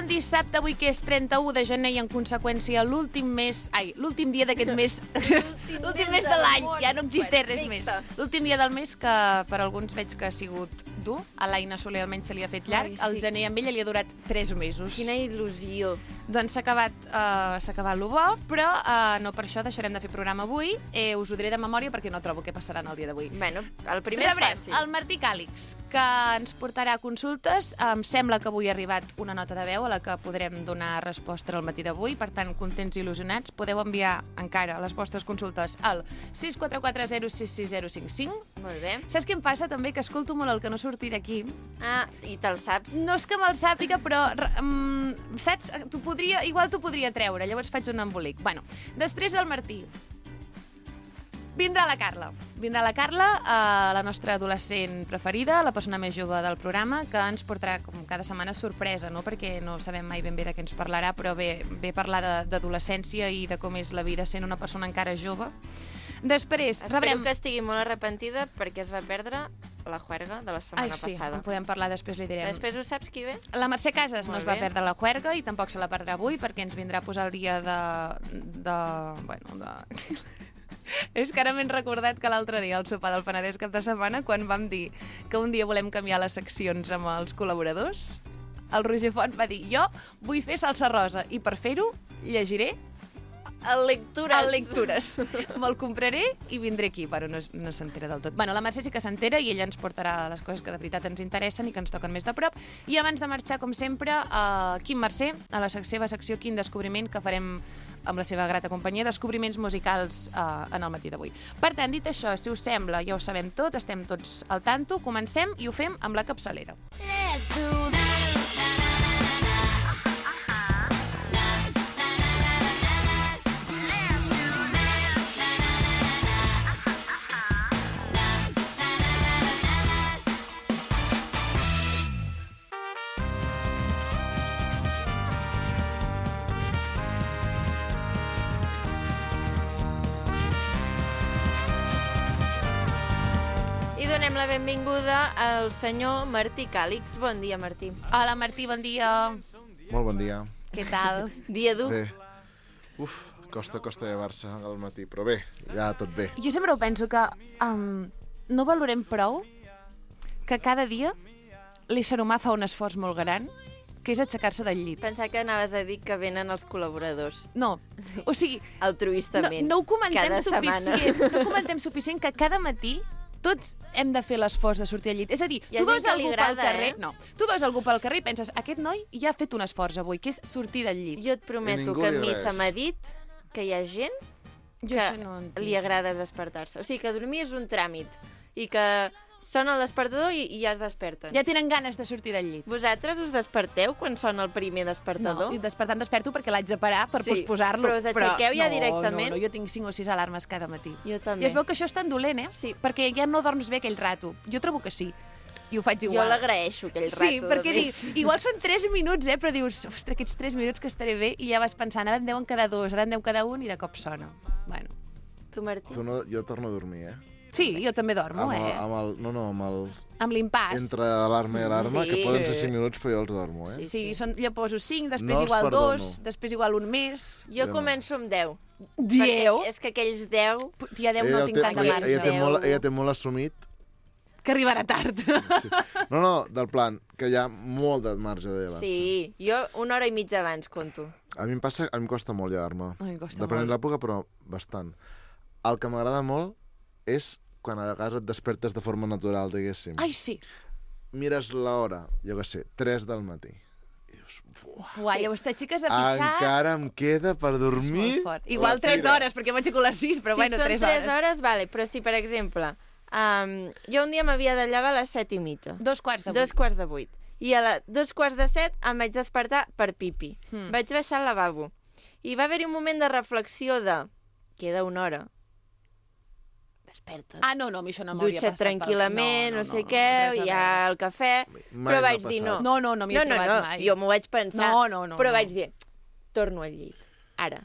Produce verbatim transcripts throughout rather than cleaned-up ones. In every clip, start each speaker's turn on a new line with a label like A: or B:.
A: dissabte, avui que és trenta-u de gener i en conseqüència l'últim mes... Ai, l'últim dia d'aquest mes... L'últim mes de l'any, ja no existeix res més. L'últim dia del mes que per alguns veig que ha sigut dur. A l'Aina Soler almenys se li ha fet llarg. Al gener amb ella li ha durat tres mesos.
B: Quina il·lusió.
A: Doncs s'ha acabat, uh, s'ha acabat lo bo, però uh, no per això deixarem de fer programa avui. Eh, us ho diré de memòria perquè no trobo què passarà en el dia d'avui.
B: Bueno, el primer
A: Rebrem
B: és fàcil.
A: el Martí Càlix, que ens portarà consultes. Em sembla que avui ha arribat una nota de veu a la que podrem donar resposta al matí d'avui. Per tant, contents i il·lusionats, podeu enviar encara les vostres consultes al sis quatre quatre zero sis sis zero cinc cinc.
B: Molt bé.
A: Saps què em passa també? Que escolto molt el que no surti d'aquí.
B: Ah, i te'l saps?
A: No és que me'l sàpiga, però um, saps? Tu podria, igual t'ho podria treure, llavors faig un embolic. Bueno, després del Martí, vindrà la Carla. Vindrà la Carla, eh, la nostra adolescent preferida, la persona més jove del programa, que ens portarà com cada setmana sorpresa, no? Perquè no sabem mai ben bé de què ens parlarà, però ve, ve parlar d'adolescència i de com és la vida sent una persona encara jove. Després,
B: Espero
A: rebrem...
B: que estigui molt arrepentida perquè es va perdre la juerga de la setmana
A: Ai, sí,
B: passada.
A: en podem parlar, després li direm.
B: Després ho saps qui ve?
A: La Mercè Casas
B: Molt
A: no es va
B: bé.
A: perdre la juerga i tampoc se la perdrà avui perquè ens vindrà a posar el dia de... de... bueno, de... És que ara m'he recordat que l'altre dia al sopar del Penedès cap de setmana, quan vam dir que un dia volem canviar les seccions amb els col·laboradors, el Roger Font va dir: jo vull fer salsa rosa i per fer-ho llegiré
B: El lectures.
A: el lectures. Me'l compraré i vindré aquí, però no, no s'entera del tot. Bueno, la Mercè sí que s'entera i ella ens portarà les coses que de veritat ens interessen i que ens toquen més de prop. I abans de marxar, com sempre, a Quim Mercè, a la seva secció Quin Descobriment, que farem amb la seva grata companyia, descobriments musicals eh, en el matí d'avui. Per tant, dit això, si us sembla, ja ho sabem tot, estem tots al tanto, comencem i ho fem amb la capçalera.
C: Let's do this.
B: I donem la benvinguda al senyor Martí Càlix. Bon dia, Martí.
A: Hola, Martí, bon dia.
D: Molt bon dia.
A: Què tal?
B: Dia dur.
D: Bé. Uf, costa, costa llevar-se al matí, però bé, ja tot bé.
A: Jo sempre ho penso que um, no valorem prou que cada dia l'ésser humà fa un esforç molt gran, que és aixecar-se del llit.
B: Pensava que anaves a dir que venen els col·laboradors.
A: No, o sigui, no,
B: Altruistament.
A: no ho comentem
B: cada
A: suficient,
B: setmana.
A: no ho comentem suficient que cada matí tots hem de fer l'esforç de sortir al llit. És a dir,
B: Hi ha
A: tu
B: gent
A: veus
B: que li
A: algú
B: agrada,
A: pel carrer...
B: eh?
A: No, tu veus algú pel carrer i penses, aquest noi ja ha fet un esforç avui, que és sortir del llit.
B: Jo et prometo
D: ningú
B: que a
D: li
B: mi
D: res.
B: se m'ha dit que hi ha gent
A: Jo
B: que
A: això no entenc.
B: li agrada despertar-se. O sigui, que dormir és un tràmit i que sona el despertador i, i ja es desperten.
A: Ja tenen ganes de sortir del llit.
B: Vosaltres us desperteu quan sona el primer
A: No,
B: despertador?
A: i despertant desperto perquè l'haig de parar per
B: Sí,
A: posposar-lo.
B: però us aixequeu ja
A: no,
B: directament?
A: No, no, jo tinc cinc o sis alarmes cada matí.
B: Jo també.
A: I es veu que això és tan dolent, eh?
B: Sí.
A: Perquè ja no dorms bé aquell rato. Jo trobo que sí. I ho faig
B: Jo
A: igual.
B: l'agraeixo, aquell rato.
A: Sí, perquè
B: de
A: dius,
B: més.
A: igual són tres minuts, eh? Però dius, ostres, aquests tres minuts que estaré bé, i ja vas pensant, ara en deuen quedar dos, ara en deu quedar un, i de cop sona. Bueno.
B: Tu, Martí?
D: Tu no, jo torno a dormir, eh?
A: Sí, jo també dormo,
D: Amb el,
A: eh?
D: amb el, no, no, amb el...
A: Amb l'impàs.
D: Entre alarma i alarma,
B: Sí.
D: que poden ser
A: Sí.
D: cinc minuts, però jo els dormo, eh?
B: Sí.
A: Sí, són, jo poso cinc, després
D: No els
A: igual
D: perdono.
A: dos, després igual un mes.
B: Jo
D: Jo no.
B: començo amb deu.
A: Dieu?
B: Perquè és que aquells deu...
A: Tia, deu no
D: Ella
A: tinc
D: té-
A: tant de
D: ella-
A: marge.
D: Ella té,
B: Deu.
D: molt, ella té molt assumit.
A: Que arribarà tard.
D: Sí. No, no, del plan, que hi ha molt de marge de llevar-se.
B: Sí, jo una hora i mitja abans conto.
D: A mi em passa, a mi em costa molt llevar-me.
A: A mi em costa
D: Depenent
A: molt.
D: de l'època, però bastant. El que m'agrada molt és quan a vegades et despertes de forma natural, diguéssim.
A: Ai, sí.
D: Mires l'hora, jo què sé, tres del matí. I dius, buah,
A: Uà,
B: Sí.
A: llavors t'aixeques a pixar.
D: encara em queda per dormir?
A: Molt fort. Igual
D: La
A: tres
D: fira.
A: hores, perquè m'aixeco a les sis, però
B: si
A: bueno,
B: són
A: tres
B: tres
A: hores.
B: hores, vale, però si, per exemple, um, jo un dia m'havia de llevar a les set i mitja.
A: Dos quarts de vuit.
B: Dos quarts de vuit. I a la, dos quarts de set em vaig despertar per pipi.
A: Hmm.
B: Vaig baixar al lavabo. I va haver-hi un moment de reflexió de... Queda una hora. Desperta't.
A: Ah, no, no, a mi això no m'hauria
B: Dutxa't
A: passat. pel-
B: tranquil·lament, no, sé què,
A: res a
B: hi ha
A: veure.
B: el cafè...
D: Mai
B: però
D: m'ha
B: vaig dir no.
D: passat.
A: No, no, no m'hi he
B: no, no,
A: trobat
B: no,
A: mai.
B: jo m'ho vaig pensar.
A: No, no, no,
B: però
A: no.
B: vaig dir, torno al llit. Ara,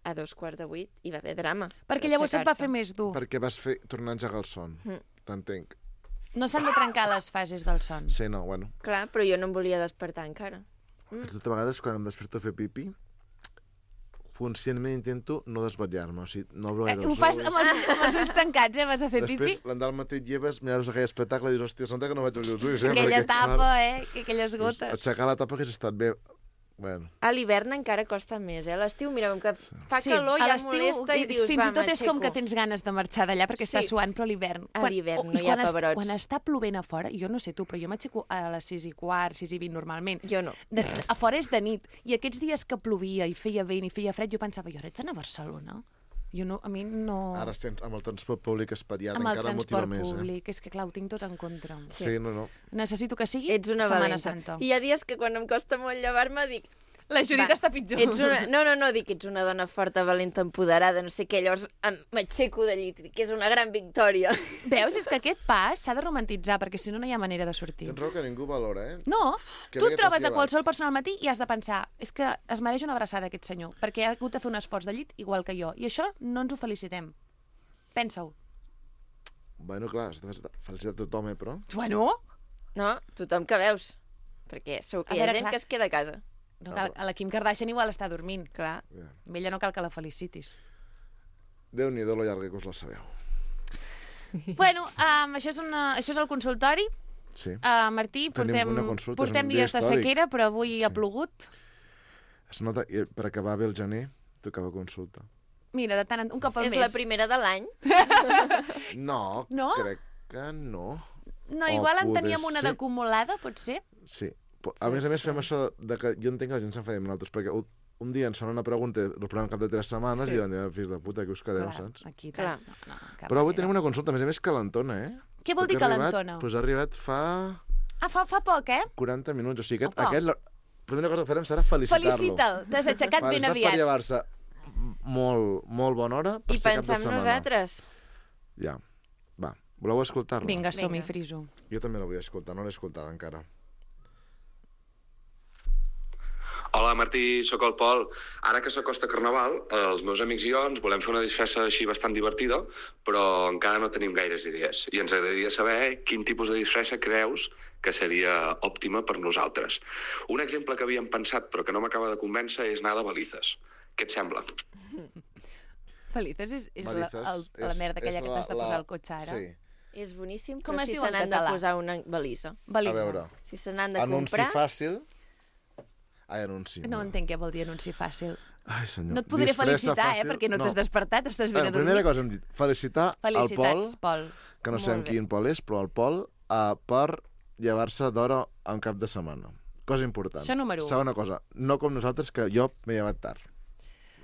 B: a dos quarts de vuit, hi va haver drama.
A: Perquè
B: per
A: llavors et va
B: aixecar-se.
A: fer més dur.
D: Perquè vas fer tornar a engegar el son.
B: Mm.
D: T'entenc.
A: No s'han de trencar les fases del son.
D: Sí, no, bueno.
B: Clar, però jo no em volia despertar encara.
D: fins i tot a vegades quan em desperto a fer pipi, conscientment intento no desvetllar-me, o sigui, no obro
A: Eh,
D: gaire
A: ho
D: els
A: fas
D: ulls.
A: amb els, amb els ulls tancats, eh? Vas a fer
D: Després,
A: pipi?
D: l'endemà al matí lleves, mires aquell espectacle i dius, hòstia, sembla que no vaig obrir els ulls, eh?
A: Aquella
D: perquè,
A: tapa,
D: clar,
A: eh? Que aquelles
D: dius,
A: gotes.
D: Aixecar la tapa hagués estat bé. Bueno,
B: A l'hivern encara costa més, eh? A l'estiu, mira, com que fa
A: Sí,
B: calor,
A: a
B: ja
A: l'estiu,
B: molesta i
A: és-
B: dius,
A: fins
B: va,
A: i tot és com que
B: m'aixeco.
A: tens ganes de marxar d'allà perquè
B: Sí.
A: està suant, però a l'hivern...
B: A
A: quan-
B: l'hivern
A: oh,
B: no
A: i
B: hi ha
A: quan es-
B: pebrots.
A: Quan està plovent a fora, jo no sé tu, però jo m'aixeco a les sis i quart, sis i vint normalment.
B: Jo no.
A: De, a fora és de nit. I aquests dies que plovia i feia vent i feia fred, jo pensava, jo ara ets anar a Barcelona? Jo no, a mi no...
D: ara estem amb el transport públic espatllat,
A: amb el
D: encara motiva
A: transport
D: més,
A: públic, és que clar, ho tinc tot en contra.
D: eh? Sí, no, no.
A: Necessito que sigui
B: Ets una
A: Setmana
B: valenta.
A: Santa.
B: I hi ha dies que quan em costa molt llevar-me dic...
A: La Judit
B: Va,
A: està pitjor.
B: Ets una... No, no, no, dic que ets una dona forta, valenta, empoderada, no sé què, llavors em- m'aixeco de llit, que és una gran victòria.
A: Veus? És que aquest pas s'ha de romantitzar, perquè si no, no hi ha manera de sortir.
D: Tens raó que ningú valora, eh?
A: No,
D: Que
A: tu
D: bé
A: et
D: que t'has
A: trobes a
D: llevat.
A: qualsevol persona al matí i has de pensar és que es mereix una abraçada aquest senyor, perquè ha hagut de fer un esforç de llit igual que jo. I això no ens ho felicitem. Pensa-ho.
D: Bueno, clar, has de felicitar tothom, eh, però...
A: Bueno,
B: No? Tothom que veus. Perquè segur que
A: A
B: hi ha
A: veure,
B: gent
A: clar.
B: que es queda a casa.
A: no cal, a la Kim Kardashian igual està dormint.
B: Clar.
D: Ja.
A: A ella no cal que la felicitis.
D: Déu-n'hi-do lo llarga que us la sabeu.
A: Bueno, um, això, és una, això és el consultori.
D: Sí.
A: Uh, Martí,
D: Tenim
A: portem,
D: una consulta, és
A: portem
D: un dia
A: dies de
D: històric.
A: sequera, però avui ha plogut.
D: Es nota, i per acabar bé el gener, tocava consulta.
A: Mira, de tant en un cop al
B: És
A: mes.
B: la primera de l'any.
D: No,
A: No?
D: crec que no.
A: No,
D: O
A: igual en
D: poder
A: teníem una
D: ser.
A: d'acumulada, pot ser?
D: Sí. Po- A més a més, fem això de que jo entenc que la gent s'enfadi amb nosaltres, perquè un- un dia ens fan una pregunta, respondem al cap de tres setmanes
B: Sí.
D: i diuen, fills de puta, que us quedeu,
A: Clar,
D: saps?
A: aquí
B: Clar.
A: tal. No, no, cap
D: Però avui
A: manera.
D: tenim una consulta, a més a més, calentona, eh?
A: Què vol dir
D: Perquè ha arribat-
A: calentona?
D: Doncs ha arribat fa
A: Ah, fa, fa poc, eh?
D: quaranta minuts, o sigui, aquest,
A: Opa.
D: aquest la primera cosa que farem serà felicitar-lo.
A: Felicita'l, t'has aixecat ben
D: Per
A: aviat.
D: llevar-se molt, molt bona hora per
B: I
D: ser cap
B: pensar
D: de
B: en
D: setmana.
B: nosaltres.
D: Ja. Va, voleu escoltar-la?
A: Vinga, som-hi,
B: Vinga.
A: friso.
D: Jo també la vull escoltar, no l'he escoltada encara.
E: Hola Martí, sóc el Pol. Ara que s'acosta Carnaval, els meus amics i jo ens volem fer una disfressa així bastant divertida, però encara no tenim gaires idees. I ens agradaria saber quin tipus de disfressa creus que seria òptima per nosaltres. Un exemple que havíem pensat però que no m'acaba de convèncer és anar de balices. Què et sembla?
A: Felices és, és
D: Balices
A: la, el, la
D: és-
A: merda aquella
D: és
A: que
D: la-
A: t'has de
D: la-
A: posar al cotxe ara.
D: Sí.
B: És boníssim,
A: Com
B: però
A: es
B: si
A: diu
B: se
A: en
B: n'han de
A: català?
B: posar una balisa.
A: Balisa.
D: A veure,
B: Si se n'han de
D: anunci
B: comprar...
D: fàcil... Ai, anunci.
A: No entenc què vol dir anunci fàcil.
D: Ai, senyor.
A: No et podré
D: Disfressa
A: felicitar, eh,
D: fàcil.
A: perquè no, t'has despertat, estàs ben
D: Bueno,
A: a dormir.
D: primera cosa hem dit, felicitar al Pol,
A: Felicitats, Pol.
D: que no
B: Molt
D: sabem
B: bé.
D: quin Pol és, però el Pol, uh, per llevar-se d'hora en cap de setmana. Cosa important.
A: Això número u.
D: Segona cosa, no com nosaltres, que jo m'he llevat tard.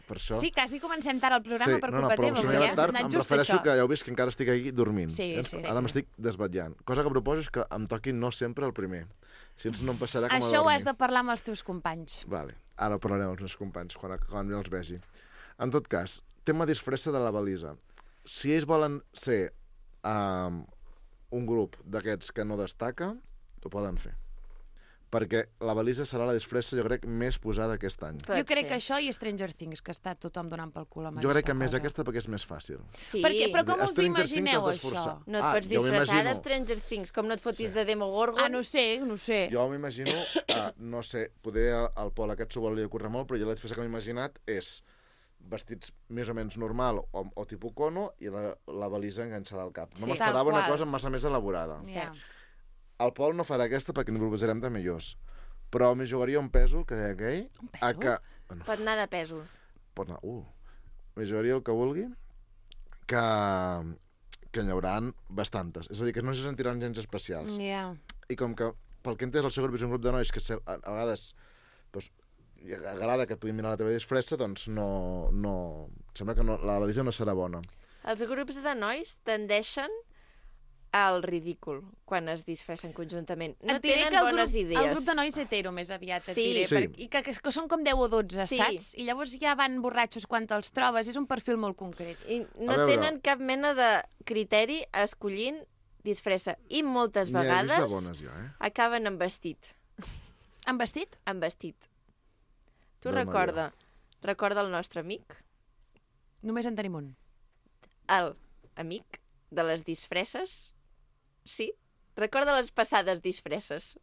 D: Per això...
A: Sí, quasi comencem tard el programa per
D: no, no,
A: culpa
D: però
A: teva.
D: si m'he
A: perquè
D: llevat tard,
A: ha
D: em
A: anat just
D: refereixo
A: això.
D: que ja heu vist que encara estic aquí dormint.
A: Sí,
D: eh?
A: sí,
D: Ara
A: sí.
D: m'estic desvetllant. Cosa que proposo és que em toqui no sempre el primer. Si no em passarà com a
A: Això ho
D: dormir.
A: has de parlar amb els teus companys.
D: Vale, ara parlarem amb els meus companys quan, quan els vegi. En tot cas, tema disfressa de la balisa. Si ells volen ser um, un grup d'aquests que no destaca, ho poden fer. Perquè la balisa serà la disfressa, jo crec, més posada aquest any.
B: Pot
A: jo crec
B: ser.
A: que això i Stranger Things, que està tothom donant pel cul amb
D: Jo crec que
A: aquesta
D: més
A: cosa.
D: aquesta perquè és més fàcil.
B: Sí.
A: Perquè, però com us
D: Stranger Things
A: imagineu,
D: has d'esforçar.
A: això?
B: No et
D: Ah,
B: pots
D: jo
B: disfressar
D: m'imagino.
B: de Stranger Things, com no et fotis
D: Sí.
B: de Demogorgon.
A: Ah, no sé, no sé.
D: Jo m'imagino, uh, no sé, poder el, el Pol aquest s'ho volia córrer molt, però jo la disfressa que m'he imaginat és vestits més o menys normal o, o tipus cono i la, la balisa enganxada al cap. No
B: Sí.
D: m'esperava
A: Tal
D: una
A: qual.
D: cosa massa més elaborada.
A: Ja.
D: El Pol no farà aquesta perquè n'hi proposarem de millors. Però m'hi jugaria un pèsol, que deia aquell,
A: Un
D: a
A: pèsol?
D: que... Bueno,
B: Pot anar de pèsol.
D: pot anar... Uh, m'hi jugaria el que vulgui, que, que n'hi haurà bastantes. És a dir, que no se sentiran gens especials.
A: Ja.
D: I com que, pel que he entès, el seu grup és un grup de nois que se, a, a vegades doncs, i agrada que et puguin mirar la teva disfressa, doncs no... no sembla que no, la balisa no serà bona.
B: Els grups de nois tendeixen al ridícul quan es disfressen conjuntament. No
A: Et diré
B: tenen
A: que el
B: bones
A: grup,
B: idees.
A: El grup de nois hetero més aviat, et
B: Sí.
A: diré.
D: Sí.
A: Per, I que, que, que són com deu o dotze,
B: Sí.
A: saps? I llavors ja van borratxos quan te'ls trobes. És un perfil molt concret.
B: I no
D: A veure.
B: tenen cap mena de criteri escollint disfressa. I moltes
D: N'hi he vist de
B: vegades
D: bones, jo, eh?
B: acaben amb vestit.
A: Han vestit?
B: Amb vestit. Tu
D: Dona
B: recorda, recorda el nostre amic,
A: Només en tenim un.
B: el amic de les disfresses? Sí? Recorda les passades disfresses.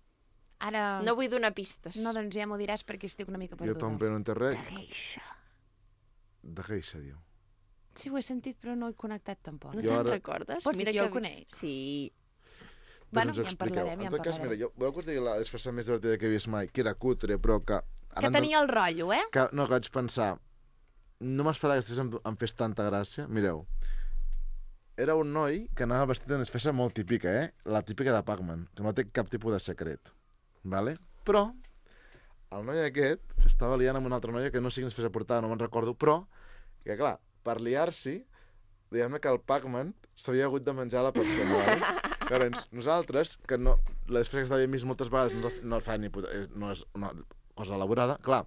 A: Ara...
B: No vull donar pistes.
A: No, doncs ja m'ho diràs perquè estic una mica
D: Jo
A: perduda.
D: també no entenc res.
B: Geisha.
D: De geisha, diu.
A: Sí, ho he sentit, però no he connectat tampoc.
B: No
D: Jo
B: te'n
D: ara-
B: recordes?
A: Pots dir que jo
B: que...
A: el conec?
B: Sí.
A: Bueno,
D: Doncs ens
A: ja en
D: expliqueu.
A: parlarem, ja
D: En
A: en
D: tot cas, mira,
A: parlarem.
D: jo, veu que us deia la disfressa més divertida que he vist mai, que era cutre, però que...
A: Que tenia el rotllo, eh?
D: Que, no, que vaig pensar... No m'esperava que després em, em fes tanta gràcia. Mireu, era un noi que anava vestit d'una disfressa molt típica, eh? La típica de Pac-Man, que no té cap tipus de secret. Vale? Però el noi aquest s'estava liant amb una altra noia que no sé quina disfressa portava, no me'n recordo, però que clar, per liar-s'hi, diguem-ne que el Pac-Man s'havia hagut de menjar la persona, vale? Llavors, nosaltres, que no, la disfressa que l'havíem vist moltes vegades, no, no el fa ni puta, eh, no és una cosa elaborada, clar,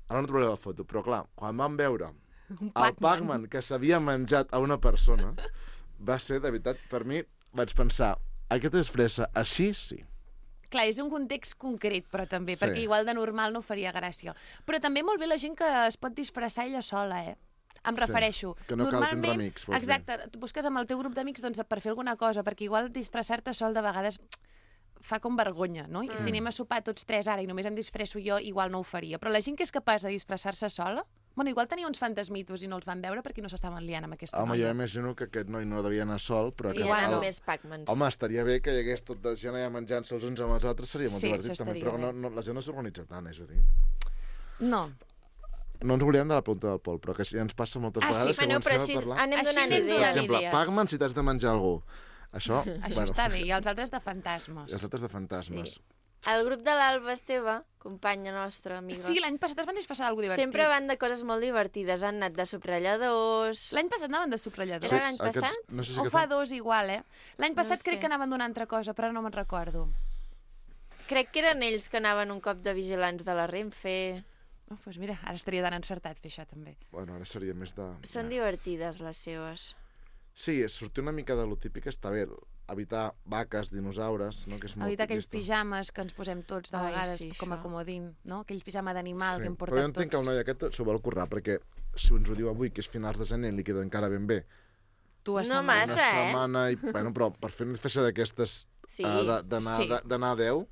D: ara no trobaré la foto, però clar, quan vam veure el Pac-Man que s'havia menjat a una persona, va ser, de veritat, per mi, vaig pensar, aquesta disfressa, així sí.
A: Clar, és un context concret, però també,
D: Sí.
A: perquè igual de normal no faria gràcia. Però també molt bé la gent que es pot disfressar ella sola, eh? Em
D: Sí,
A: refereixo.
D: que no cal
A: Normalment,
D: tindre amics, vols dir.
A: exacte, tu busques amb el teu grup d'amics doncs, per fer alguna cosa, perquè igual disfressar-te sol de vegades fa com vergonya, no? I si anem a sopar tots tres ara i només em disfresso jo, igual no ho faria. Però la gent que és capaç de disfressar-se sola, bueno, igual tenia uns fantasmitos i no els van veure perquè no s'estaven liant amb aquesta
D: Home, jo
A: noia.
D: imagino que aquest noi no devia anar sol, però...
B: I
D: Que
B: eren
A: Igual.
B: més Pac-Mans.
D: Home, estaria bé que hi hagués tot de gent allà menjant-se els uns amb els altres, seria molt
A: Sí,
D: divertit
A: això
D: també,
A: estaria
D: però
A: bé.
D: no, no, la gent no s'organitza tant, és a dir.
A: No.
D: No ens oblidem de la pregunta del Pol, però que ja ens passa moltes
A: Ah, sí?
D: vegades
B: Bueno,
D: que
B: però
D: comencem
B: així
D: a parlar...
B: anem
A: Així
B: donant
A: anem
D: Per
B: idees.
A: donant
D: exemple,
A: idees.
D: Pac-Man si t'has de menjar algú. Això,
A: Això
D: bueno,
A: està bé, i els altres de fantasmes.
D: i els altres de fantasmes.
B: Sí. El grup de l'Alba Esteve, companya nostra, amiga,
A: Sí, l'any passat es van disfressar d'algú divertit.
B: sempre van de coses molt divertides. Han anat de subratlladors...
A: L'any passat anaven de subratlladors.
B: Era l'any passat?
D: No sé si
A: O
D: aquest
A: fa
D: any-
A: dos igual, eh? L'any passat
B: sé.
A: crec que anaven d'una altra cosa, però no me'n recordo.
B: Crec que eren ells que anaven un cop de vigilants de la Renfe.
A: Oh, doncs mira, ara estaria tan encertat fer això, també.
D: Bueno, ara seria més de...
B: Són
D: ja.
B: divertides, les seves.
D: Sí, sortir una mica de lo típic està bé. Evitar vaques, dinosaures, no? Que és molt
A: Evitar aquells
D: tiquista.
A: pijames que ens posem tots de
B: Ai,
A: vegades
B: sí,
A: com a
B: això.
A: comodín, no? Aquells pijama d'animal que hem
D: Però
A: portat
D: jo entenc que el
A: tots.
D: noi aquest s'ho vol currar, perquè si ens ho diu avui, que és finals de gener, li queda encara ben bé.
A: Dues
B: No
A: setmanes.
B: massa,
D: Una
B: eh?
D: setmana i... Bueno, però per fer una disfressa d'aquestes
B: Sí.
D: eh, de- d'anar
A: Sí.
D: de- d'anar a deu,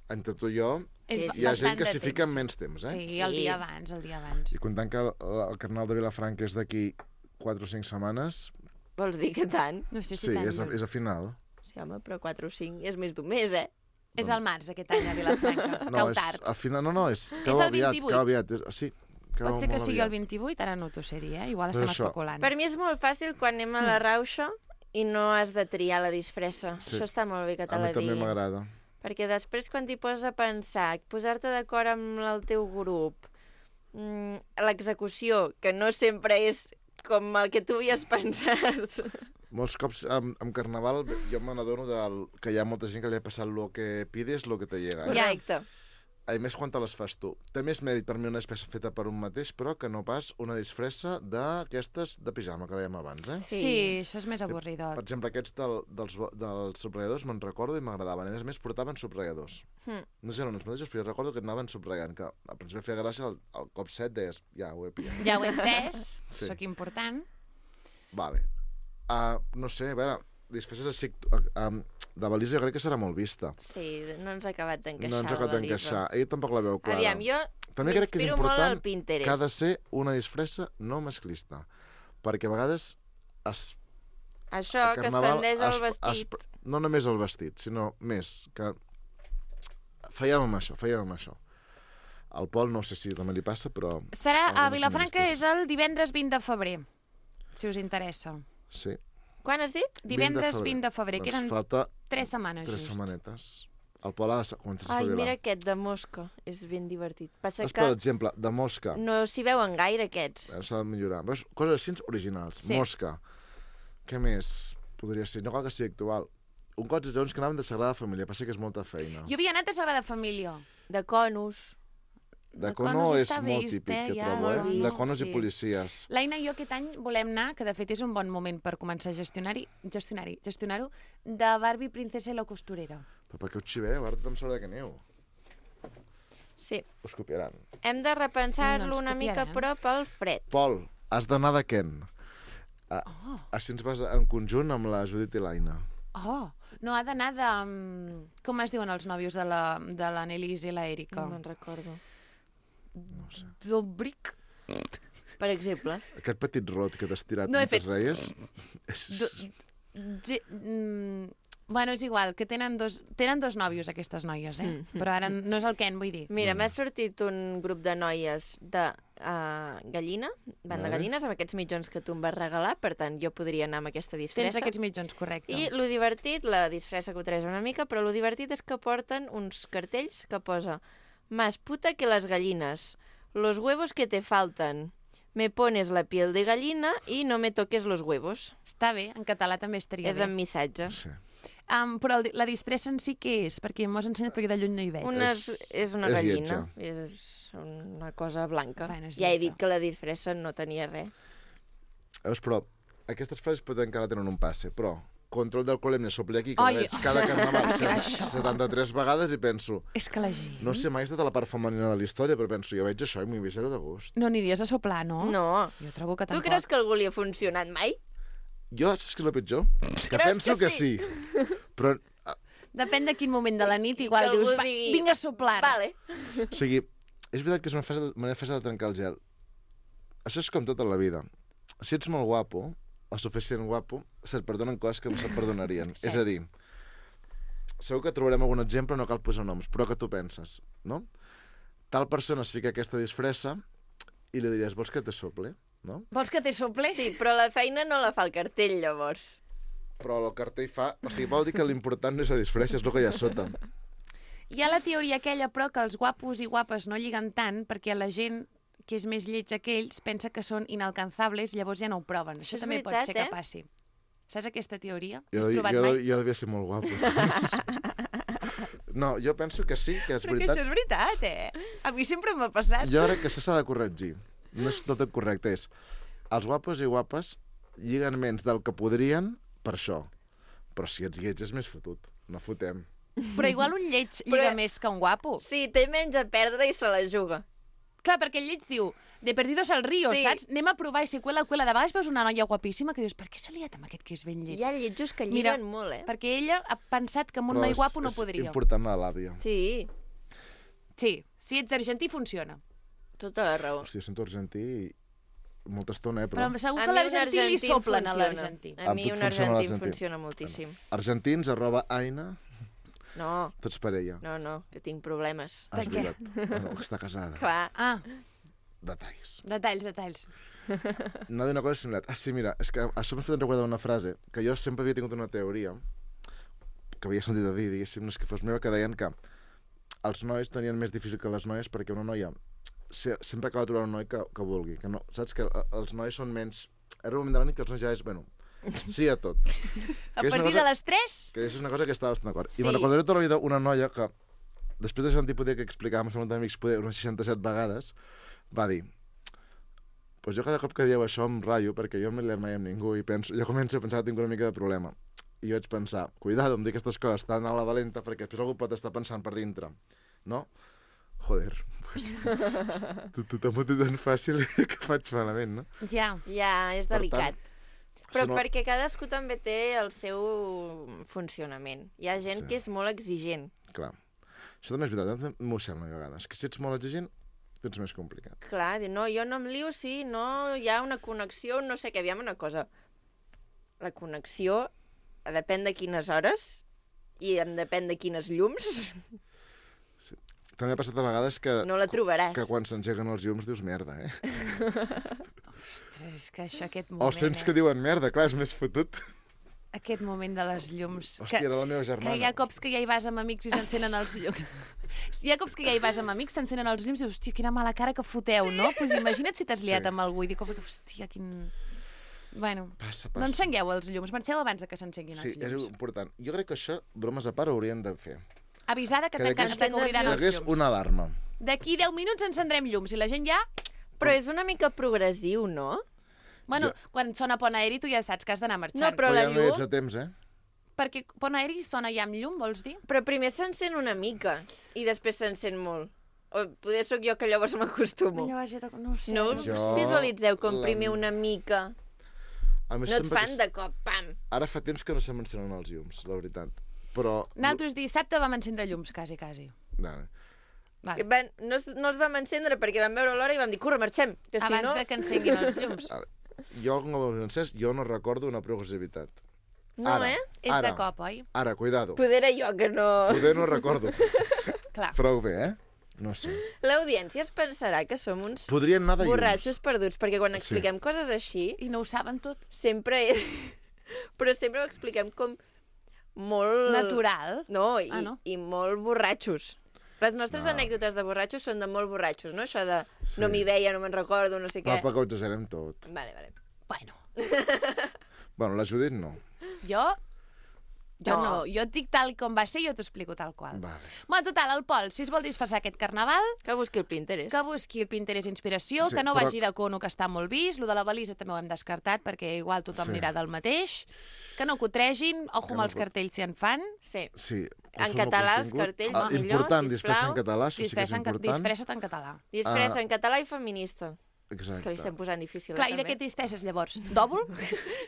D: entre tu i jo,
A: És
B: Sí,
A: ba-
B: sí.
D: hi ha
A: bastant
D: gent que
A: de
D: s'hi
A: temps,
D: fica en
A: sí.
D: menys temps, eh?
A: Sí, el
B: Sí.
A: dia abans, el dia abans.
D: I comptant que el, el Carnaval de Vilafranca és d'aquí quatre o cinc setmanes,
B: Vols dir que tant?
A: No sé si
D: sí,
A: tant.
D: és a, és a final.
B: Sí, home, però quatre o cinc és més d'un mes, eh?
A: És al març, aquest any, a Vilafranca.
D: No,
A: Cau
D: és,
A: tard.
D: al final, no, no, és, cau
A: el
D: aviat,
A: vint-i-vuit.
D: cau aviat. És, sí, cau
A: Pot ser que
D: molt
A: sigui
D: aviat.
A: el vint-i-vuit, ara no t'ho sé dir, eh? Igual
D: Però
A: estem
D: això-
A: especulant.
B: Per mi és molt fàcil quan anem a la rauxa i no has de triar la disfressa.
D: Sí.
B: Això està molt bé que te
D: A mi
B: la
D: també
B: diguin.
D: m'agrada.
B: Perquè després quan t'hi poses a pensar, posar-te d'acord amb el teu grup, mm, l'execució, que no sempre és com el que tu havies pensat.
D: Molts cops amb, amb Carnaval jo me n'adono del, que hi ha molta gent que li ha passat lo que pides, lo que te llega. Eh?
B: Correcte.
D: A més, quan te les fas tu. Té més mèrit per mi una disfressa feta per un mateix, però que no pas una disfressa d'aquestes de pijama, que dèiem abans, eh?
B: Sí.
A: Sí, això és més avorridor.
D: Per exemple, aquests del, dels, dels subratlladors me'n recordo i m'agradaven. A més a més, portaven subratlladors.
B: Hm.
D: No sé si eren els mateixos, però jo recordo que anaven subratllant, que al principi feia gràcia, al, al cop set deies, ja, ho he pillat.
A: Ja ho he entès,
D: Sí.
A: sóc important.
D: Vale. Uh, no sé, a veure, disfresses així, uh, um, de balisa jo crec que serà molt vista.
B: Sí, no ens ha acabat d'encaixar
D: No ens ha
B: la
D: acabat
B: balisa.
D: d'encaixar. Ell tampoc la veu clara.
B: Aviam, jo
D: També crec que és
B: m'inspiro molt al
D: important
B: Pinterest.
D: que ha de ser una disfressa no masclista. Perquè a vegades es,
B: Això,
D: al
B: que es
D: Carnaval
B: tendeix al
D: es-
B: vestit.
D: es- no només el vestit, sinó més, que fèiem amb això, fèiem amb això. Al Pol no sé si també li passa, però...
A: Serà a
D: algunes
A: Vilafranca, és
D: feministes.
A: el divendres vint de febrer, si us interessa.
D: Sí.
B: Quan has dit?
A: Divendres vint de febrer, que
D: Doncs
A: eren
D: falta
A: tres setmanes
D: tres
A: just.
D: setmanetes. El Pol ha de començar a
B: Ai,
D: espavilar.
B: mira aquest de mosca. És ben divertit. Passa
D: Doncs, per
B: que
D: exemple, de mosca.
B: no s'hi veuen gaire, aquests.
D: Ara s'ha de millorar. Veus? Coses així originals.
A: Sí.
D: Mosca. Què més podria ser? No cal que sigui actual. Un cots de Jones que anaven de Sagrada Família. Passa que és molta feina.
A: Jo havia anat a Sagrada Família.
B: De conus.
D: De
A: de
D: Cono
A: conos
D: és
A: està
D: molt
A: vist,
D: típic,
A: eh,
D: que
A: ja,
D: trobo, eh?
B: molt
D: De
B: vist,
D: conos
B: sí.
D: i policies.
A: L'Aina i jo aquest any volem anar, que de fet és un bon moment per començar a gestionar-hi, gestionar-hi, gestionar-ho, de Barbie, Princesa i la costurera.
D: Però per què ho xiveu? Ara tothom sabrà que aneu.
B: Sí.
D: Us copiaran.
B: Hem de repensar-lo
A: No ens
B: una mica,
A: copiaran.
B: però pel fred.
D: Pol, has d'anar de Ken. A,
A: Oh.
D: Així ens vas en conjunt amb la Judit i l'Aina.
A: Oh, no ha d'anar de... um, Com es diuen els nòvios de la, de la Nelis i la Erika?
B: No me'n recordo.
D: No sé.
A: Dolbric?
B: Per exemple.
D: Aquest petit rot que t'has tirat
A: No he
D: mentre
A: fet-
D: reies... És...
A: Do... Ge... Mm... Bueno, és igual, que tenen dos, tenen dos nòvios aquestes noies, eh?
B: Mm.
A: Però ara no és el Ken, vull dir.
B: Mira, m'ha sortit un grup de noies de uh, gallina, van de
D: Vale.
B: gallines, amb aquests mitjons que tu em vas regalar, per tant, jo podria anar amb aquesta disfressa.
A: Tens aquests mitjons, correcte.
B: I lo divertit, la disfressa que ho traeix una mica, però lo divertit és que porten uns cartells que posa más puta que las gallinas, los huevos que te faltan, me pones la piel de gallina y no me toques los huevos.
A: Està bé, en català també estaria
B: És
A: bé.
B: en missatge.
D: Sí.
A: Um, però el, la disfressa en si què és? Perquè m'ho has ensenyat perquè de lluny no hi veig.
B: Una és, és una
D: és
B: gallina,
D: lletja.
B: és una cosa blanca.
A: Bueno, és
B: ja he
A: lletja.
B: dit que la disfressa no tenia res.
D: Veus, però aquestes frases poden encara tenen un passe, però control d'alcoholèmia sopli aquí, que
A: Ai,
D: la veig cada carnaval
A: Això.
D: set- setanta-tres vegades i penso,
A: És que la gent...
D: no sé mai de la part femenina de la història, però penso, jo veig això i m'hi veig zero de gust.
A: No aniries a soplar, no?
B: No.
A: Jo trobo que
B: Tu
A: tampoc.
B: creus que algú li ha funcionat mai?
D: Jo, saps què és el pitjor? Que
B: Creus
D: penso
B: que
D: que sí. Però,
A: Depèn de quin moment de la nit, igual
B: Que algú
A: dius, va,
B: digui,
A: vinga a soplar.
B: Vale.
D: o sigui, és veritat que és una fase, manera fase de trencar el gel. Això és com tota la vida. Si ets molt guapo, o suficient guapo, se't perdonen coses que no se't perdonarien.
A: Sí.
D: És a dir, segur que trobarem algun exemple, no cal posar noms, però que tu penses, no? Tal persona es fica aquesta disfressa i li diries, vols que te sople? No?
A: Vols que te sople?
B: Sí, però la feina no la fa el cartell, llavors.
D: Però el cartell fa... O sigui, vol dir que l'important no és la disfressa, és el que hi ha sota.
A: Hi ha la teoria aquella, però, que els guapos i guapes no lliguen tant perquè la gent que és més lletja que ells pensa que són inalcanzables, llavors ja no ho proven. Això,
B: Això és
A: també
B: veritat,
A: pot ser que
B: eh?
A: passi. Saps aquesta teoria?
D: Jo,
A: Has
D: jo,
A: provat
D: jo,
A: mai?
D: jo devia ser molt guapo. No, jo penso que sí, que és
A: Però que
D: veritat.
A: això és veritat, eh? A mi sempre m'ha passat.
D: Jo crec que això s'ha de corregir. No és tot el correcte, és... Els guapos i guapes lliguen menys del que podrien per això. Però si ets lleig és més fotut. No fotem.
A: Però igual un lleig lliga
B: Però-
A: més que un guapo.
B: Sí, té menys a perdre i se la juga.
A: Clar, perquè el lleig diu, de perdidos al río,
B: Sí.
A: saps? Anem a provar i si cuela, cuela. De vegades veus una noia guapíssima que dius, per què s'ha liat amb aquest que és ben lleig?
B: Hi ha lletjos que
A: Mira,
B: lliguen molt, eh?
A: Perquè ella ha pensat que amb un
D: Però
A: noi
D: és-
A: guapo no
D: és
A: podria.
D: important la làbia.
B: Sí,
A: Sí, si ets argentí funciona.
B: tota la raó.
D: Hòstia, sento argentí i molta estona, eh?
A: Però,
D: Però...
A: segur
B: A
A: que
B: mi un
A: l'argentí li
B: argentí em
A: soplen a
B: funciona.
A: l'argentí.
B: A
D: Amb
B: mi
D: tu et
B: un
D: funciona
B: argentí em
D: l'argentí.
B: funciona moltíssim.
D: Argentins, arroba Aina,
B: No,
D: tots parella.
B: no, no, que tinc problemes.
D: Ah, és
A: De què?
D: veritat. Ah, no, està casada.
B: Clar.
A: Ah,
D: Detalls.
A: detalls, detalls.
D: No d'una cosa similar. Ah, sí, mira, és que això m'ha fet recordar una frase que jo sempre havia tingut una teoria que havia sentit a dir, diguéssim, no és que fos meva, que deien que els nois tenien més difícil que les noies perquè una noia se- sempre acaba trobant un noi que, que vulgui. Que no, saps que eh, els nois són menys... Era un moment de la nit que els nois ja és, bueno, sí a tot.
A: A
D: Que és una
A: partir
D: cosa-
A: de les tres?
D: Que això és una cosa que estava bastant d'acord.
B: Sí.
D: I me'n recordaré tota la vida una noia que, després de sentir poder que explicàvem als meus amics poder unes seixanta-set vegades, va dir, pues jo cada cop que dieu això em ratllo perquè jo no m'he liat mai amb ningú i penso, jo començo a pensar que tinc una mica de problema. I jo vaig pensar, cuidado amb dir aquestes coses tan a la valenta perquè després algú pot estar pensant per dintre. No? Joder, pues, tu, tu t'ho té tan fàcil que faig malament, no?
A: Ja.
B: Ja, és
D: Per
B: delicat.
D: tant,
B: Però
D: si no-
B: perquè cadascú també té el seu funcionament. Hi ha gent
D: Sí.
B: que és molt exigent.
D: Clar. Això també és veritat, m'ho sembla a vegades, que si ets molt exigent, tens més complicat.
B: Clar, dir, no, jo no em lio si no hi ha una connexió, no sé què, aviam una cosa. La connexió depèn de quines hores i em depèn de quines llums,
D: També ha passat a vegades que,
B: no la trobaràs.
D: que quan s'engeguen els llums dius merda, eh?
A: Ostres, és que això, aquest moment...
D: O sents
A: eh?
D: que diuen merda, clar, és més fotut.
A: Aquest moment de les llums.
D: Hòstia,
A: que,
D: era la meva
A: que
D: germana.
A: hi ha cops que ja hi vas amb amics i s'encenen els llums. Hi ha cops que ja hi vas amb amics, s'encenen els llums i dius, hòstia, quina mala cara que foteu, no? Doncs pues imagina't si t'has liat
D: Sí.
A: amb algú i dic, hòstia, quin... Bueno,
D: Passa,
A: no
D: passa.
A: encengueu els llums, marxeu abans de que s'encenguin
D: Sí,
A: els
D: és
A: llums.
D: important. Jo crec que això, bromes a part, ho haurien de fer.
A: Avisada que
D: Que
A: tanquen,
D: hagués-
A: que obriran
D: Hi
A: els
D: hagués
A: llums.
D: una alarma.
A: D'aquí deu minuts encendrem llums i la gent ja...
B: Però és una mica progressiu, no?
A: Bueno,
D: Jo-
A: quan sona Pont Aeri tu ja saps que has d'anar marxant.
B: No, però
D: Però
B: la
D: ja no hi ets
B: llum...
D: a temps, eh?
A: Perquè Pont Aeri sona ja amb llum, vols dir?
B: Però primer s'encén una mica i després s'encén molt. O poder sóc jo que llavors m'acostumo.
A: Llavors ja toc- no ho sé.
B: No
A: no ho
B: us
A: sé.
D: Jo-
B: visualitzeu com
D: la-
B: primer una mica
D: A més,
B: No et
D: sempre
B: fan
D: que...
B: de cop, pam.
D: Ara fa temps que no se m'encenen els llums, la veritat. Però...
A: Nosaltres dissabte vam encendre llums, quasi, quasi.
D: Vale.
A: Vale.
B: Van, no, es- no els vam encendre perquè vam veure l'hora i vam dir, corre, marxem, que si
A: Abans
B: no...
A: de que encenguin els llums.
D: Ara, jo, com ho encès, jo no recordo una progressivitat.
B: No,
D: ara,
B: eh?
A: És
D: ara,
A: de cop, oi?
D: Ara, cuidado.
B: Poder era jo que no...
D: Poder no recordo.
A: Clar.
D: Prou bé, eh? No sé.
B: L'audiència es pensarà que som uns
D: Podrien anar de llums.
B: borratxos perduts, perquè quan
D: Sí.
B: expliquem coses així,
A: I no ho saben tot.
B: sempre... Però sempre ho expliquem com molt...
A: Natural.
B: No, i,
A: Ah, no?
B: i molt borratxos. Les nostres
D: No.
B: anècdotes de borratxos són de molt borratxos, no? Això de
D: Sí.
B: no m'hi veia, no me'n recordo, no sé
D: Va,
B: què.
D: perquè ho exagerem tot.
B: Vale, vale.
A: Bueno,
D: Bueno, la Judit no.
A: jo... Jo
B: No.
A: no. Jo et dic tal com va ser i jo t'ho explico tal qual.
D: Vale.
A: Bueno, total, el Pol, si es vol disfressar aquest carnaval,
B: Que busqui el Pinterest.
A: que busqui el Pinterest Inspiració,
D: Sí,
A: que no
D: però-
A: vagi de cono, que està molt vist. Lo de la balisa també ho hem descartat, perquè igual tothom
D: Sí.
A: anirà del mateix. Que no cotregin, ojo
D: Que
A: amb
D: no
A: els
D: cut-
A: cartells si en fan.
B: Sí.
D: Sí.
B: En
D: consum el
B: català, els
D: contingut.
B: cartells,
D: Ah,
B: millor,
D: important,
B: sisplau.
D: disfressa en català, això sí que és
A: Disfressa en,
D: important.
A: disfressa't en català.
B: Disfressa
D: Ah.
B: en català i feminista.
D: Exacte.
B: És que li estem posant difícil,
A: Clar,
B: eh,
A: i de
B: també.
A: què t'disfresses llavors? D'òvul?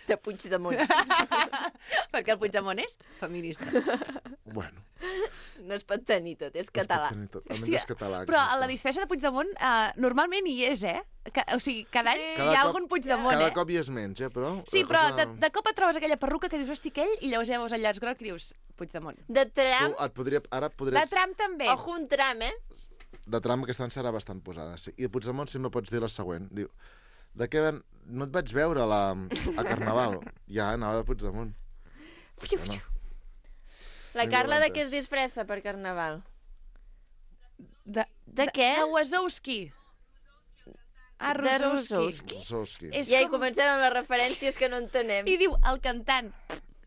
B: De Puigdemont.
A: Perquè el Puigdemont és feminista.
D: Bueno,
B: No es pot tenir tot, és català.
D: es pot tenir tot. Almenys
A: Hòstia,
D: és català.
A: Però a
D: exacte.
A: la disfressa de Puigdemont uh, normalment hi és, eh? Que, o sigui, cada any
B: Sí.
A: hi
D: Cada
A: ha
D: cop-
A: algun Puigdemont,
D: Cada
A: eh?
D: cop hi és menys, eh, però...
A: Sí,
D: la
A: però
D: cosa-
A: de, de cop et trobes aquella perruca que dius, hosti, aquell, i llavors ja veus el llaç groc i dius, Puigdemont.
B: De tram,
D: Tu et podria... Ara
A: De
D: podries...
A: tram també.
B: ojo un tram, eh?
D: De tram aquest any serà bastant posada, sí. I de Puigdemont sempre pots dir la següent. Diu, de què ven... No et vaig veure a, la... a Carnaval. Ja, anava de Puigdemont.
B: Fiu,
D: Bueno,
B: fiu. La
D: Vinga,
B: Carla de què
D: Vantes.
B: es disfressa per Carnaval?
A: De,
B: De què?
A: De Wazowski. Ah,
B: De
A: Rosowski.
B: Rosowski.
D: Rosowski.
A: És
B: I ja hi
A: com-
B: comencem amb les referències que no entenem.
A: I diu, el cantant.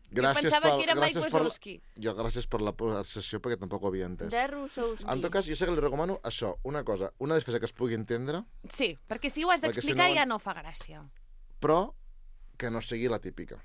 D: Gràcies
A: pensava
D: pel-
A: que era Mike
D: gràcies per-
A: Wazowski.
D: Jo gràcies per la sessió perquè tampoc ho havia entès.
B: De Rosowski.
D: En tot cas, jo sé que li recomano això, una cosa, una disfressa que es pugui entendre,
A: Sí, perquè si ho has
D: Perquè si
A: d'explicar
D: no-
A: ja no fa gràcia.
D: però que no sigui la típica.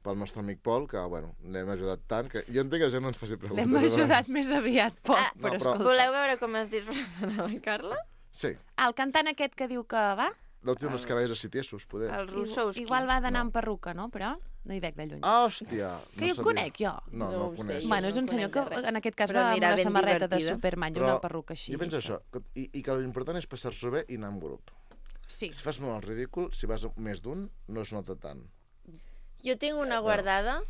D: Pel nostre amic Pol, que, bueno, l'hem ajudat tant, que jo entenc que ja no ens faci preguntes.
A: L'hem ajudat més aviat, Pol,
B: Ah,
A: però
D: no, però-
A: escolta.
B: Voleu veure com es disfressen a la Carla?
D: Sí,
A: El cantant aquest que diu que va,
D: deu tenir uns cabells així tiesos, poder.
B: El
A: igual,
B: Rosowski.
A: igual va d'anar
D: No.
A: amb perruca, no? Però no hi veig de lluny.
D: Ah, hòstia!
A: que jo
D: sabia.
A: conec, jo.
D: No, no,
B: No
D: no
B: ho
D: el
B: sé,
D: coneix.
B: jo.
A: Bueno, és
B: no
A: un senyor que
B: conec de res.
A: en aquest cas
B: Però
A: va amb
B: mira,
A: una
B: ben
A: samarreta de
B: divertida.
A: Superman i
D: Però
A: una perruca així.
D: Jo penso això, que, i, i que l'important és passar-s'ho bé i anar en grup.
A: Sí.
D: Si fas molt el ridícul, si vas més d'un, no es nota tant.
B: Jo tinc una guardada,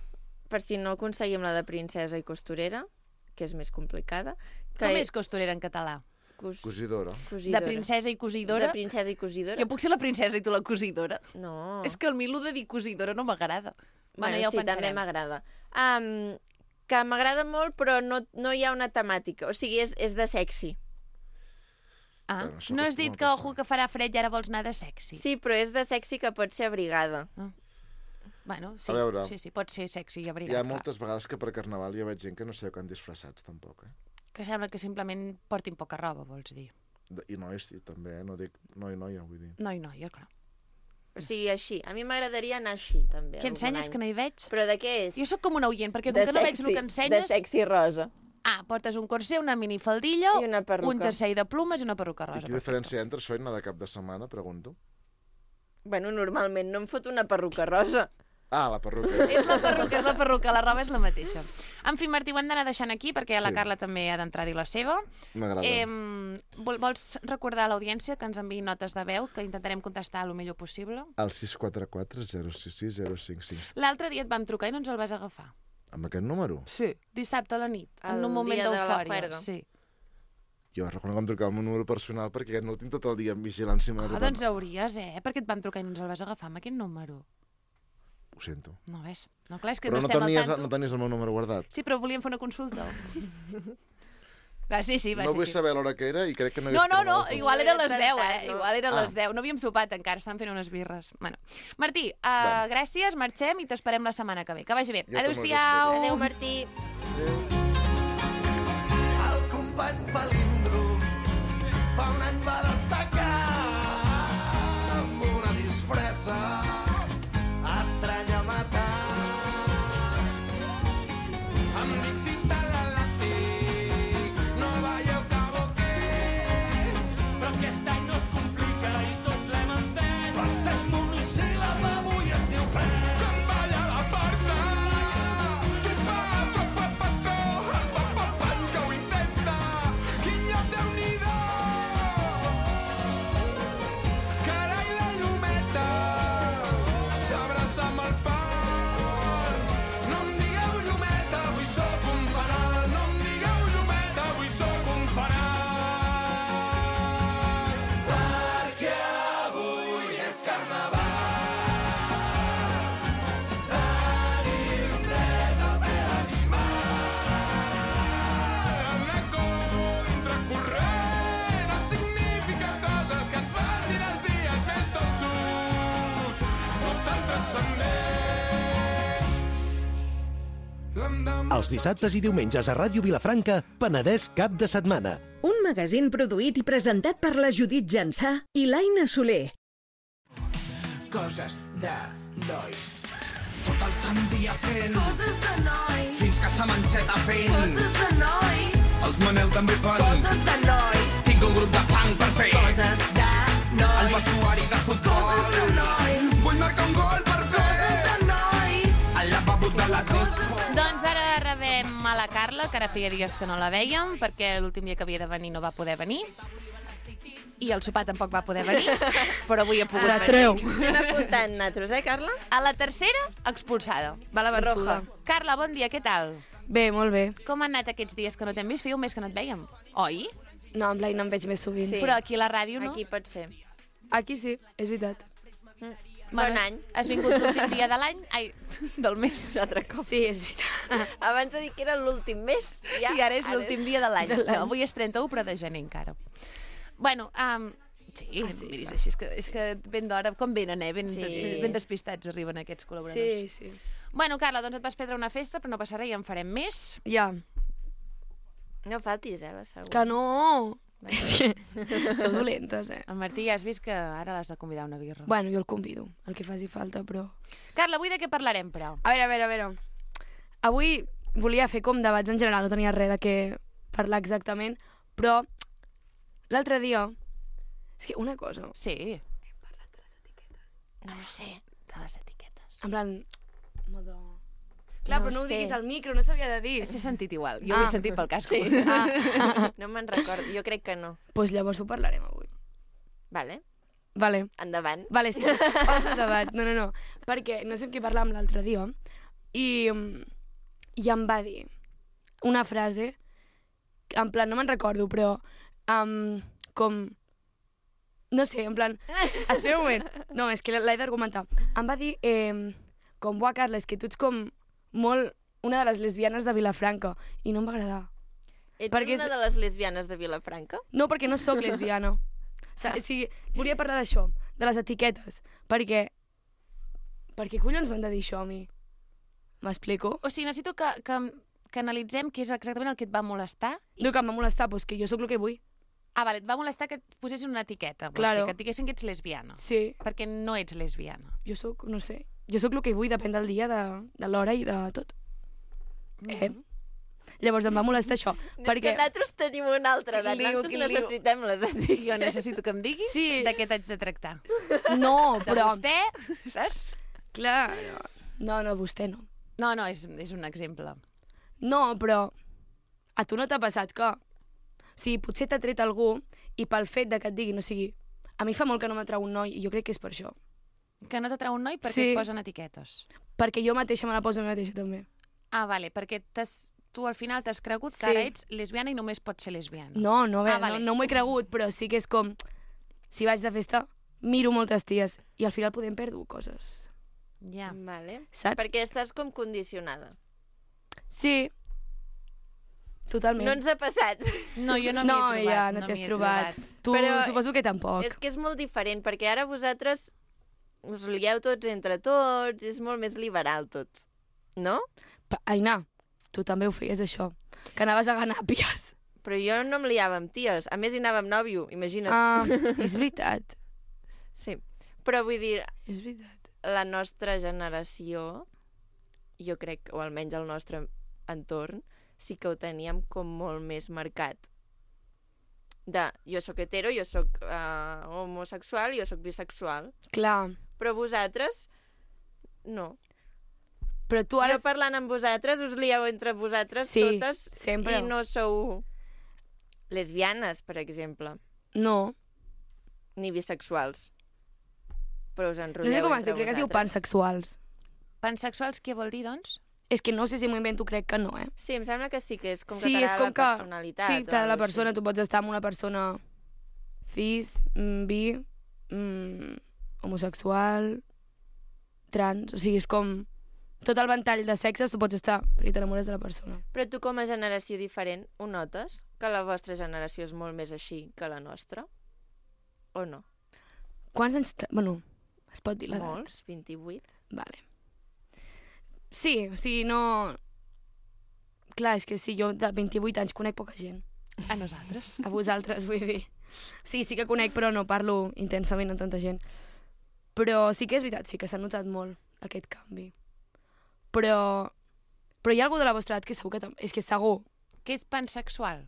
B: per si no aconseguim la de princesa i costurera, que és més complicada. Que
A: Com és costurera en català?
B: Cos...
D: Cosidora.
A: De
B: cosidora.
A: princesa i cosidora?
B: De princesa i cosidora?
A: Jo puc ser la princesa i tu la cosidora.
B: No.
A: És que el Milo de dir cosidora no m'agrada.
B: Bueno,
A: ja ho
B: sí, també
A: pensarem.
B: m'agrada. Um, que m'agrada molt, però no, no hi ha una temàtica. O sigui, és, és de sexy.
A: Ah,
D: Bueno, això
A: no has
D: acostuma
A: dit
D: a
A: que,
D: passar.
A: ojo, que farà fred i ara vols anar de sexy.
B: Sí, però és de sexy que pot ser abrigada.
A: Bueno, sí,
D: A veure.
A: sí, sí, pot ser sexy i
D: Hi
A: abrigat,
D: ha
A: clar.
D: moltes vegades que per Carnaval jo veig gent que no sé quan disfressats, tampoc, eh?
A: Que sembla que simplement portin poca roba, vols dir.
D: De- I nois i també, eh? No dic noi, noia, vull dir.
A: Noi, noia, clar.
B: O sigui, així. A mi m'agradaria anar així, també.
A: Què
B: algun
A: ensenyes
B: any.
A: que no hi veig?
B: Però de què és?
A: Jo sóc com una oient, perquè com
B: de
A: que no veig el que ensenyes...
B: De sexy rosa.
A: Ah, portes un corset, una minifaldilla,
B: I una perruca.
A: un jersei de plumes i una perruca
D: I
A: rosa.
D: quina diferència entre això i anar de cap de setmana, pregunto?
B: Bueno, normalment no em fot una perruca rosa.
D: Ah, la perruca.
A: És la perruca, és la perruca, la roba és la mateixa. En fi, Martí, ho hem d'anar deixant aquí perquè la
D: Sí.
A: Carla també ha d'entrar a dir la seva.
D: M'agrada.
A: Eh, vol, vols recordar a l'audiència que ens enviï notes de veu, que intentarem contestar el millor possible?
D: El sis quatre quatre zero sis sis zero cinc cinc.
A: L'altre dia et vam trucar i no ens el vas agafar.
D: Amb aquest número?
A: Sí. Dissabte a la nit, en
B: El
A: un moment
B: dia de la
A: d'eufòria.
B: juerga.
A: Sí.
D: Jo reconec que em trucava el meu número personal perquè aquest no el tinc tot el dia en vigilància.
A: Ah, doncs hauries, eh? Perquè et vam trucar i no ens el vas agafar amb aquest número.
D: Ho sento.
A: No, ves? No, clar, és que
D: Però
A: no,
D: no
A: estem
D: tenies,
A: al tanto.
D: no tenies el meu número guardat.
A: Sí, però volíem fer una consulta. Va, sí, sí, va,
D: No
A: sí,
D: vull
A: sí.
D: saber l'hora que era i crec que no...
A: No,
D: hagués
A: no, no,
D: trobat el
A: igual era a les deu, eh?
B: No.
A: Igual era a les
D: Ah.
A: deu. No havíem sopat encara, estan fent unes birres. Bueno. Martí, uh,
D: Va.
A: gràcies, marxem i t'esperem la setmana que ve. Que vagi bé.
D: Jo també us
A: Adéu-siau.
D: espero.
B: Adéu, Martí.
F: El company Palindro fa un any va destacar amb una disfressa estranya a matar. Em dic Cinta Galàctic, no veieu que boquer, però aquest any no es complica i tots l'hem entès. Festeig monosíl·lab avui és
G: Els dissabtes i diumenges a Ràdio Vilafranca, Penedès cap de setmana.
H: Un magazín produït i presentat per la Judit Jansà i l'Aina Soler.
F: Coses de nois. Tot el sant dia fent
C: Coses de nois.
F: fins que se m'enceta fent
C: Coses de nois.
F: Els Manel també fan
C: Coses de nois.
F: Tinc un grup de punk per fer
C: Coses de
F: el
C: nois.
F: vestuari de futbol.
C: Coses de nois.
F: Vull marcar un gol per fer
C: Coses de nois.
F: el lavabo de la disco.
A: Doncs ara rebem a la Carla, que ara feia dies que no la vèiem, perquè l'últim dia que havia de venir no va poder venir. I el sopar tampoc va poder venir, però avui ha pogut
B: La
A: venir.
B: treu. Anem apuntant nosaltres, eh, Carla?
A: A la tercera, expulsada.
B: Va la Barroja.
A: Carla, bon dia, què tal?
I: Bé, molt bé.
A: Com han anat aquests dies que no t'hem vist? Feia un mes que no et vèiem, oi?
I: No, amb l'Aina em veig més sovint.
B: Sí.
A: Però aquí a la ràdio no.
B: Aquí pot ser.
I: Aquí sí, és veritat.
B: Bon any.
A: Has vingut l'últim dia de l'any? Ai, del mes.
B: Un altre cop.
I: Sí, és veritat.
B: Abans de dir que era l'últim mes, ja...
A: I ara és l'últim dia de l'any.
I: de l'any.
A: No, avui és trenta-u, però de gener encara. Bueno, um, sí, ah, sí miris, així, és que, és que ben d'hora, com venen, eh? Ben,
B: Sí.
A: ben despistats arriben aquests col·laboradors.
I: Sí, sí.
A: Bueno, Carla, doncs et vas perdre una festa, però no passarà, ja en farem més.
I: Ja.
B: No faltis, eh, la següent.
I: Que no! És que sou dolentes, eh?
A: El Martí, ja has vist que ara l'has de convidar a una birra.
I: Bueno, jo el convido, el que faci falta, però...
A: Carla, avui de què parlarem, però?
I: A veure, a veure, a veure. Avui volia fer com debats en general, no tenia res de què parlar exactament, però l'altre dia... És que una cosa...
A: Sí,
B: No ho sé.
A: de les etiquetes.
I: En plan... Modo... Clar,
B: No
I: però no ho
B: sé.
I: diguis al micro, no s'havia de dir.
A: S'he sentit igual, jo
I: Ah.
A: ho he sentit pel casco.
B: Sí.
I: Ah,
B: No me'n recordo, jo crec que no.
I: doncs llavors ho parlarem avui.
B: Vale,
I: Vale.
B: endavant.
I: Vale, sí, posa el debat. No, no, no. Perquè no sé amb qui parlàvem l'altre dia i, i em va dir una frase, en plan, no me'n recordo, però um, com... No sé, en plan... Espera un moment. No, és que l'he d'argumentar. Em va dir, eh, com, buah, Carla, és que tu ets com molt una de les lesbianes de Vilafranca i no em va agradar.
B: Ets
I: Perquè
B: una
I: és-
B: de les lesbianes de Vilafranca?
I: No, perquè no sóc lesbiana. O sigui, o sigui, volia parlar d'això, de les etiquetes, perquè... Per què collons m'han de dir això a mi? M'explico?
A: O sigui, necessito que, que, que analitzem què és exactament el que et va molestar.
I: No, que em va molestar, doncs que jo sóc el que vull.
A: Ah, vale, et va molestar que et posessin una etiqueta. Vols
I: Claro.
A: dir, que et diguessin que ets lesbiana.
I: Sí,
A: Perquè no ets lesbiana.
I: jo sóc, no sé, jo sóc el que vull, depèn del dia, de, de l'hora i de tot. Eh? Llavors em va molestar això,
B: És
I: perquè...
B: que nosaltres tenim una altra edat,
A: Quin lío,
B: nosaltres
A: quin lío.
B: necessitem les etiquetes.
A: Jo necessito que em diguis
I: Sí.
A: de què t'haig de tractar.
I: No,
A: De
I: però...
A: vostè, saps?
I: Clar, no, no, vostè no.
A: No, no, és, és un exemple.
I: No, però a tu no t'ha passat que... O sigui, potser t'ha tret algú i pel fet de que et diguin, o sigui, a mi fa molt que no m'atrau un noi i jo crec que és per això.
A: Que no t'atrau un noi perquè
I: Sí.
A: et posen etiquetes.
I: Perquè jo mateixa me la poso a mi mateixa també.
A: Ah, vale, perquè t'has, tu al final t'has cregut que
I: Sí.
A: ara ets lesbiana i només pots ser lesbiana.
I: No, no, a veure,
A: Ah, vale.
I: no, no m'ho he cregut, però sí que és com... Si vaig de festa, miro moltes ties i al final podem perdre coses,
A: Ja.
B: Vale.
I: saps?
B: Perquè estàs com condicionada.
I: Sí, totalment.
B: No ens ha passat.
A: No, jo no m'hi
I: no,
A: he trobat.
I: ja, no,
A: m'hi
I: t'hi has
A: he
I: trobat. Tu
B: Però
I: suposo que tampoc.
B: És que és molt diferent, perquè ara vosaltres us lieu tots entre tots, és molt més liberal tot. No?
I: Pa- Aina, tu també ho feies, això. Que anaves a ganàpies.
B: Però jo no em liava amb ties. A més, hi anava amb nòvio, imagina't.
I: Ah, és veritat.
B: Sí. Però vull dir,
I: És veritat.
B: la nostra generació, jo crec, o almenys el nostre entorn, sí que ho teníem com molt més marcat. De, jo sóc hetero, jo sóc uh, homosexual, jo sóc bisexual.
I: Clar,
B: Però vosaltres, no.
I: però tu ara...
B: Jo parlant amb vosaltres, us lieu entre vosaltres
I: Sí,
B: totes
I: sempre.
B: i no sou lesbianes, per exemple,
I: No,
B: ni bisexuals. Però us
I: no
B: enrotlleu
I: sé com es
B: entre
I: diu, crec que es diu
B: vosaltres.
I: pansexuals.
A: Pansexuals, què vol dir, doncs?
I: És que no sé si m'ho invento, crec que no, eh?
B: Sí, em sembla que sí, que és com
I: sí,
B: que
I: és
B: t'agrada
I: com
B: la
I: que...
B: personalitat.
I: Sí,
B: o
I: t'agrada la
B: alguna
I: persona,
B: així.
I: tu pots estar amb una persona cis, mm, bi, mm, homosexual, trans, o sigui, és com... Tot el ventall de sexes tu pots estar, perquè t'enamores de la persona.
B: Però tu com a generació diferent ho notes? Que la vostra generació és molt més així que la nostra? O no?
I: Quants anys... te- Bueno, es pot dir l'edat?
B: Molts? vint-i-vuit?
I: Vale. Sí, o sigui, no... Clar, és que sí, jo de vint-i-vuit anys conec poca gent.
A: A nosaltres.
I: A vosaltres, vull dir. Sí, sí que conec, però no parlo intensament amb tanta gent. Però sí que és veritat, sí que s'ha notat molt aquest canvi. Però... Però hi ha algú de la vostra edat que segur que... Tam... És que segur.
A: Que és pansexual?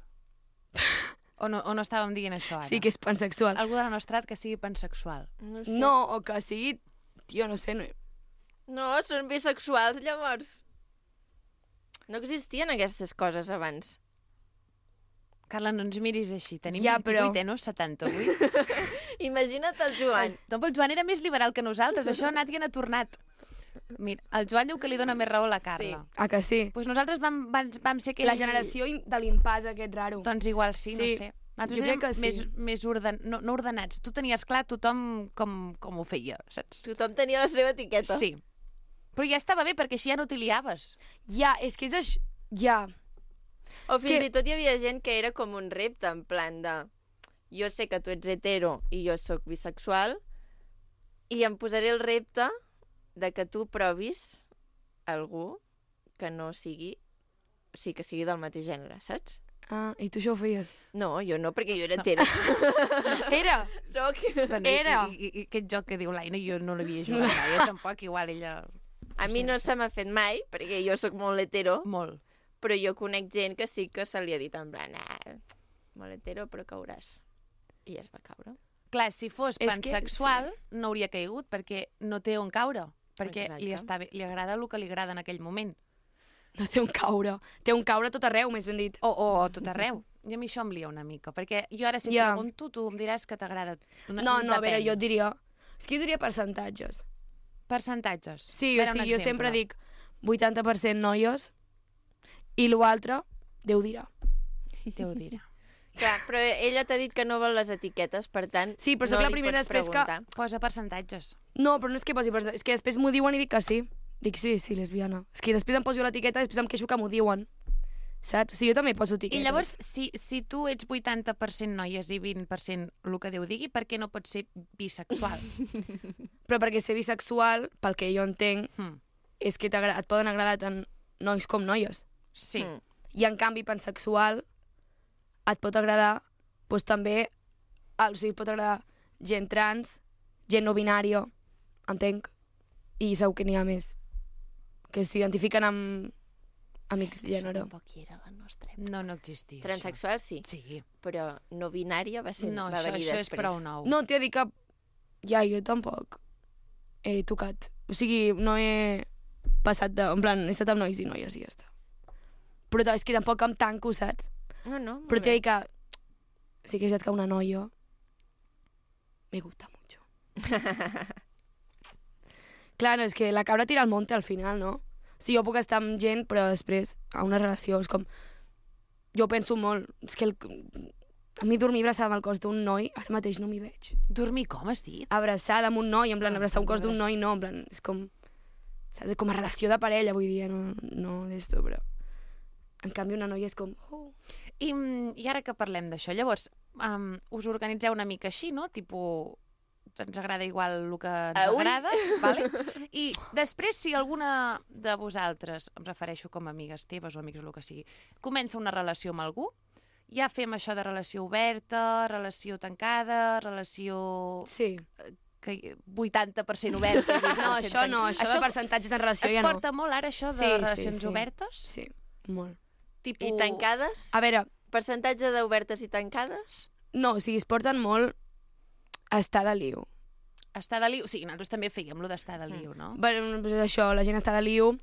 A: O no, o no estàvem dient això ara?
I: Sí que és pansexual.
A: Algú de la nostra edat que sigui pansexual.
B: No sé.
I: No, o que sigui... Tio, no sé... No...
B: No, són bisexuals, llavors. No existien aquestes coses abans.
A: Carla, no ens miris així. Tenim
I: Ja,
A: vint-i-vuit,
I: però-
A: eh, no setanta-vuit.
B: Imagina't el Joan.
A: No, però el Joan era més liberal que nosaltres. Això ha anat i ha tornat. Mira, el Joan diu que li dona més raó a la Carla.
B: Sí.
I: Ah, que sí?
A: Pues nosaltres vam, vam, vam ser aquell...
I: La generació im- de l'impàs aquest raro.
A: Doncs igual sí, no
I: Sí.
A: sé. Nosaltres
I: Jo crec
A: érem
I: que sí.
A: més, més orden... no, no ordenats. Tu tenies clar tothom com, com ho feia, saps?
B: Tothom tenia la seva etiqueta.
A: Sí. Però ja estava bé, perquè així ja no t'hi liaves.
I: Ja, és que és això... Ja.
B: O fins
I: que-
B: i tot hi havia gent que era com un repte, en plan de... Jo sé que tu ets hetero i jo sóc bisexual i em posaré el repte de que tu provis algú que no sigui... O sigui, que sigui del mateix gènere, saps?
I: Ah, i tu això ho feies?
B: No, jo no, perquè jo era hetero.
I: Era!
B: Soc...
A: Bueno,
I: Era.
A: I, i, I aquest joc que diu l'Aina jo no l'havia jugat mai, eh? Tampoc, igual ella...
B: A mi no se m'ha fet mai, perquè jo sóc molt hetero,
A: Molt.
B: però jo conec gent que sí que se li ha dit en plan, ah, molt hetero, però cauràs. I es va caure.
A: Clar, si fos
I: És que-
A: pansexual, no hauria caigut, perquè no té on caure. Perquè
B: Exacte.
A: li, està bé, li agrada el que li agrada en aquell moment.
I: No té un caure. Té un caure tot arreu, més ben dit.
A: O, o, o tot arreu. I a mi això em lia una mica, perquè jo ara si et
I: Ja.
A: pregunto, tu em diràs que t'agrada. Una-
I: No, no, a veure,
A: depèn.
I: jo et diria... És que jo diria percentatges.
A: Percentatges.
I: Sí,
A: A
I: o
A: veure, un
I: sigui, jo
A: exemple.
I: sempre dic vuitanta per cent noies i l'altre, Déu dirà.
A: Déu dirà.
B: Clar, però ella t'ha dit que no vol les etiquetes, per tant,
I: Sí, però sóc
B: no
I: la
B: li
I: primera
B: pots
I: després que-
B: preguntar.
A: Posa percentatges.
I: No, però no és que posi percentatges, és que després m'ho diuen i dic que sí. Dic sí, sí, lesbiana. És que després em poso l'etiqueta i després em queixo que m'ho diuen. Saps? O sigui, jo també poso etiquetes.
A: I llavors, si, si tu ets vuitanta per cent noies i vint per cent el que Déu digui, per què no pots ser bisexual?
I: Però perquè ser bisexual, pel que jo entenc,
A: Hmm.
I: és que t'agra- et poden agradar tant nois com noies.
A: Sí.
B: Mm.
I: I en canvi, pansexual et pot agradar doncs, també, o sigui, et pot agradar gent trans, gent no binària, entenc, i segur que n'hi ha més, que s'identifiquen amb amics gènere.
B: Tampoc hi era la nostra època.
A: No, no existia.
B: Transsexual sí,
A: Això. Sí.
B: però no binària va ser
A: No,
B: va
A: això,
B: venir
A: això és
B: després.
A: prou nou.
I: No, t'he dit que... Ja, jo tampoc he tocat. O sigui, no he passat de... En plan, he estat amb nois i noies i ja està. Però és que tampoc em tanco, saps?
B: No, no, molt
I: Però t'he
B: bé.
I: dit que... Sí que he estat que una noia... Me gusta mucho. Clar, no, és que la cabra tira al monte al final, no? O sigui, jo puc estar amb gent, però després, a una relació, és com... Jo penso molt... És que el... A mi dormir abraçada amb el cos d'un noi, ara mateix no m'hi veig.
A: Dormir com has dit?
I: Abraçada amb un noi, en plan,
A: Ah,
I: abraçar un cos d'un
A: abraçar.
I: noi, no, en plan, és com... Saps? Com a relació de parella, vull dir, no, no d'esto, però... En canvi, una noia és com... Oh.
A: I, I ara que parlem d'això, llavors, um, us organitzeu una mica així, no? Tipo, ens agrada igual el que ens
B: Ah, ui.
A: agrada, vale? I després, si alguna de vosaltres, em refereixo com a amigues teves o amics o el que sigui, comença una relació amb algú, ja fem això de relació oberta, relació tancada, relació
I: Sí.
A: que vuitanta per cent oberta. i vint per cent
I: No, això no,
A: tanc-
I: això, de percentatges en relació
A: es
I: ja no.
A: porta molt ara, això de
I: Sí, sí,
A: relacions
I: sí.
A: obertes?
I: Sí, molt.
A: Tipo...
B: I tancades?
I: A veure,
B: Percentatge d'obertes i tancades?
I: no, o sigui, es porten molt a estar de liu.
A: Estar de liu, sí, nosaltres també fèiem lo d'estar de liu, no?
I: Bueno, doncs això, la gent està de liu,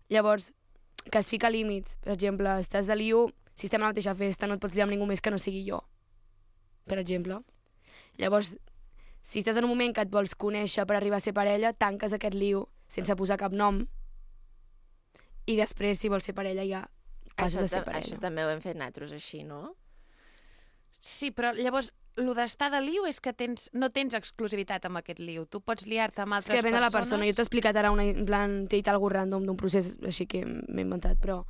I: llavors, que es fica límits. Per exemple, estàs de liu, si estem a la mateixa festa, no et pots liar amb ningú més que no sigui jo, per exemple. Llavors, si estàs en un moment que et vols conèixer per arribar a ser parella, tanques aquest liu sense posar cap nom, i després, si vols ser parella, ja passes
B: Això,
I: a ser
B: ta-
I: parella.
B: això també ho hem fet nosaltres així, no?
A: Sí, però llavors, lo d'estar de liu és que tens, no tens exclusivitat amb aquest liu. Tu pots liar-te amb
I: És
A: altres
I: que depèn de la
A: persones.
I: persona. Jo t'he explicat ara, una, en plan, t'he dit algú random d'un procés així que m'he inventat, però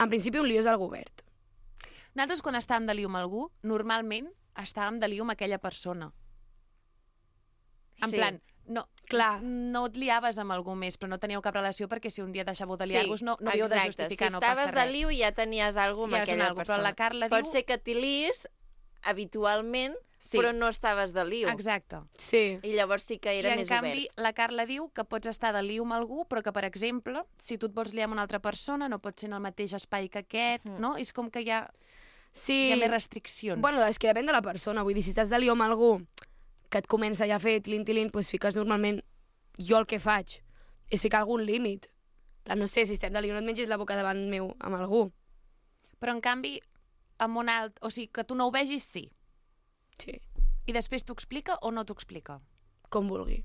I: en principi un liu és algo obert.
A: Nosaltres, quan estàvem de liu amb algú, normalment estàvem de liu amb aquella persona. En
B: Sí.
A: plan, no,
I: Clar.
A: no et liaves amb algú més, però no teníeu cap relació perquè si un dia deixàveu de liar-vos no, no havíeu de
B: exacte.
A: justificar,
B: si
A: no passa
B: estaves
A: res.
B: de liu ja tenies alguna
A: Ja
B: amb
A: és un
B: aquella
A: algo, però
B: persona.
A: la Carla
B: Pot
A: diu-
B: ser que t'hi liis habitualment,
A: Sí.
B: però no estaves de liu.
A: Exacte.
I: Sí.
B: I llavors sí que era
A: I en
B: més
A: canvi,
B: obert.
A: la Carla diu que pots estar de liu amb algú, però que, per exemple, si tu et vols liar amb una altra persona, no pot ser en el mateix espai que aquest,
B: Mm.
A: no? És com que hi ha,
I: Sí.
A: hi ha més restriccions.
I: Bueno, és que depèn de la persona. Vull dir, si estàs de liu amb algú que et comença ja a fer tilín-tilín, doncs fiques normalment... Jo el que faig és ficar algun límit. Però no sé, si estem de liu, no et mengis la boca davant meu amb algú.
A: Però, en canvi, amb un alt... O sigui, que tu no ho vegis, sí.
I: Sí.
A: I després t'ho explica o no t'ho explica?
I: Com vulgui.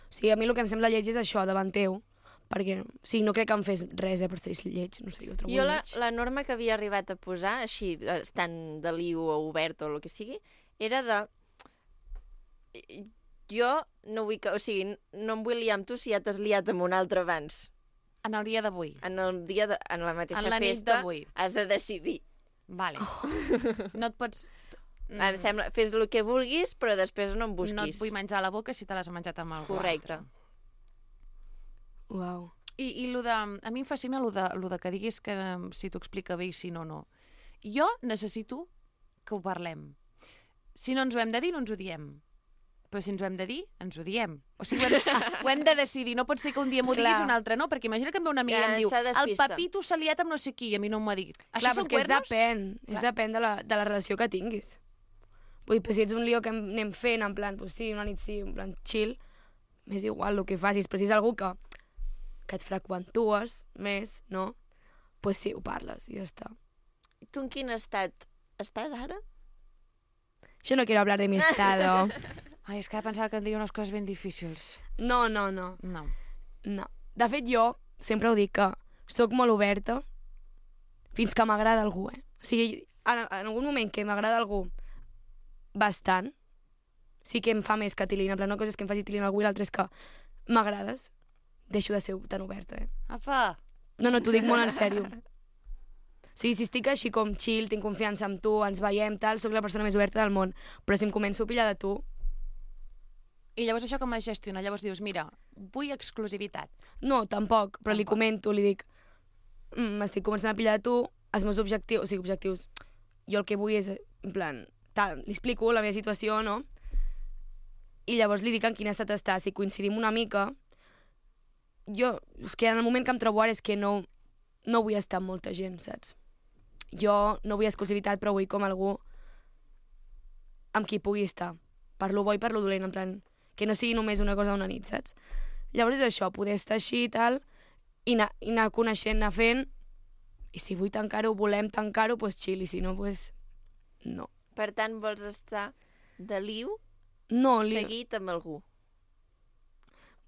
I: O sigui, a mi el que em sembla lleig és això, davant teu, perquè, o sigui, no crec que em fes res, eh, per ser lleig, no sé, jo ho trobo
B: Jo la,
I: lleig.
B: la norma que havia arribat a posar, així, estant de liu o obert o el que sigui, era de... Jo no vull que... O sigui, no em vull liar amb tu si ja t'has liat amb un altre abans.
A: En el dia d'avui.
B: En el dia de, en la mateixa
A: En la nit
B: festa
A: d'avui.
B: has de decidir.
A: Vale. Oh. No et pots...
B: Mm. Em sembla, fes el que vulguis, però després no em busquis.
A: No et vull menjar a la boca si te l'has menjat amb algú
B: Correcte.
A: altre.
I: Uau.
A: I, i lo de, a mi em fascina lo de, lo de que diguis que um, si t'ho explica bé i si no, no. Jo necessito que ho parlem. Si no ens ho hem de dir, no ens ho diem. Però si ens ho hem de dir, ens ho diem. O sigui, ho hem, ho hem de decidir. No pot ser que un dia m'ho diguis i un altre no, perquè imagina que em ve una amiga
B: Ja,
A: i em diu
B: això
A: el
B: despista.
A: Pepito s'ha liat amb no sé qui i a mi no m'ho ha dit. Això
I: Clar,
A: són
I: però és que és
A: cuernos?
I: depèn, és
A: Clar.
I: depèn de la, de la relació que tinguis. Vull dir, però si ets un lío que anem fent, en plan, pues sí, una nit sí, en plan chill, m'és igual el que facis, però si és algú que, que et freqüentues més, no? Pues sí, ho parles i ja està.
B: Tu en quin estat estàs ara?
I: Yo no quiero hablar de mi estado.
A: Ai, és que ara pensava que em diria unes coses ben difícils.
I: No, no, no.
A: No.
I: No. De fet, jo sempre ho dic que sóc molt oberta fins que m'agrada algú, eh? O sigui, en, en algun moment que m'agrada algú bastant, sí que em fa més que tilín. En plan, una cosa és que em faci tilín algú i l'altra és que m'agrades. Deixo de ser tan oberta, eh?
A: Apa!
I: No, no, t'ho dic molt en sèrio. O sigui, si estic així com chill, tinc confiança amb tu, ens veiem, tal, sóc la persona més oberta del món. Però si em començo a pillar de tu...
A: I llavors això com es gestiona? Llavors dius, mira, vull exclusivitat.
I: No, tampoc, però li
A: Tampoc.
I: comento, li dic, "Mm, m'estic començant a pillar de tu, els meus objectius, o sigui, objectius, jo el que vull és, en plan, tal, li explico la meva situació, no? I llavors li dic en quin estat està, si coincidim una mica, jo, és que en el moment que em trobo ara és que no, no vull estar amb molta gent, saps? Jo no vull exclusivitat, però vull com algú amb qui pugui estar, per lo bo i per lo dolent, en plan, que no sigui només una cosa d'una nit, saps? Llavors és això, poder estar així i tal, i anar, i anar coneixent, anar fent, i si vull tancar-ho, volem tancar-ho, doncs chill, i si no, doncs no.
B: Per tant, vols estar de liu
I: No, li...
B: seguit amb algú.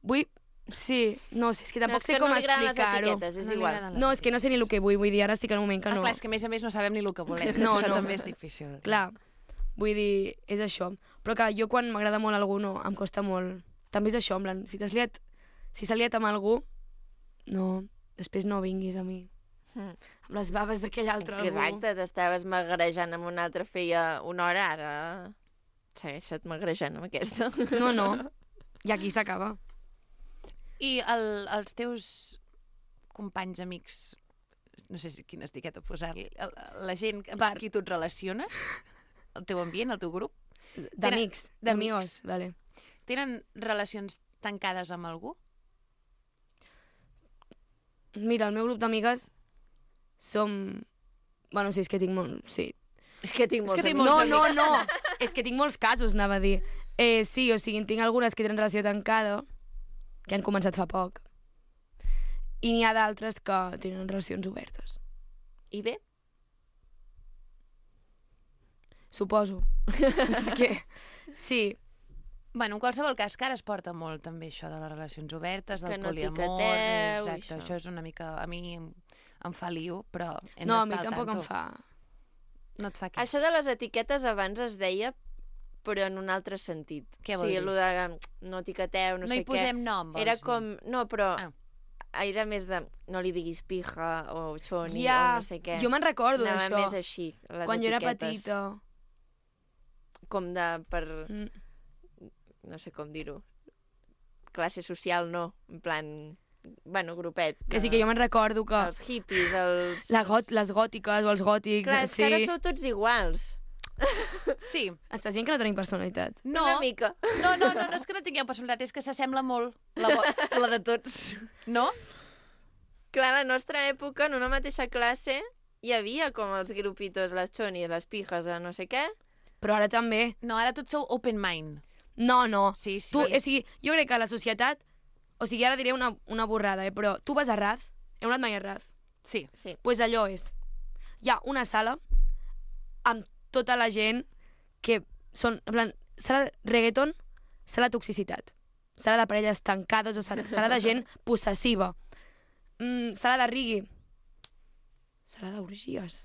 I: Vull... Sí, no sé, és que tampoc
B: No, és
I: sé
B: que
I: com
B: no li agraden les
I: explicar-ho.
B: etiquetes, és
A: No li
B: igual.
A: agraden les
I: No, és que no sé ni el que vull, vull dir, ara estic en un moment que
A: Ah,
I: no.
A: clar, és que a més a més no sabem ni el que volem.
I: No,
A: Això
I: no.
A: també és difícil.
I: Clar, vull dir, és això. Però que jo quan m'agrada molt algú, no, em costa molt. També és això, en plan, si t'has liat, si s'ha liat amb algú, no, després no vinguis a mi.
B: Mm.
I: Amb les baves d'aquell altre algú.
B: Exacte, t'estaves magrejant amb un altre feia una hora, ara segueixa't magrejant amb aquesta.
I: No, no, i aquí s'acaba.
A: I el, els teus companys, amics, no sé si quina etiqueta posar-li, el- la gent amb
I: Per-
A: qui tu et relaciones, el teu ambient, el teu grup,
I: D'amics,
A: d'amics.
I: d'amigos, vale.
A: tenen relacions tancades amb algú?
I: Mira, el meu grup d'amigues som... Bueno, sí, és que tinc molt... Sí.
B: És que tinc molts
A: que tinc
B: amics.
I: No,
A: molts
I: no,
A: amics.
I: no. És que tinc molts casos, anava a dir. Eh, sí, o sigui, en tinc algunes que tenen relació tancada, que han començat fa poc. I n'hi ha d'altres que tenen relacions obertes.
B: I bé?
I: Suposo. És que... Sí.
A: Bueno, en qualsevol cas, que ara es porta molt també això de les relacions obertes, del
B: Que no
A: poliamor...
B: etiqueteu,
A: Exacte,
B: això.
A: això és una mica... A mi em, em fa lío, però hem
I: No, a mi
A: d'estar al
I: tampoc em
A: tanto.
I: fa...
A: No et fa què?
B: Això de les etiquetes abans es deia, però en un altre sentit.
A: Què vol
B: sí,
A: dir?
B: lo de no etiqueteu, no,
A: No
B: sé
A: hi posem
B: què.
A: nom, vols
B: Era
A: dir?
B: com... No, però...
A: Ah.
B: Era més de... No li diguis pija o xoni
I: Ja,
B: o no sé què.
I: jo me'n recordo
B: Anava
I: d'això.
B: més així, les
I: Quan jo era
B: etiquetes.
I: petita.
B: Com de... per...
I: Mm.
B: No sé com dir-ho. classe social no, en plan, bueno, grupet.
I: Que sí que jo me'n recordo que...
B: Els hippies, els...
I: La got, les gòtiques o els gòtics...
B: Clar, és
I: sí.
B: que ara sou tots iguals.
A: Sí.
I: Estàs dient que no tenim personalitat.
A: No,
B: Una mica.
A: no, no, no, no és que no tingueu personalitat, és que s'assembla molt la, vo- la de tots, no?
B: Clar, a la nostra època, en una mateixa classe, hi havia com els grupitos, les xonis, les pijes, de no sé què.
I: Però ara també.
A: No, ara tots sou open mind.
I: No, no.
A: Sí, sí.
I: Tu, o sigui, jo crec que la societat... O sigui, ara diré una, una borrada, eh? Però tu vas a Raz, heu anat mai a Raz?
A: Sí.
B: Sí.
I: Pues allò és. Hi ha una sala amb tota la gent que són, en plan, sala reggaeton, sala toxicitat, sala de parelles tancades o sala, sala de gent possessiva, mm, sala de rigui, sala d'orgies,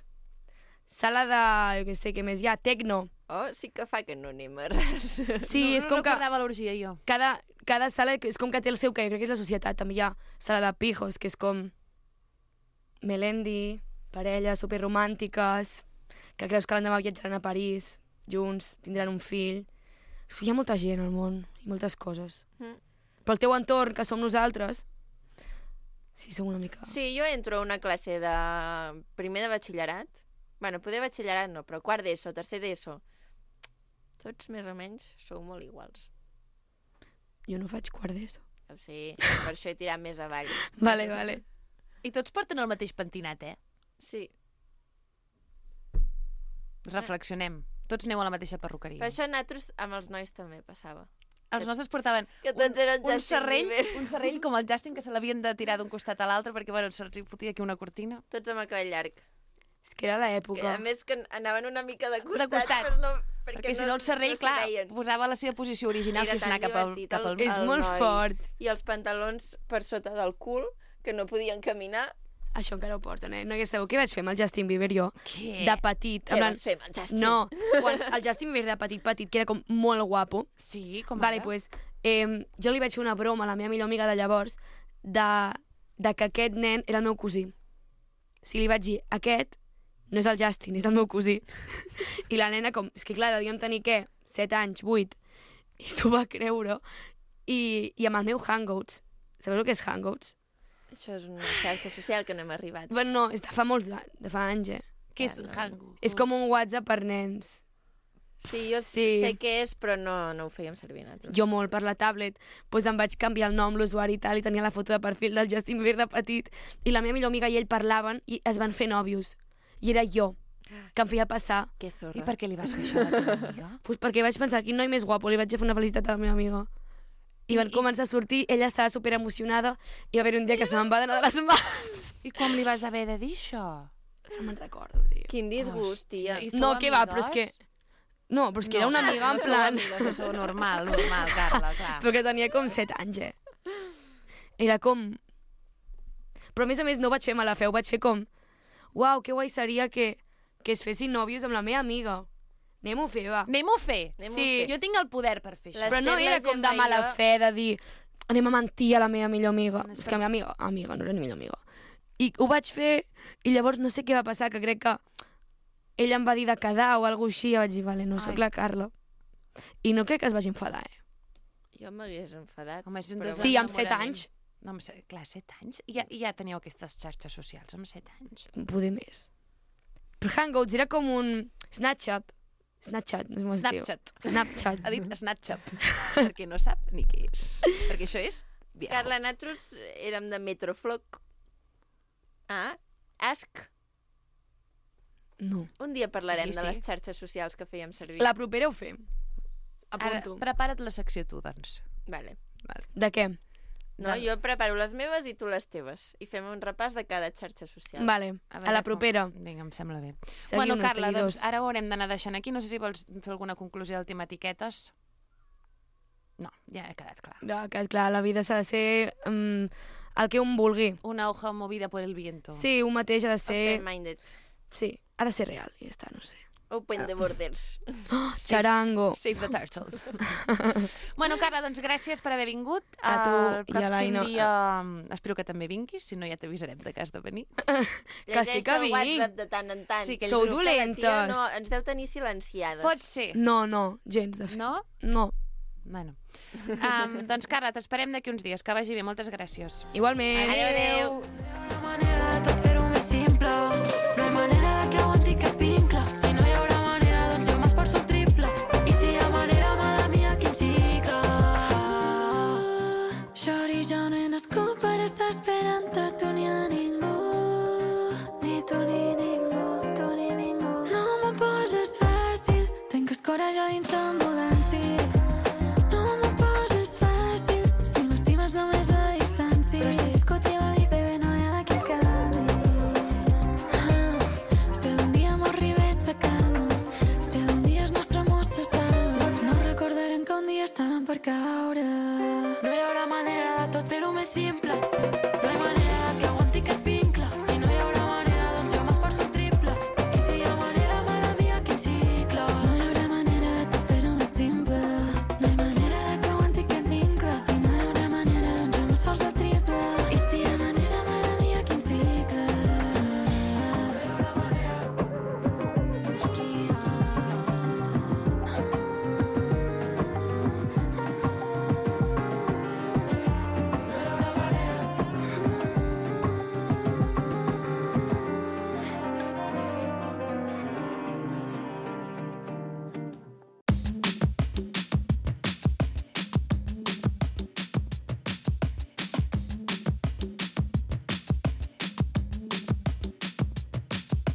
I: sala de, jo què sé, què més hi ha, tecno.
B: Oh, sí que fa que no anem a res.
I: Sí,
A: no,
I: és
A: no
I: com que
A: recordava l'orgia, jo.
I: cada, cada sala és com que té el seu que jo crec que és la societat. També hi ha sala de pijos, que és com Melendi, parelles superromàntiques, que creus que l'endemà viatjaran a París, junts, tindran un fill. Hi ha molta gent al món i moltes coses.
B: Mm.
I: Però el teu entorn, que som nosaltres, sí, som una mica...
B: Sí, jo entro a una classe de primer de batxillerat. Bueno, poder batxillerat no, però quart d'ESO, tercer d'ESO. Tots més o menys sou molt iguals.
I: Jo no faig quart d'ESO.
B: Ja ho sé, per això he tirat més avall.
I: Vale, vale.
A: I tots porten el mateix pentinat, eh?
B: Sí.
A: Reflexionem. Tots aneu a la mateixa perruqueria.
B: Per això nosaltres amb els nois també passava.
A: Els nostres portaven
B: Que tots eren
A: un, un,
B: Justin
A: serrell,
B: Bieber.
A: un serrell com el Justin, que se l'havien de tirar d'un costat a l'altre perquè, bueno, se'ls hi fotia aquí una cortina.
B: Tots amb el cabell llarg.
I: És que era
B: Que,
I: l'època.
B: a més que anaven una mica de costat,
A: De costat.
B: però no, perquè,
A: Perquè si no el serrell,
B: no s'hi
A: clar,
B: veien.
A: posava la seva posició original,
B: Era
A: que és
B: tan
A: anar cap al,
B: divertit,
A: cap al...
B: el-
I: És
B: el
I: molt
B: noi.
I: fort.
B: I els pantalons per sota del cul, que no podien caminar.
I: Això encara ho porten, eh? No hi sabeu què vaig fer amb el Justin Bieber jo?
A: Què?
I: De petit.
B: Què
I: en plan-
B: vas fer amb el Justin?
I: No, quan el Justin Bieber de petit, petit, que era com molt guapo.
A: Sí, com
I: Vale,
A: ara?
I: pues, eh, jo li vaig fer una broma a la meva millor amiga de llavors de, de que aquest nen era el meu cosí. O sigui, li vaig dir, aquest no és el Justin, és el meu cosí. I la nena, com, és que clar, devíem tenir, què? set anys, vuit. I s'ho va creure. I, I amb el meu Hangouts. Sabeu el que és Hangouts?
B: Això és una xarxa social que no hem arribat.
I: Bueno, no, és de fa molts anys, de fa anys, eh?
A: Què és
B: Ja, no.
A: Hangouts?
I: És com un WhatsApp per nens.
B: Sí, jo
I: Sí.
B: sé què és, però no, no ho fèiem servir nosaltres.
I: Jo molt per la tablet, doncs em vaig canviar el nom, l'usuari i tal, i tenia la foto de perfil del Justin Bieber de petit, i la meva millor amiga i ell parlaven i es van fer nòvios. I era jo, que em feia passar.
B: Que zorra.
A: I per què li vas fer això a la teva amiga?
I: Pues perquè vaig pensar, quin noi més guapo, li vaig fer una felicitat a la meva amiga. I,
A: I-
I: van començar a sortir, ella estava super emocionada, i va haver un dia que se me'n va d'anar de les mans.
A: I com li vas haver de dir això?
I: No me'n recordo, tio.
B: Quin disgust, tia.
A: i sou
I: No, què va, però és que...
A: amigues?
I: No, però és que era una amiga, en
A: no
I: plan...
A: sou amigues, sou normal, normal, Carla, clar.
I: Però que tenia com set anys, eh? Era com... Però a més a més no ho vaig fer mala fe, ho vaig fer com... Uau, que guai seria que, que es fessin nòvios amb la meva amiga. Anem-ho a fer, va.
A: Anem-ho a fer.
B: Anem-ho
I: Sí.
B: a fer.
A: Jo tinc el poder per fer això.
B: Les-
I: Però no
B: Estem
I: era
B: la
I: com de
B: Gemma i
I: mala
B: jo-
I: fe, de dir anem a mentir a la meva millor amiga.
A: No és
I: És
A: per-
I: que la meva amiga, amiga, no era ni millor amiga. I ho vaig fer, i llavors no sé què va passar, que crec que ella em va dir de quedar o alguna així, i vaig dir, vale, no sóc
A: Ai.
I: la Carla. I no crec que es vagi enfadar, eh?
B: Jo m'hagués enfadat.
A: Home, és un
B: però
A: des-
I: Sí, amb set
A: enamorament.
I: anys,
A: No, amb set, clar, set anys? I ja, i ja teníeu aquestes xarxes socials amb set anys?
I: poder més. Però Hangouts era com un Snapchat. Snapchat, no sé com es diu.
A: Snapchat.
I: Snapchat.
A: Ha dit Snapchat, perquè no sap ni què és. Perquè això és viejo.
B: Carla, nosaltres érem de Metroflog. Ah, Ask.
I: No.
B: Un dia parlarem
A: Sí,
B: de
A: sí.
B: les xarxes socials que fèiem servir.
I: La propera ho fem.
A: Ara,
I: Apunto.
A: prepara't la secció tu, doncs.
B: Vale.
I: De què?
B: No, jo preparo les meves i tu les teves. I fem un repàs de cada xarxa social.
I: Vale, a,
A: veure
I: la
A: com-
I: propera.
A: Vinga, em sembla bé.
I: Seguiu-nos,
A: bueno, Carla,
I: seguidors.
A: doncs ara ho haurem d'anar deixant aquí. No sé si vols fer alguna conclusió del tema etiquetes. No, ja ha quedat clar.
I: Ja, que, clar, la vida s'ha de ser um, el que un vulgui.
A: Una hoja movida por el viento.
I: Sí, un mateix ha de ser...
B: Open-minded.
I: Sí, ha de ser real, i ja està, no sé.
B: Open the borders.
I: Oh, Charango.
A: Save the turtles. Bueno, Carla, doncs gràcies per haver vingut.
I: A tu
A: El
I: i a
A: pròxim
I: l'Aina.
A: dia mm, espero que també vinguis, si no ja t'avisarem de cas de venir.
I: Que sí que
B: Llegeix el
I: vinc.
B: WhatsApp de tant en tant.
A: Sí, que
I: Sou
B: És que la tia
I: dolentes.
B: No, ens deu tenir silenciades.
A: Pot ser.
I: No, no, gens, de fet.
A: No?
I: No.
A: Bueno. Um, doncs, Carla, t'esperem d'aquí uns dies. Que vagi bé, moltes gràcies.
I: Igualment.
A: Adéu, adéu.
C: No hi ha manera de tot fer-ho més simple. No hi ha manera de que aguanti cap vincle. Si no hi haurà manera, doncs jo m'esforço el triple. I si hi ha manera, mala mia, quin cicle. Shorty, jo no he nascut per estar esperant-te. Tu ni a ningú. Ni tu ni ningú, tu ni ningú. No m'ho poses fàcil. Tenc escoratge dins l'ambulància. No m'ho poses fàcil. Si m'estimes només a distància. Però si discutim a mi, bebé, no hi ha qui es calmi. Ah, si algun dia m'arriba ets a calma. Si algun dia el nostre amor se salva. No recordarem que un dia estàvem per caure. No hi haurà manera de tot fer-ho més simple. No hi ha manera de que aguanti aquest vincle. Si no hi haurà manera, doncs jo m'esforço el triple. I si hi ha manera, mala mia, quin cicle. No hi haurà manera de tot fer-ho més simple. No hi ha manera de que aguanti aquest vincle. Si no hi haurà manera, doncs jo m'esforço el triple. I si hi ha manera, mala mia, quin cicle.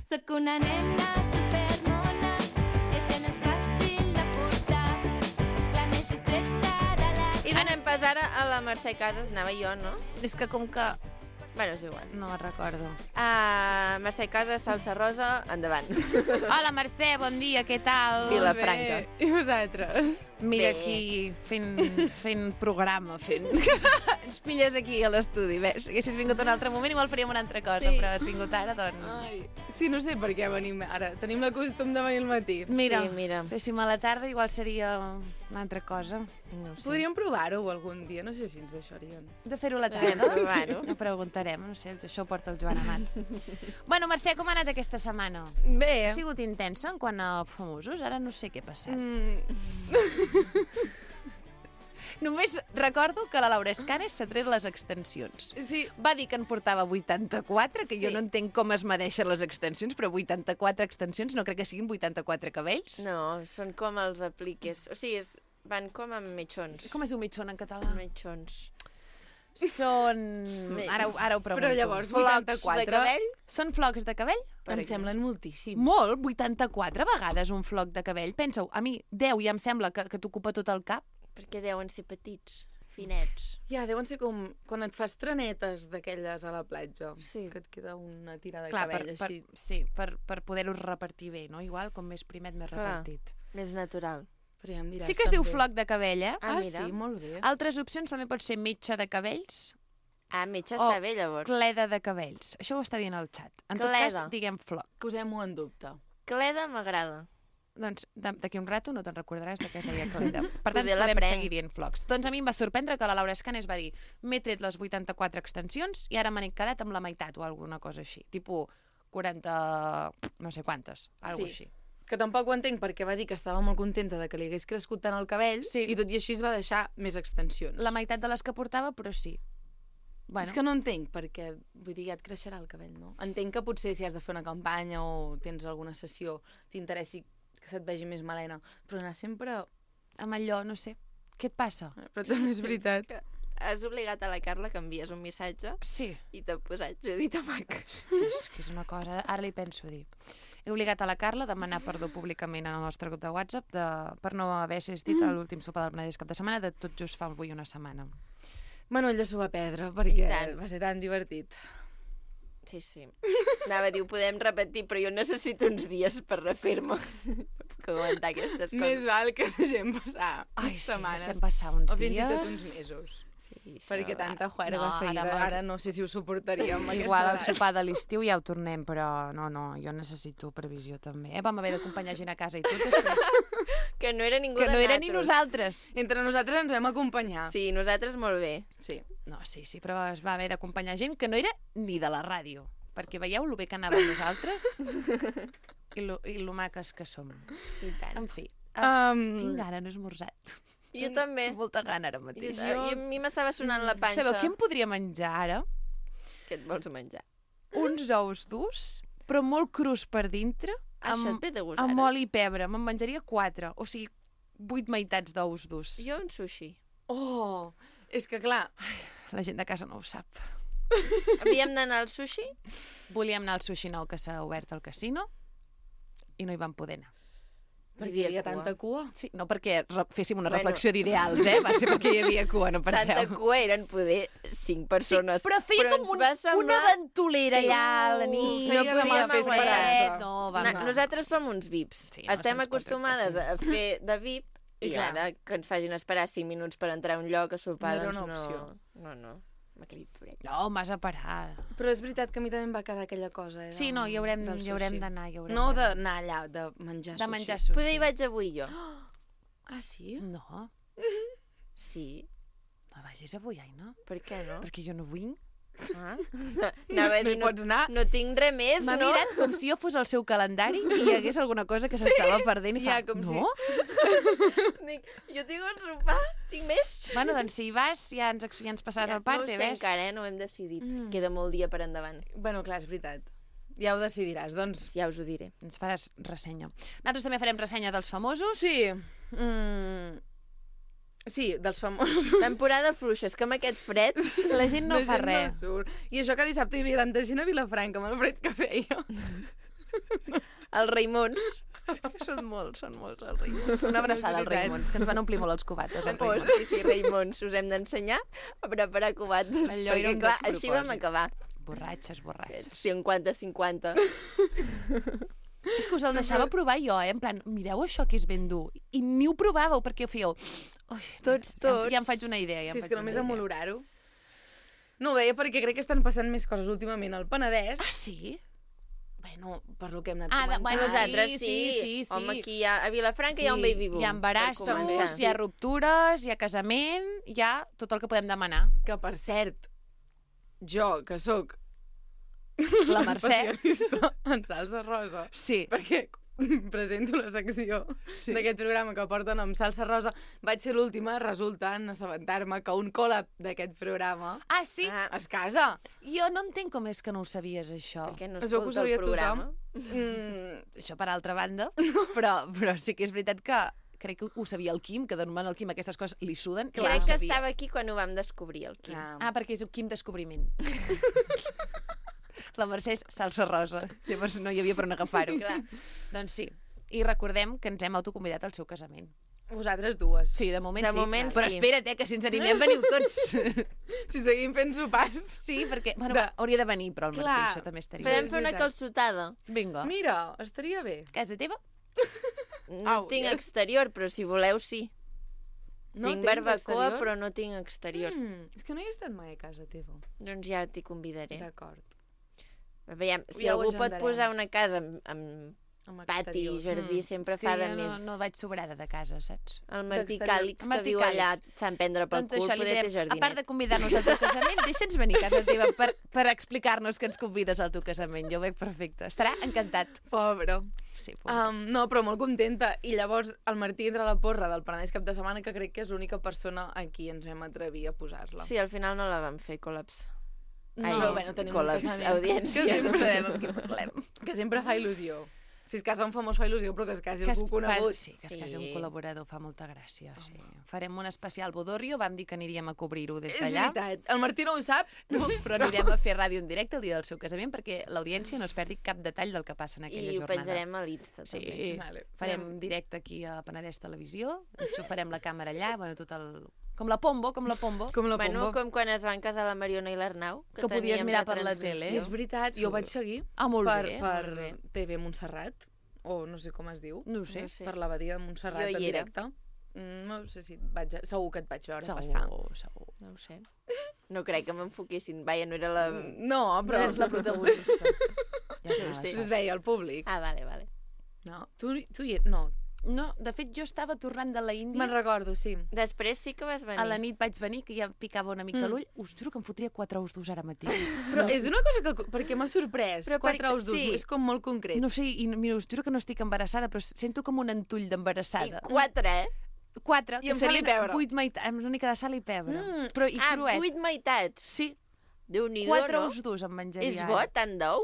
J: Soc una nena supermona i això no és fàcil de portar. La més distreta de la...
B: I donem pas ara a la Mercè Casas, anava jo, no?
A: És que com que...
B: Bueno, és igual.
A: No me'n recordo.
B: Uh, Mercè Casas, salsa rosa, endavant.
A: Hola, Mercè, bon dia, què tal?
B: Vilafranca.
K: I vosaltres?
A: Mira
B: Bé.
A: aquí, fent, fent programa, fent... Ens pilles aquí a l'estudi, ves? Haguessis vingut un altre moment, igual faríem una altra cosa,
K: Sí.
A: però has vingut ara, doncs...
K: Ai, sí, no sé per què venim ara. Tenim la costum de venir al matí.
A: Mira,
B: Sí, mira.
A: féssim a la tarda, igual seria una altra cosa.
B: No ho sé.
K: Podríem provar-ho algun dia, no sé si ens deixarien.
A: De fer-ho a la
B: Podem
A: tarda?
B: provar-ho.
A: No preguntarem, no sé, això ho porta el Joan Amat. Bueno, Mercè, com ha anat aquesta setmana?
K: Bé.
A: Ha sigut intensa en quant a famosos? Ara no sé què ha passat.
K: Mm,
A: Només recordo que la Laura Escanes s'ha tret les extensions.
K: sí,
A: Va dir que en portava vuitanta-quatre, que
B: Sí.
A: jo no entenc com es medeixen les extensions, però vuitanta-quatre extensions no crec que siguin vuitanta-quatre cabells.
B: No, són com els apliques. O sigui, és, van com amb mitjons.
A: Com es diu mitjón en català?
B: Mitjons.
A: Són... Ara, ho- ara ho pregunto.
K: però llavors
B: Flocs
K: vuitanta-quatre...
B: de cabell?
A: Són flocs de cabell?
K: Em semblen moltíssims.
A: Molt, vuitanta-quatre vegades un floc de cabell. Pensa-ho, a mi deu ja em sembla que, que t'ocupa tot el cap.
B: Perquè deuen ser petits, finets.
K: Ja, deuen ser com quan et fas trenetes d'aquelles a la platja.
B: Sí.
K: Que et queda una tira de
A: Clar, per,
K: cabell
A: per,
K: així.
A: sí, per, per poder-los repartir bé, no? Igual, com més primet, més
B: Clar.
A: repartit.
B: Més natural.
K: Però ja em diràs,
A: Sí que es diu
K: també.
A: floc de cabell, eh?
K: Ah,
B: Ah, mira.
K: sí, molt bé.
A: Altres opcions també pot ser metge de cabells
B: Ah, metge
A: o
B: està bé, llavors.
A: cleda de cabells. Això ho està dient el xat. En tot
B: Cleda.
A: cas, diguem floc.
K: Posem-ho en dubte.
B: Cleda m'agrada.
A: Doncs de- d'aquí un rato no te'n recordaràs de què es deia cleda. Per tant,
B: Poder
A: podem
B: l'aprenc.
A: seguir dient flocs. Doncs a mi em va sorprendre que la Laura Escanes va dir m'he tret les vuitanta-quatre extensions i ara me n'he quedat amb la meitat o alguna cosa així. Tipo quaranta... no sé quantes, alguna
K: Sí.
A: així.
K: Que tampoc ho entenc perquè va dir que estava molt contenta de que li hagués crescut tant el cabell
A: Sí.
K: i tot i així es va deixar més extensions.
A: La meitat de les que portava, però sí. Bueno,
K: És que no entenc perquè, vull dir, ja et creixerà el cabell, no? Entenc que potser si has de fer una campanya o tens alguna sessió, t'interessi que se't vegi més melena, però anar sempre...
A: amb allò, no sé. Què et passa?
K: Però també és veritat.
B: Has obligat a la Carla que envies un missatge
A: Sí.
B: i t'ha posat Judit Amac.
A: Hòstia, és que és una cosa... Ara li penso dir. He obligat a la Carla a demanar perdó públicament en el nostre grup de WhatsApp de, per no haver assistit a l'últim sopar del Penedès cap de setmana, de tot just fa avui una setmana.
K: Bueno, ella s'ho va perdre perquè
B: I tant.
K: va ser tan divertit.
B: Sí, sí. Anava a dir, ho podem repetir, però jo necessito uns dies per refer-me. Per puc aguantar aquestes coses.
K: Més val que deixem passar
A: Ai, sí,
K: setmanes.
A: deixem passar uns
K: o fins
A: dies.
K: i tot uns mesos.
B: Sí, això-
K: Perquè tanta juerga
A: No,
K: no, seguida,
A: ara
K: ara,
A: me'ls-
K: no sé si ho suportaríem. a
A: Igual al
K: aquesta edat.
A: sopar de l'estiu ja ho tornem, però no, no, jo necessito previsió també. Eh? Vam haver d'acompanyar gent a casa i tot després.
B: Que no era ningú
A: Que
B: de
A: no era ni
B: nosaltres.
A: nosaltres.
K: Entre nosaltres ens vam acompanyar.
B: Sí, nosaltres molt bé.
K: Sí.
A: No, sí, sí, però es va haver d'acompanyar gent que no era ni de la ràdio. Perquè veieu lo bé que anàvem nosaltres i lo, i lo maques que som.
B: I tant.
A: En fi, um,
K: Um,
A: tinc gana, no he esmorzat.
B: Jo també.
A: Molta gana ara mateix.
B: Jo, I a mi m'estava sonant la panxa.
A: Sabeu què em podria menjar ara?
B: Què et vols menjar?
A: Uns ous durs, però molt crus per dintre,
B: Això
A: amb,
B: et ve de gust,
A: amb
B: ara.
A: oli i pebre. Me'n menjaria quatre, o sigui, vuit meitats d'ous durs.
B: Jo un sushi.
K: Oh, és que clar...
A: La gent de casa no ho sap.
B: Havíem d'anar al sushi?
A: Volíem anar al sushi nou que s'ha obert al casino i no hi vam poder anar.
K: Perquè hi havia tanta cua?
A: Sí, no perquè re- féssim una
B: Bueno.
A: reflexió d'ideals, eh? Va ser perquè hi havia cua, no penseu.
B: Tanta cua eren poder cinc persones.
A: Sí, però feia
B: però
A: com
B: ens
A: un,
B: va semblar...
A: una ventolera
B: Sí.
A: allà a la nit.
B: No
K: Feia com a
B: podíem
K: fer
B: aguantar.
K: esperança.
A: No, vam
B: Na,
A: anar.
B: nosaltres som uns V I Ps.
A: Sí, no,
B: Estem
A: som uns
B: acostumades a fer de V I P i,
K: I clar.
B: ara que ens facin esperar cinc minuts per entrar a un lloc a sopar,
K: No era
B: doncs
K: una opció.
B: no... No, no, amb aquell fred.
A: No, massa parada.
K: Però és veritat que a mi també em va quedar aquella cosa, eh?
A: Sí, no, hi haurem,
K: del
A: hi haurem
K: sushi.
A: d'anar. Hi haurem
K: No
A: d'anar.
K: d'anar allà, de menjar
A: De
K: sushi.
A: menjar sushi.
B: Poder hi vaig avui jo.
K: Ah, sí?
A: No,
B: Sí.
A: no vagis avui, Aina.
B: Per què no?
A: Perquè jo no vinc.
B: Ah. Anava a
K: No
B: dir,
K: hi
B: no,
K: pots anar?
B: no tinc res més,
A: M'ha
B: no?
A: mirat com si jo fos el seu calendari i hi hagués alguna cosa que s'estava perdent i fa,
K: Ja, com
A: no?
K: si-
B: Dic, jo tinc un sopar, tinc més.
A: Bueno, doncs si hi vas ja ens, ja ens passaràs
B: Ja,
A: al part,
B: no ho sé
A: ves?
B: encara, eh? No ho hem decidit.
K: Mm.
B: Queda molt dia per endavant.
K: Bueno, clar, és veritat. Ja ho decidiràs, doncs.
B: Ja us ho diré.
A: Ens faràs ressenya. Nosaltres també farem ressenya dels famosos.
K: Sí. Mm... Sí, dels famosos.
B: Temporada fluixa, és que amb aquest fred...
A: La gent no fa res.
K: No surt. I això que dissabte hi havia tanta gent a Vilafranca, amb el fred que feia.
B: Els Raimons.
A: Són molts, són molts els Raimons. Una abraçada als Raimons, que ens van omplir molt els cubates, els
B: Oh,
A: Raimons.
B: sí, sí, Raimons, us hem d'ensenyar a preparar cubates.
A: Allò era
B: perquè,
A: un
B: clar, així vam
A: despropòsit.
B: acabar.
A: Borratxes, borratxes.
B: cinquanta cinquanta.
A: És que us el deixava provar jo, eh? En plan, mireu això que és ben dur. I ni ho provàveu, perquè ho fèieu... Ui,
B: Tots,
A: ja,
B: tots.
A: Ja em faig una idea. Ja
K: Sí,
A: em
K: és
A: faig
K: que
A: una
K: només
A: idea.
K: amb olorar-ho. No ho deia perquè crec que estan passant més coses últimament al Penedès.
A: Ah, sí?
K: Bueno, per lo que hem anat
A: Ah, de-
K: comentant.
A: bueno,
B: Nosaltres
A: sí,
B: sí,
A: sí, sí, sí.
B: Home, aquí hi ha, a Vilafranca hi ha un baby boom.
A: Hi ha
B: per
A: embarassos,
B: començar.
A: hi ha ruptures, hi ha casament, hi ha tot el que podem demanar.
K: Que, per cert, jo, que sóc
A: La Mercè.
K: especialista en salsa rosa,
A: Sí.
K: perquè presento la secció
A: Sí.
K: d'aquest programa que porten amb salsa rosa, vaig ser l'última, resulta en assabentar-me que un col·lab d'aquest programa
A: Ah, sí?
B: Ah,
K: es casa.
A: Jo no entenc com és que no ho sabies, això.
B: perquè no
K: Es veu que ho
B: escolta
K: sabia
B: el programa.
K: tothom. Mm,
A: Això per altra banda, però, però sí que és veritat que crec que ho sabia el Quim, que de normal al Quim aquestes coses li suden. i
B: Crec
A: ho
B: que
A: sabia.
B: estava aquí quan ho vam descobrir, el Quim.
K: clar.
A: Ah, perquè és un Quim descobriment. La Mercè és salsa rosa, llavors no hi havia per on agafar-ho.
B: Clar.
A: Doncs sí, i recordem que ens hem autoconvidat al seu casament.
K: Vosaltres dues.
A: Sí, de moment
B: De
A: sí.
B: moment
A: Però
B: sí.
A: espera't, eh, que si ens animem veniu tots.
K: Si seguim fent sopars.
A: Sí, perquè... Bueno,
K: De-
A: va, hauria de venir, però el Martí,
K: Clar.
A: això també estaria.
B: Podem
K: és
B: fer una
K: veritat.
B: calçotada.
A: Vinga.
K: Mira, estaria bé.
A: Casa teva?
B: No
K: Au,
B: tinc
K: ja.
B: exterior, però si voleu, sí.
K: No
B: tinc
K: tens
B: barbacoa,
K: exterior?
B: però no tinc exterior.
K: Mm, és que no hi he estat mai a casa teva.
B: Doncs ja t'hi convidaré.
K: D'acord.
B: Veiem, si
K: Ja ho
B: algú pot
K: agendarem.
B: posar una casa amb, amb
K: Amb
B: pati i
K: exterior.
B: jardí,
K: Mm.
B: sempre
A: És que
B: fa de
A: jo
B: més...
A: no, no vaig sobrada de casa, saps?
B: El Martí
K: d'exterior.
B: Càlix, que
A: Martí
B: viu allà,
A: Càlix.
B: s'han prendre pel
A: Doncs
B: cul,
A: això li
B: poder
A: direm,
B: té jardinet.
A: a part de convidar-nos al teu casament, deixa'ns venir a casa teva per, per explicar-nos que ens convides al teu casament. Jo ho veig perfecte. Estarà encantat.
K: Pobre.
A: Sí, pobre.
K: Um, no, però molt contenta. I llavors el Martí entra a la porra del Penedès cap de setmana, que crec que és l'única persona a qui ens vam atrevir a posar-la.
B: Sí, al final no la vam fer, col·laps.
K: No,
B: Ai,
K: però bueno, tenim un
B: col·laps,
K: casament.
B: audiència.
K: Que sempre
A: sabem amb qui parlem.
K: Que sempre fa il·lusió. Si es casa un famós fa il·lusió, però que es casi
A: Que es,
K: algú conegut.
A: sí, que es
B: Sí.
A: casi un col·laborador fa molta gràcia. Sí. Farem un especial Bodorrio, vam dir que aniríem a cobrir-ho des
K: És
A: d'allà.
K: veritat. El Martí no ho sap.
A: No, però anirem a fer ràdio en directe el dia del seu casament perquè l'audiència no es perdi cap detall del que passa en aquella
B: I ho
A: jornada.
B: penjarem a l'Insta,
A: Sí,
B: també.
K: Vale.
A: farem directe aquí a Penedès Televisió, enxufarem la càmera allà, bueno, tot el... Com la Pombo, com la Pombo.
K: Com la
B: Bueno,
K: Pombo.
B: com quan es van casar la Mariona i l'Arnau.
A: Que podies
B: teníem
A: mirar per la
B: retransmissió.
A: tele.
K: És veritat, jo ho vaig seguir
A: Ah, molt
K: per,
A: bé,
K: per
A: molt bé.
K: T V Montserrat, o no sé com es diu,
A: No ho sé.
B: No sé.
K: per l'abadia de Montserrat
B: Jo
K: en
B: hi era.
K: directe. Mm, no sé si et vaig, segur que et vaig veure
A: Segur,
K: passar.
A: segur.
B: No ho sé. No crec que m'enfoquessin. Vaja, no era la...
K: No,
A: Però
K: però...
A: eres la protagonista. Ja
B: No ho sé.
K: Es veia al públic.
B: Ah, vale, vale.
K: No, tu, tu hi... No,
A: No, de fet, jo estava tornant de la Índia.
K: me'n recordo, sí.
B: Després sí que vas venir.
A: A la nit vaig venir, que ja em picava una mica
K: Mm.
A: l'ull. Us juro que em fotria quatre ous durs ara mateix.
K: Però és una cosa que... Perquè m'ha sorprès.
B: Però
K: Quatre
B: per-
K: ous durs,
B: sí.
K: és com molt concret.
A: No sé, i mira, us juro que no estic embarassada, però sento com un entull
B: I
A: d'embarassada.
B: quatre, eh?
A: Quatre.
K: I amb sal i pebre.
A: Vuit meitats, amb una mica de sal i pebre.
B: Mm.
A: Però i
B: Ah,
A: cruet.
B: vuit meitats.
A: Sí.
B: Déu-n'hi-do,
A: Quatre
B: no?
A: ous durs em menjaria.
B: És bo, tant d'ou?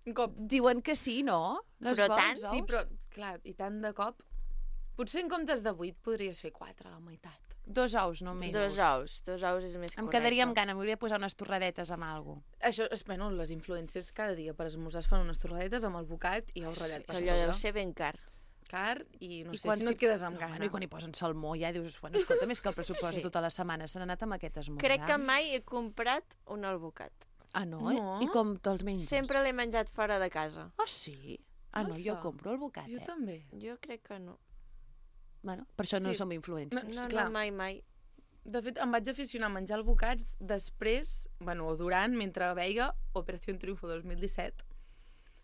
K: Un cop.
A: Diuen que sí, no? No és
B: Però
A: bo,
B: tant,
A: els
K: Sí,
A: ous?
K: però, clar, i tant de cop... Potser en comptes de vuit podries fer quatre, la meitat.
A: Dos ous només.
B: Dos ous. Dos ous és més
A: Em
B: correcte.
A: quedaria amb gana, m'hauria de posar unes torradetes amb alguna cosa.
K: Això, és, bueno, les influencers cada dia per esmorzar es fan unes torradetes amb el bocat i ous ratllat.
B: Que allò deu ser ben car.
K: Car i no
A: I
K: sé
A: quan
K: si no
A: s'hi-
K: et quedes amb
A: no,
K: gana.
A: bueno, I quan hi posen salmó ja dius, bueno, escolta, més que el pressupost
B: Sí.
A: sí. tota la setmana s'han anat amb aquest esmorzar.
B: Crec que mai he comprat un albocat.
A: Ah, no?
K: No.
A: I com te'ls menges?
B: Sempre l'he menjat fora de casa.
A: Ah, sí? Ah, no, jo
K: Massa.
A: compro el bocat,
K: Jo
A: eh?
K: també.
B: Jo crec que no.
A: Bueno, per això no
K: Sí.
A: som influencers.
K: No,
B: No,
K: clar.
B: no, mai, mai.
K: De fet, em vaig aficionar a menjar el bocats després, bueno, o durant, mentre veia Operació Triunfo dos mil disset,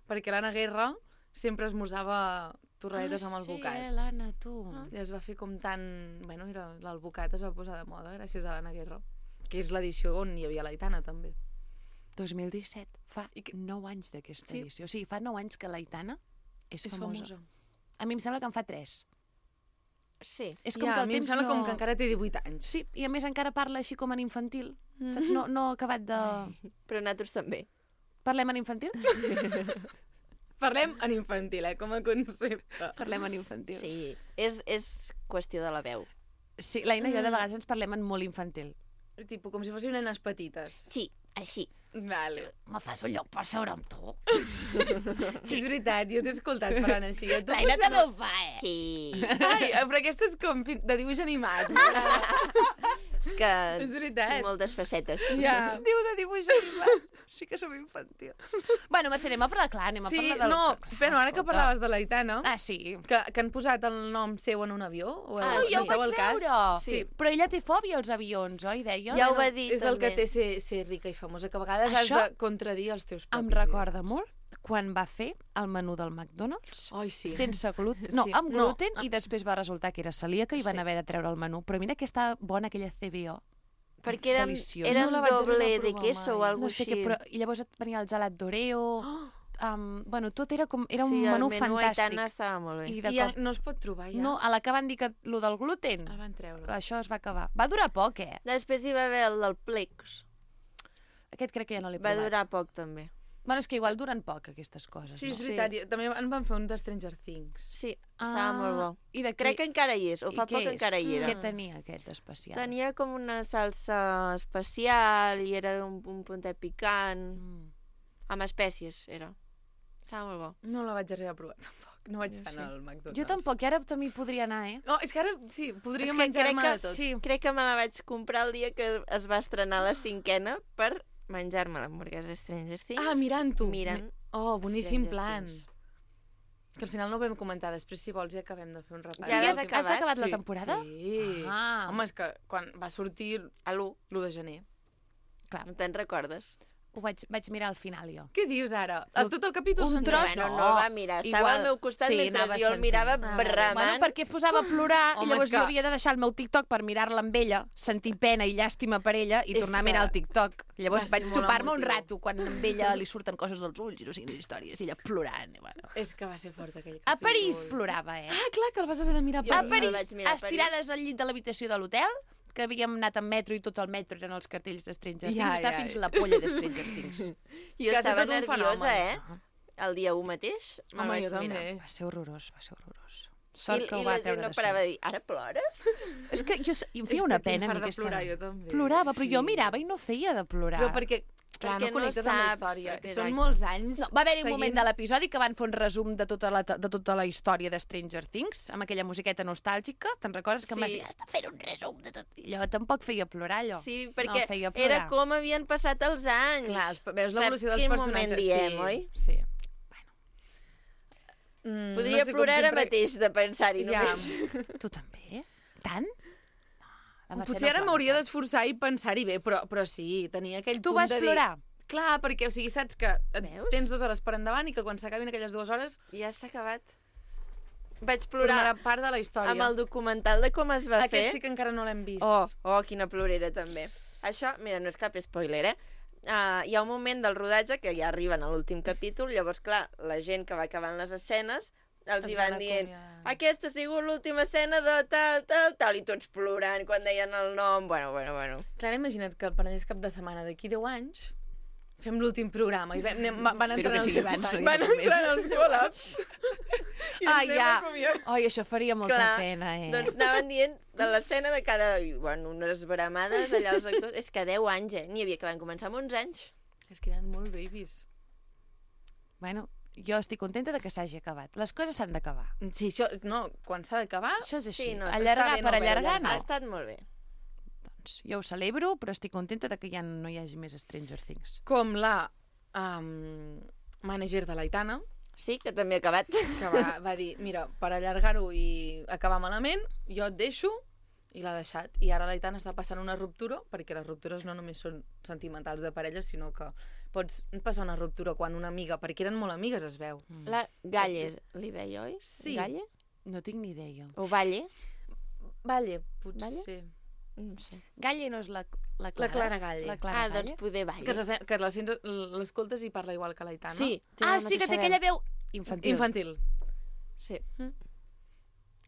K: perquè l'Anna Guerra sempre esmorzava torradetes
A: ah,
K: amb el
A: sí,
K: bocat.
A: eh, l'Anna, tu.
K: Ah. I es va fer com tan... Bueno, era, l'albocat es va posar de moda gràcies a l'Anna Guerra, que és l'edició on hi havia l'Aitana, també.
A: dos mil disset, fa
K: I que-
A: nou anys d'aquesta
K: Sí.
A: edició. O sigui, fa nou anys que l'Aitana és,
K: És
A: famosa.
K: famosa.
A: A mi em sembla que en fa tres.
B: Sí.
A: És com
K: ja,
A: que
K: a
A: el
K: mi em
A: temps
K: sembla
A: no...
K: com que encara té divuit anys.
A: Sí, i a més encara parla així com en infantil.
K: Mhm.
A: Saps? No, no ha acabat de...
B: Però nosaltres també.
A: Parlem en infantil?
K: Parlem en infantil, eh, com a concepte.
A: Parlem en infantil.
B: Sí. És, és qüestió de la veu.
A: Sí, l'Aina i jo de
K: Mm.
A: vegades ens parlem en molt infantil.
K: Tipo, com si fossin nenes petites.
B: Sí, així.
K: Vale.
A: Me fas un lloc per seure amb tu?
K: Sí, és veritat, jo t'he escoltat parlant així. Jo t'ho
A: L'Aina
K: poso-
A: també ho fa, eh?
B: Sí.
K: Ai, però aquesta és com fi- de dibuix animat.
B: És que
K: És veritat.
B: tinc moltes facetes.
K: Ja.
A: Diu de dibuix animat. Sí que som infantils. Bueno, Mercè, anem a parlar, clar, anem a
K: Sí,
A: parlar del...
K: no,
A: Clar,
K: però ara que
A: escolta.
K: parlaves de l'Aitana,
A: Ah, sí.
K: que, que han posat el nom seu en un avió, o
B: Ah,
A: Oh,
B: sí.
A: ja ho
K: esteu
A: vaig
K: al cas?
A: veure.
K: Sí.
A: Però ella té fòbia als avions, oi, deia?
B: Ja ho va
K: Bueno,
B: dir,
K: és el que
B: també.
K: té ser, ser rica i famosa, que a vegades
A: Això
K: has de contradir els teus propis
A: Em recorda molt quan va fer el menú del McDonald's
K: Ai, sí.
A: sense gluten, no,
K: Sí.
A: amb
K: No.
A: gluten, i després va resultar que era celíaca i van haver de treure el menú. Però mira que estava bona aquella C B O.
B: Perquè eren,
A: Deliciós.
B: eren
K: No la vaig
B: doble
K: arribar a
B: de
K: provar
B: queso o
K: mai.
B: alguna
A: No sé
B: així.
A: què, però... I llavors et venia el gelat d'Oreo... Um, bueno, tot era com... Era un
B: sí,
A: menú
B: el menú
A: fantàstic.
B: Aitana estava molt bé.
A: I
K: I
A: de
K: ja
A: cop...
K: no es pot trobar, ja.
A: No, a la que van dir que lo del gluten,
K: El van treure.
A: això es va acabar. Va durar poc, eh?
B: Després hi va haver el del Plex.
A: Aquest crec que ja no l'he
B: Va
A: provat.
B: durar poc, també.
A: Bueno, és que igual duren poc, aquestes coses,
K: Sí, és
A: no?
K: veritat. i També en van fer un de Stranger Things.
B: Sí, estava molt bo.
A: I de
B: Crec que encara hi és, o
A: i
B: fa
A: què
B: poc
A: és?
B: encara hi era.
A: Què tenia aquest especial?
B: Tenia com una salsa especial i era un, un puntet picant,
A: Mm.
B: amb espècies, era. Estava molt bo.
K: No la vaig arribar a provar, tampoc. No vaig
B: Jo
K: estar
B: sí.
K: al McDonald's.
A: Jo tampoc, i ara també hi podria anar, eh?
K: No, és que ara, sí, podria
B: És que
K: menjar-me
B: crec
K: de
B: que,
K: tot.
B: sí, crec que me la vaig comprar el dia que es va estrenar la cinquena per menjar-me l'hamburguesa Stranger Things.
K: Ah, mirant-ho.
B: Mirant.
K: Mi- Oh, boníssim
B: Stranger
K: plan.
B: Things.
K: Que al final no ho vam comentar. Després, si vols, ja acabem de fer un repàs.
B: Ja
A: Tu ja
B: l'has
A: has, has
B: acabat?
A: acabat la
K: Sí,
A: temporada?
K: Sí.
A: Ah.
K: Home, és que quan va sortir
B: A l'u,
K: l'u de gener.
A: Clar,
B: no te'n recordes?
A: ho vaig, vaig mirar al final, jo.
K: Què dius ara? A tot el capítol
A: Un
K: sencer?
A: tros,
B: Bueno,
A: no.
B: no el va mirar, estava
A: Igual-
B: al meu costat
A: sí,
B: mentre
A: anava
B: jo el
A: sentint.
B: mirava
K: Ah, vale.
B: bramant.
A: Bueno, perquè es posava a plorar
K: Home,
A: i llavors
K: és que-
A: jo havia de deixar el meu TikTok per mirar-la amb ella, sentir pena i llàstima per ella i
K: És
A: tornar a
K: que
A: mirar el TikTok. Llavors
K: va ser
A: vaig
K: molt
A: xupar-me un
K: emotiu.
A: rato quan amb ella li surten coses dels ulls i no siguin històries i ella plorant. I bueno.
K: És que va ser fort aquell capítol.
A: A París plorava, eh?
K: Ah, clar, que el vas haver de mirar a
B: Jo
A: A
K: París.
B: el
A: París,
B: vaig mirar a París.
A: estirades al llit de l'habitació de l'hotel, que havíem anat en metro i tot el metro eren els cartells de Stranger Things.
K: Ja,
A: Està
K: ja,
A: fins
K: ja.
A: la polla de Stranger Things.
B: Jo
K: que ha
B: estava
K: estat un
B: nerviosa,
K: fenomen.
B: eh? El dia u mateix me'l
K: Home,
B: vaig
K: jo
B: mirar.
K: també.
A: Va ser horrorós, va ser horrorós.
B: I,
A: Sort que ho
B: i
A: va
B: la gent
A: treure
B: no
A: de
B: parava
A: sobre.
B: de dir, ara plores?
A: És que jo, i em
K: És
A: feia
K: que
A: una
K: tinc
A: pena a
K: fart
A: mi
K: de
A: aquesta
K: plorar,
A: noia.
K: jo també.
A: Plorava, però
K: Sí.
A: jo mirava i no feia de plorar.
K: Però perquè, clar,
B: Perquè
K: no
B: no
K: connectes amb la
B: saps,
K: història.
B: exacte.
K: Són molts anys
A: No, va haver-hi un
K: seguint-
A: moment de l'episodi que van fer un resum de tota la, de tota la història de Stranger Things, amb aquella musiqueta nostàlgica. Te'n recordes que em vas
B: Sí.
A: dir, està fent un resum de tot? I allò tampoc feia plorar, allò.
B: Sí,
A: no
B: perquè
A: feia plorar.
B: era com havien passat els anys.
K: Clar, els- veus l'evolució
B: Saps
K: dels
B: quin
K: personatges.
B: moment diem,
K: sí,
B: oi?
K: Sí. Mm,
B: Podria
K: no sé com
B: plorar ara
K: sempre-
B: mateix de pensar-hi
K: Ja.
B: només.
A: Tu també? Tant? No, la Mercè
K: Potser
A: no
K: ara
A: plora
K: m'hauria
A: tant.
K: d'esforçar i pensar-hi bé, però, però sí, tenia aquell
A: Tu
K: punt
A: vas
K: de dir...
A: plorar?
K: Clar, perquè, o sigui, saps que et
B: Veus?
K: tens dues hores per endavant i que quan s'acabin aquelles dues hores
B: Ja s'ha acabat. Vaig
K: formarà
B: plorar
K: part de la història.
B: amb el documental de com es va
K: Aquest
B: fer.
K: sí que encara no l'hem vist.
B: Oh, oh, quina plorera, també. Això, mira, no és cap spoiler, eh? Uh, hi ha un moment del rodatge que ja arriben a l'últim capítol, llavors, clar, la gent que va acabant les escenes els
K: Es
B: hi
K: van
B: van dient
K: acomiadar.
B: aquesta ha sigut l'última escena de tal, tal, tal, i tots plorant quan deien el nom. Bueno, bueno, bueno.
K: Clar, imagina't que el Penedès cap de setmana d'aquí deu anys fem l'últim programa i vam, anem, van
A: Espero
K: entrar
A: que sigui
K: els,
A: abans, perquè
K: van
A: no
K: entrar
A: més.
K: els col·laps i ens
A: Ah,
K: anem
A: ja.
K: acomiadant.
A: Ai, això faria molta
B: Clar,
A: pena, eh?
B: doncs anaven dient de l'escena de cada... i, bueno, unes bramades allà els actors. És que deu anys, eh? N'hi havia que van començar amb onze anys.
K: És que eren molt babies.
A: Bueno, jo estic contenta de que s'hagi acabat. Les coses s'han d'acabar.
K: Sí, això, no, quan s'ha d'acabar...
A: Això és així.
B: Sí, no,
A: Allargar
K: està bé
A: per
K: no haver-ho
A: allargar,
K: allargat.
A: no.
B: Ha estat molt bé.
A: Doncs jo ho celebro, però estic contenta de que ja no hi hagi més Stranger Things.
K: Com la um, manager de l'Aitana,
B: Sí, que també ha acabat.
K: que va, va dir, mira, per allargar-ho i acabar malament, jo et deixo, i l'ha deixat. I ara l'Aitana està passant una ruptura, perquè les ruptures no només són sentimentals de parella, sinó que pots passar una ruptura quan una amiga, perquè eren molt amigues, es veu.
B: La Galle, li deia, oi?
K: Sí.
B: Galle?
A: No tinc ni idea.
B: O Valle?
K: Valle, potser.
B: Valle? No sé.
A: Galle no és la, la
K: La
A: Clara?
K: Clara Galle.
A: La Clara
B: Ah,
A: Galle?
B: doncs poder Valle.
K: Que, se, que la sents- l'escoltes i parla igual que l'Aitana.
B: Sí. té
A: Ah,
B: la
A: sí, que té
B: mateixa
A: aquella veu infantil.
K: Infantil.
B: Sí.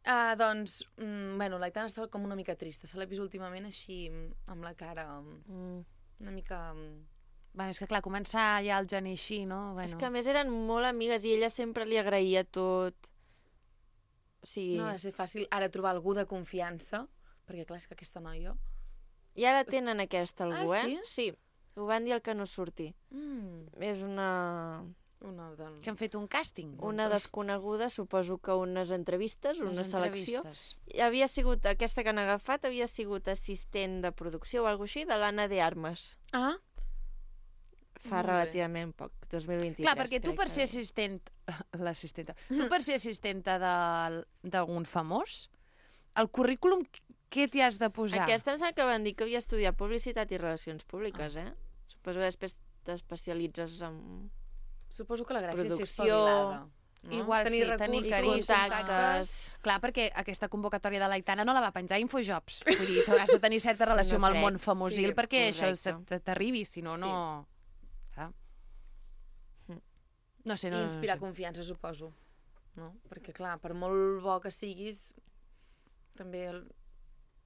K: Ah, doncs, mm, bueno, l'Aitana estava com una mica trista. Se l'ha vist últimament així, mm, amb la cara
B: Mm.
K: una mica... mm,
A: Bueno, és que clar, començar ja el gener així, no? Bueno.
B: És que a més eren molt amigues i ella sempre li agraïa tot. O sigui,
K: No ha de ser fàcil ara trobar algú de confiança, perquè clar, és que aquesta noia...
B: ja la tenen aquesta algú,
K: Ah,
B: eh?
K: sí?
B: Sí. Ho van dir al que no surti.
K: Mm,
B: És una...
K: una de...
A: Que han fet un càsting.
B: Una desconeguda, suposo que unes entrevistes,
A: Unes
B: una selecció.
A: entrevistes.
B: I havia sigut, aquesta que han agafat, havia sigut assistent de producció o alguna així, de l'Anna de Armes.
K: Ah,
B: Fa
K: Molt bé.
B: relativament poc, dos mil vint-i-tres.
A: Clar, perquè tu
B: crec
A: per
B: que
A: ser
B: era.
A: assistent... L'assistenta. Tu per ser assistenta de- d'algun famós, el currículum, què t'hi has de posar?
B: Aquesta em sembla que van dir que havia estudiat publicitat i relacions públiques, eh? Suposo que després t'especialitzes en
K: suposo que la gràcia és ser
B: producció,
K: espavilada. No?
A: Igual sí, tenir
K: recursos,
A: carisma.
B: contactes...
A: Clar, perquè aquesta convocatòria de l'Aitana no la va penjar Infojobs. Vull dir, tu has de tenir certa relació
B: No
A: amb el
B: crec,
A: món famosil
B: sí,
A: perquè això
B: correcte.
A: se- se t'arribi, si no,
K: Sí.
A: no... Ah. No sé, no,
K: I
A: no,
K: inspirar
A: no sé.
K: confiança, suposo. No? Perquè, clar, per molt bo que siguis, també el...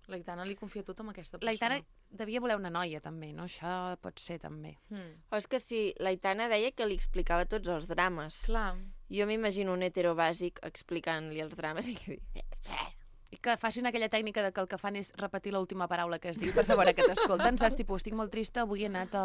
K: l'Aitana li confia tot amb aquesta persona.
A: L'Aitana devia voler una noia, també, no? Això pot ser, també.
K: Mm.
B: O és que sí, l'Aitana deia que li explicava tots els drames.
K: Clar.
B: Jo m'imagino un hetero bàsic explicant-li els drames i que diu...
A: I que facin aquella tècnica de que el que fan és repetir l'última paraula que es diu per veure que t'escolten, saps? Tipus, estic molt trista, avui he anat a,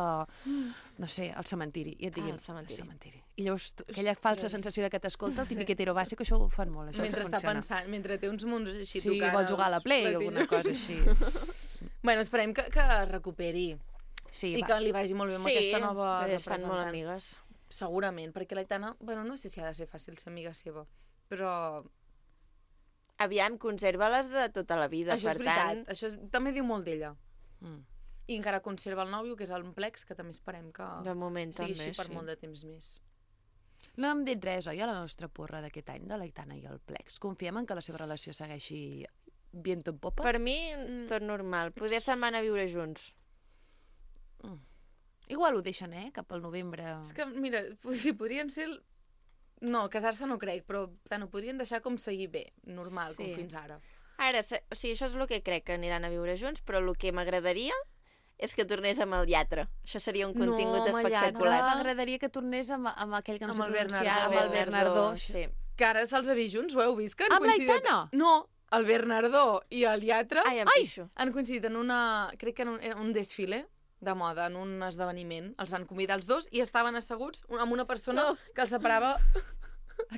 A: no sé, al cementiri. I et diguin,
B: Ah, al cementiri.
A: al cementiri. I llavors, tu, aquella falsa
K: Ostres.
A: sensació de que t'escolta, el típic hetero bàsic, això ho fan molt, això
K: Mentre està
A: funciona.
K: pensant, mentre té uns munts així
A: Sí,
K: tocant
A: vol jugar a la
K: els
A: Play o alguna
K: platines.
A: cosa així.
K: Bueno, esperem que, que es recuperi
A: Sí,
K: i
A: va.
K: que li vagi molt bé amb
B: Sí,
K: aquesta nova
B: perquè es fan molt
K: representant.
B: amigues.
K: Segurament, perquè l'Aitana, bueno, no sé si ha de ser fàcil ser amiga seva, però
B: Aviam, conserva-les de tota la vida,
K: això
B: per
K: és veritat,
B: tant...
K: això és, també diu molt d'ella.
A: Mm.
K: I encara conserva el nòvio, que és el Plex, que també esperem que
B: De moment
K: sigui
B: també,
K: així per
B: sí.
K: molt de temps més.
A: No hem dit res, oi, a la nostra porra d'aquest any, de l'Aitana i el Plex. Confiem en que la seva relació segueixi viento en popa?
B: Per mi, tot normal. Poder se'n van a viure junts.
A: Mm. Igual ho deixen, eh? Cap al novembre.
K: És que, mira, si podrien ser... el- No, casar-se no crec, però tant ho podrien deixar com seguir bé, normal,
B: Sí.
K: com fins ara.
B: Ara, se- o sigui, això és el que crec que aniran a viure junts, però el que m'agradaria és que tornés amb el Llatre. Això seria un
K: No,
B: contingut
K: amb el Llatre.
B: espectacular.
A: M'agradaria que tornés amb, amb aquell que no
K: Amb
A: sé
K: el
A: pronunciar,
K: Bernardó.
A: amb el Bernardó.
B: Sí.
K: Que ara se'ls ha vist junts, ho heu vist? Que han
A: Amb
K: coincidit-
A: l'Aitana?
K: No, el Bernardó i el Llatre
B: Ai, em pixo.
K: han coincidit en una... Crec que en un, en un desfile de moda, en un esdeveniment. Els van convidar els dos i estaven asseguts un- amb una persona
B: No.
K: que els separava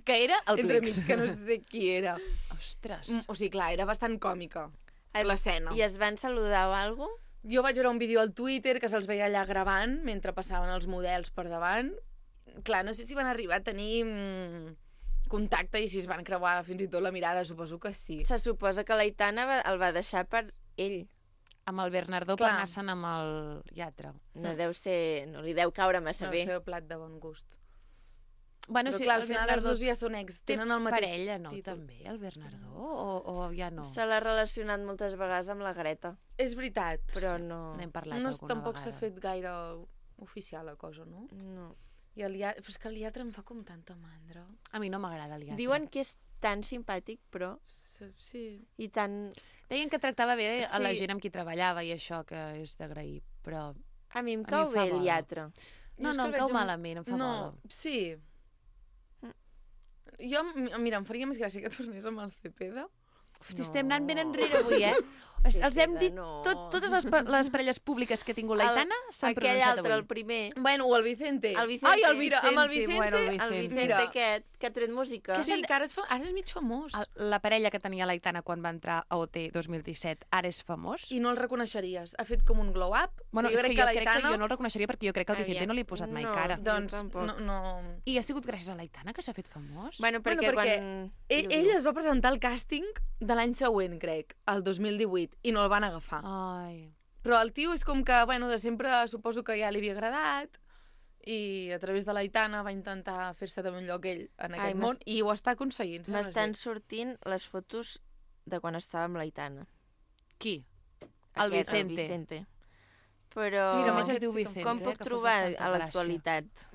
A: Que era el
K: entre
A: Plex.
K: mig, que no sé qui era.
A: Ostres.
K: Mm, O sigui, clar, era bastant còmica
B: Es-
K: l'escena.
B: I es van saludar o alguna cosa?
K: Jo vaig veure un vídeo al Twitter que se'ls veia allà gravant mentre passaven els models per davant. Clar, no sé si van arribar a tenir mm, contacte i si es van creuar fins i tot la mirada, suposo que sí.
B: Se suposa que l'Aitana va, el va deixar per ell.
A: Amb el Bernardó per
K: Clar.
A: anar-se'n amb el Llatre.
B: No deu ser... No li deu caure massa
K: No
B: bé.
K: el seu plat de bon gust.
A: Bueno,
K: Però
A: sí,
K: clar,
A: el
K: al final
A: Bernardó
K: els dos ja són ex,
A: té
K: tenen el mateix
A: parella, no,
K: títol.
A: també, el Bernardó? O, o ja no?
B: Se l'ha relacionat moltes vegades amb la Greta,
K: És veritat.
B: però no...
A: N'hem parlat
K: No,
A: alguna
K: tampoc s'ha
A: vegada.
K: fet gaire oficial la cosa, no?
B: no.
K: I el Iatre... Però és que el Iatre em fa com tanta mandra.
A: A mi no m'agrada el Iatre.
B: Diuen que és tan simpàtic, però...
K: Sí.
B: I tan...
A: Deien que tractava bé a la
B: Sí.
A: gent amb qui treballava i això, que és d'agrair, però...
B: A mi em
A: A
B: cau
A: mi em fa
B: bé el
A: bola.
B: Iatre.
A: No,
K: Jo és
A: no,
K: que
A: em
K: el
A: cau
K: veig amb-
A: malament, em fa
K: no,
A: bola.
K: Sí. Jo, m- mira, em faria més gràcia que tornés amb el Cepeda.
A: Hosti, estem anant ben enrere avui, eh? Els, els hem dit, tot, totes les, pa- les parelles públiques que ha tingut l'Aitana s'han
B: aquell
A: pronunciat
B: altre,
A: avui.
B: el primer.
K: Bueno, o el Vicente.
B: El Vicente.
K: Ai, el Vicente, amb el Vicente.
A: bueno, el
B: El
A: Vicente.
B: Vicente
K: Mira.
B: aquest, que ha tret música.
K: Que sí, que ara és, fa... ara és mig famós.
A: El- La parella que tenia l'Aitana quan va entrar a O T dos mil disset ara és famós?
K: I no el reconeixeries. Ha fet com un glow-up.
A: Bueno,
K: jo
A: és
K: crec
A: que jo
K: que
A: crec que
K: l'Aitana...
A: jo no el reconeixeria perquè jo crec que al Vicente
B: Aviam.
A: no li he posat mai
B: No,
A: cara.
B: jo
K: Doncs
B: tampoc.
K: no, no...
A: I ha sigut gràcies a l'Aitana que s'ha fet famós?
B: Bueno, perquè,
K: Bueno, perquè
B: quan...
K: Ell, ell es va presentar al càsting de l'any següent, crec, el dos mil divuit, i no el van agafar.
A: Ai...
K: Però el tio és com que, bueno, de sempre suposo que ja li havia agradat i a través de l'Aitana va intentar fer-se també un lloc ell en aquest
B: Ai,
K: món i ho està aconseguint. sembla
B: M'estan
K: ser.
B: sortint les fotos de quan estava amb l'Aitana.
A: Qui? El
B: Aquest,
A: Vicente.
B: El Vicente. Però...
A: És que a més
K: aquest
A: es diu
K: sí que em-
A: Vicente.
B: Com puc
A: que fa
B: trobar
A: bastanta
B: a
A: gràcia.
B: l'actualitat?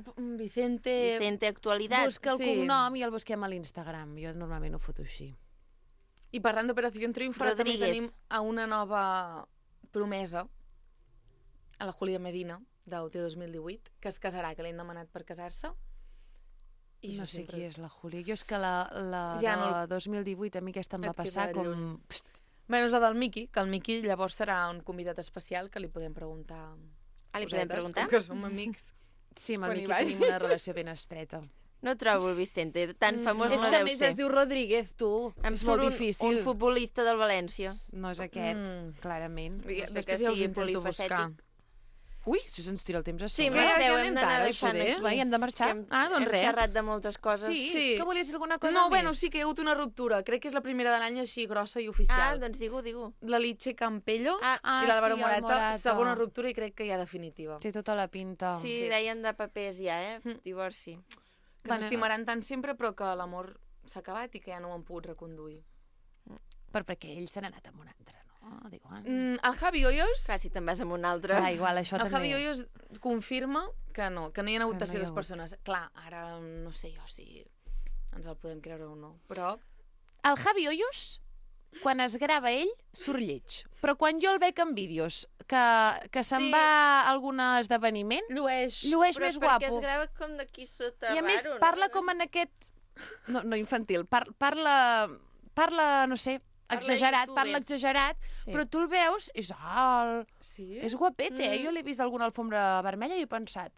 K: Vicente...
B: Vicente actualitat.
A: Busca el
K: Sí.
A: cognom i el busquem a l'Instagram. Jo normalment ho foto així.
K: I parlant d'Operació Triunfo, ara també
B: Rodríguez.
K: tenim a una nova promesa, a la Julia Medina, d'O T dos mil divuit, que es casarà, que l'hem demanat per casar-se. I
A: No
K: jo
A: sé
K: sempre-
A: qui és la Júlia. Jo és que la, la
K: Ja
A: de
K: no el-
A: dos mil divuit a mi aquesta em va
K: Et queda
A: passar com...
K: lluny.
A: Pst,
K: Bueno, és la del Miqui, que el Miqui llavors serà un convidat especial que li podem preguntar...
B: Ah, li podem
K: cosetes,
B: preguntar?
K: Com que som amics.
A: Sí, amb el
K: Quan hi
A: Miqui
K: vaig.
A: tenim una relació ben estreta.
B: No trobo el Vicente, tan famós
A: és
B: no
A: que a
B: deu
A: més
B: ser.
A: es diu Rodríguez, tu.
B: Em
A: és
B: surt
A: molt
B: un,
A: difícil.
B: un futbolista del València.
A: No és aquest,
K: Mm.
A: clarament.
K: I
B: No sé
K: després
B: que
K: ja us
B: sigui
K: intento buscar.
B: polifacètic.
A: Ui, si se'ns tira el temps a
B: Sí,
A: sobre.
B: Marceu,
K: ja
B: hem
K: anem
B: d'anar
K: tard,
B: deixant
K: poder.
B: aquí.
A: Va, i hem de marxar.
B: Que hem,
K: Ah, doncs
B: hem
K: res.
B: xerrat de moltes coses.
A: Sí,
K: Sí.
A: que volies dir alguna cosa
K: No,
A: més?
K: bueno, sí que hi ha hagut una ruptura. Crec que és la primera de l'any així grossa i oficial.
B: Ah, doncs digue-ho, digue-ho.
K: La Litxe Campello
B: Ah,
A: Ah,
K: i l'Àlvaro
A: sí, el
K: Morata,
A: Morata.
K: segona ruptura i crec que ja definitiva.
A: Té tota la pinta.
B: sí, deien de papers ja, eh?
K: Mm.
B: Divorci.
K: Que
A: Bueno,
K: s'estimaran tant sempre però que l'amor s'ha acabat i que ja no ho han pogut reconduir.
A: Per perquè ell se n'ha anat amb un altre, no? Dic, ah,
K: Mm, el Javi Hoyos,
B: Quasi te'n vas amb un altre.
A: va, igual, això
K: el
A: també.
K: Javi Hoyos confirma que no, que no hi ha hagut
A: Que no hi ha
K: terceres
A: hagut.
K: persones. Clar, ara no sé jo si ens el podem creure o no, però...
A: El Javi Hoyos, quan es grava ell, surt lleig. Però quan jo el veig en vídeos que, que se'n
B: Sí.
A: va a algun esdeveniment,
K: Llueix.
A: llueix
B: Però
A: més
B: perquè
A: guapo.
B: es grava com d'aquí sota
A: I a més
B: raro,
A: parla
B: no?
A: com en aquest... No, no infantil, par parla, parla, no sé,
B: Parla
A: exagerat,
B: youtuber.
A: parla exagerat,
B: Sí.
A: però tu el veus, és alt,
K: Sí?
A: és guapet, eh?
B: Mm.
A: Jo l'he vist a alguna alfombra vermella i he pensat,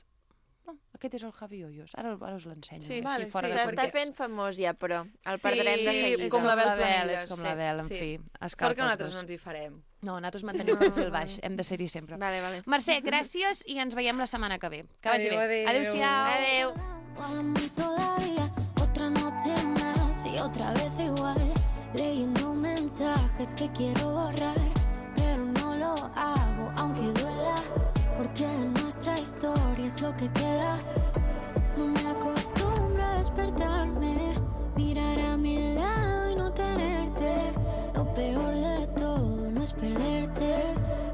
A: no, aquest és el Javi Hoyos, ara, ara us l'ensenyo.
B: Sí,
A: així,
K: vale,
A: fora
K: sí,
A: de
B: S'està
A: context.
B: fent famós ja, però el
K: Sí,
B: perdrem de seguida.
A: És
K: com
A: com
K: la Bel
A: la Bel,
K: Planelles,
A: és com
K: sí,
A: la Bel, en
K: sí.
A: fi.
K: Sort
A: Escalfa
K: que
A: els
K: nosaltres
A: dos.
K: no ens hi farem.
A: No, nosaltres mantenim el perfil baix, hem de ser-hi sempre.
B: Vale, vale.
A: Mercè, gràcies i ens veiem la setmana que ve. Que vagi
K: Adéu,
A: bé.
K: adéu.
A: Adéu-siau.
B: Adéu.
C: Para mí todavía otra noche más y otra vez igual, leyendo mensajes que quiero borrar, pero no lo hago aunque duela, porque nuestra historia es lo que queda. No me acostumbro a despertarme, mirar a mi lado y no tenerte. Lo peor de todo no es perderte,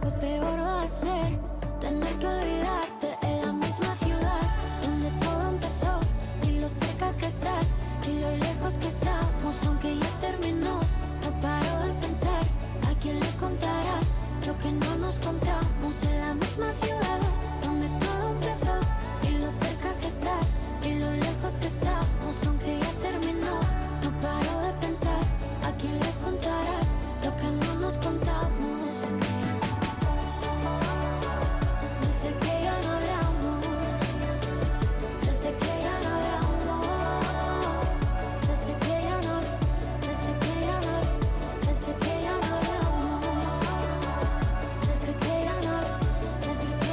C: lo peor va a ser tener que olvidarte en la misma ciudad donde todo empezó, y lo cerca que estás y lo lejos que estamos, aunque ya terminó. No paro de pensar a quién le contarás lo que no nos contamos en la misma ciudad donde todo empezó, y lo cerca que estás y lo lejos que estamos, aunque ya terminó. No paro de pensar a quién le contarás lo que no nos contamos. Desde que ya no hablamos, desde que ya no hablamos, desde que ya no, desde que ya no, desde que ya no hablamos, desde que ya no, desde que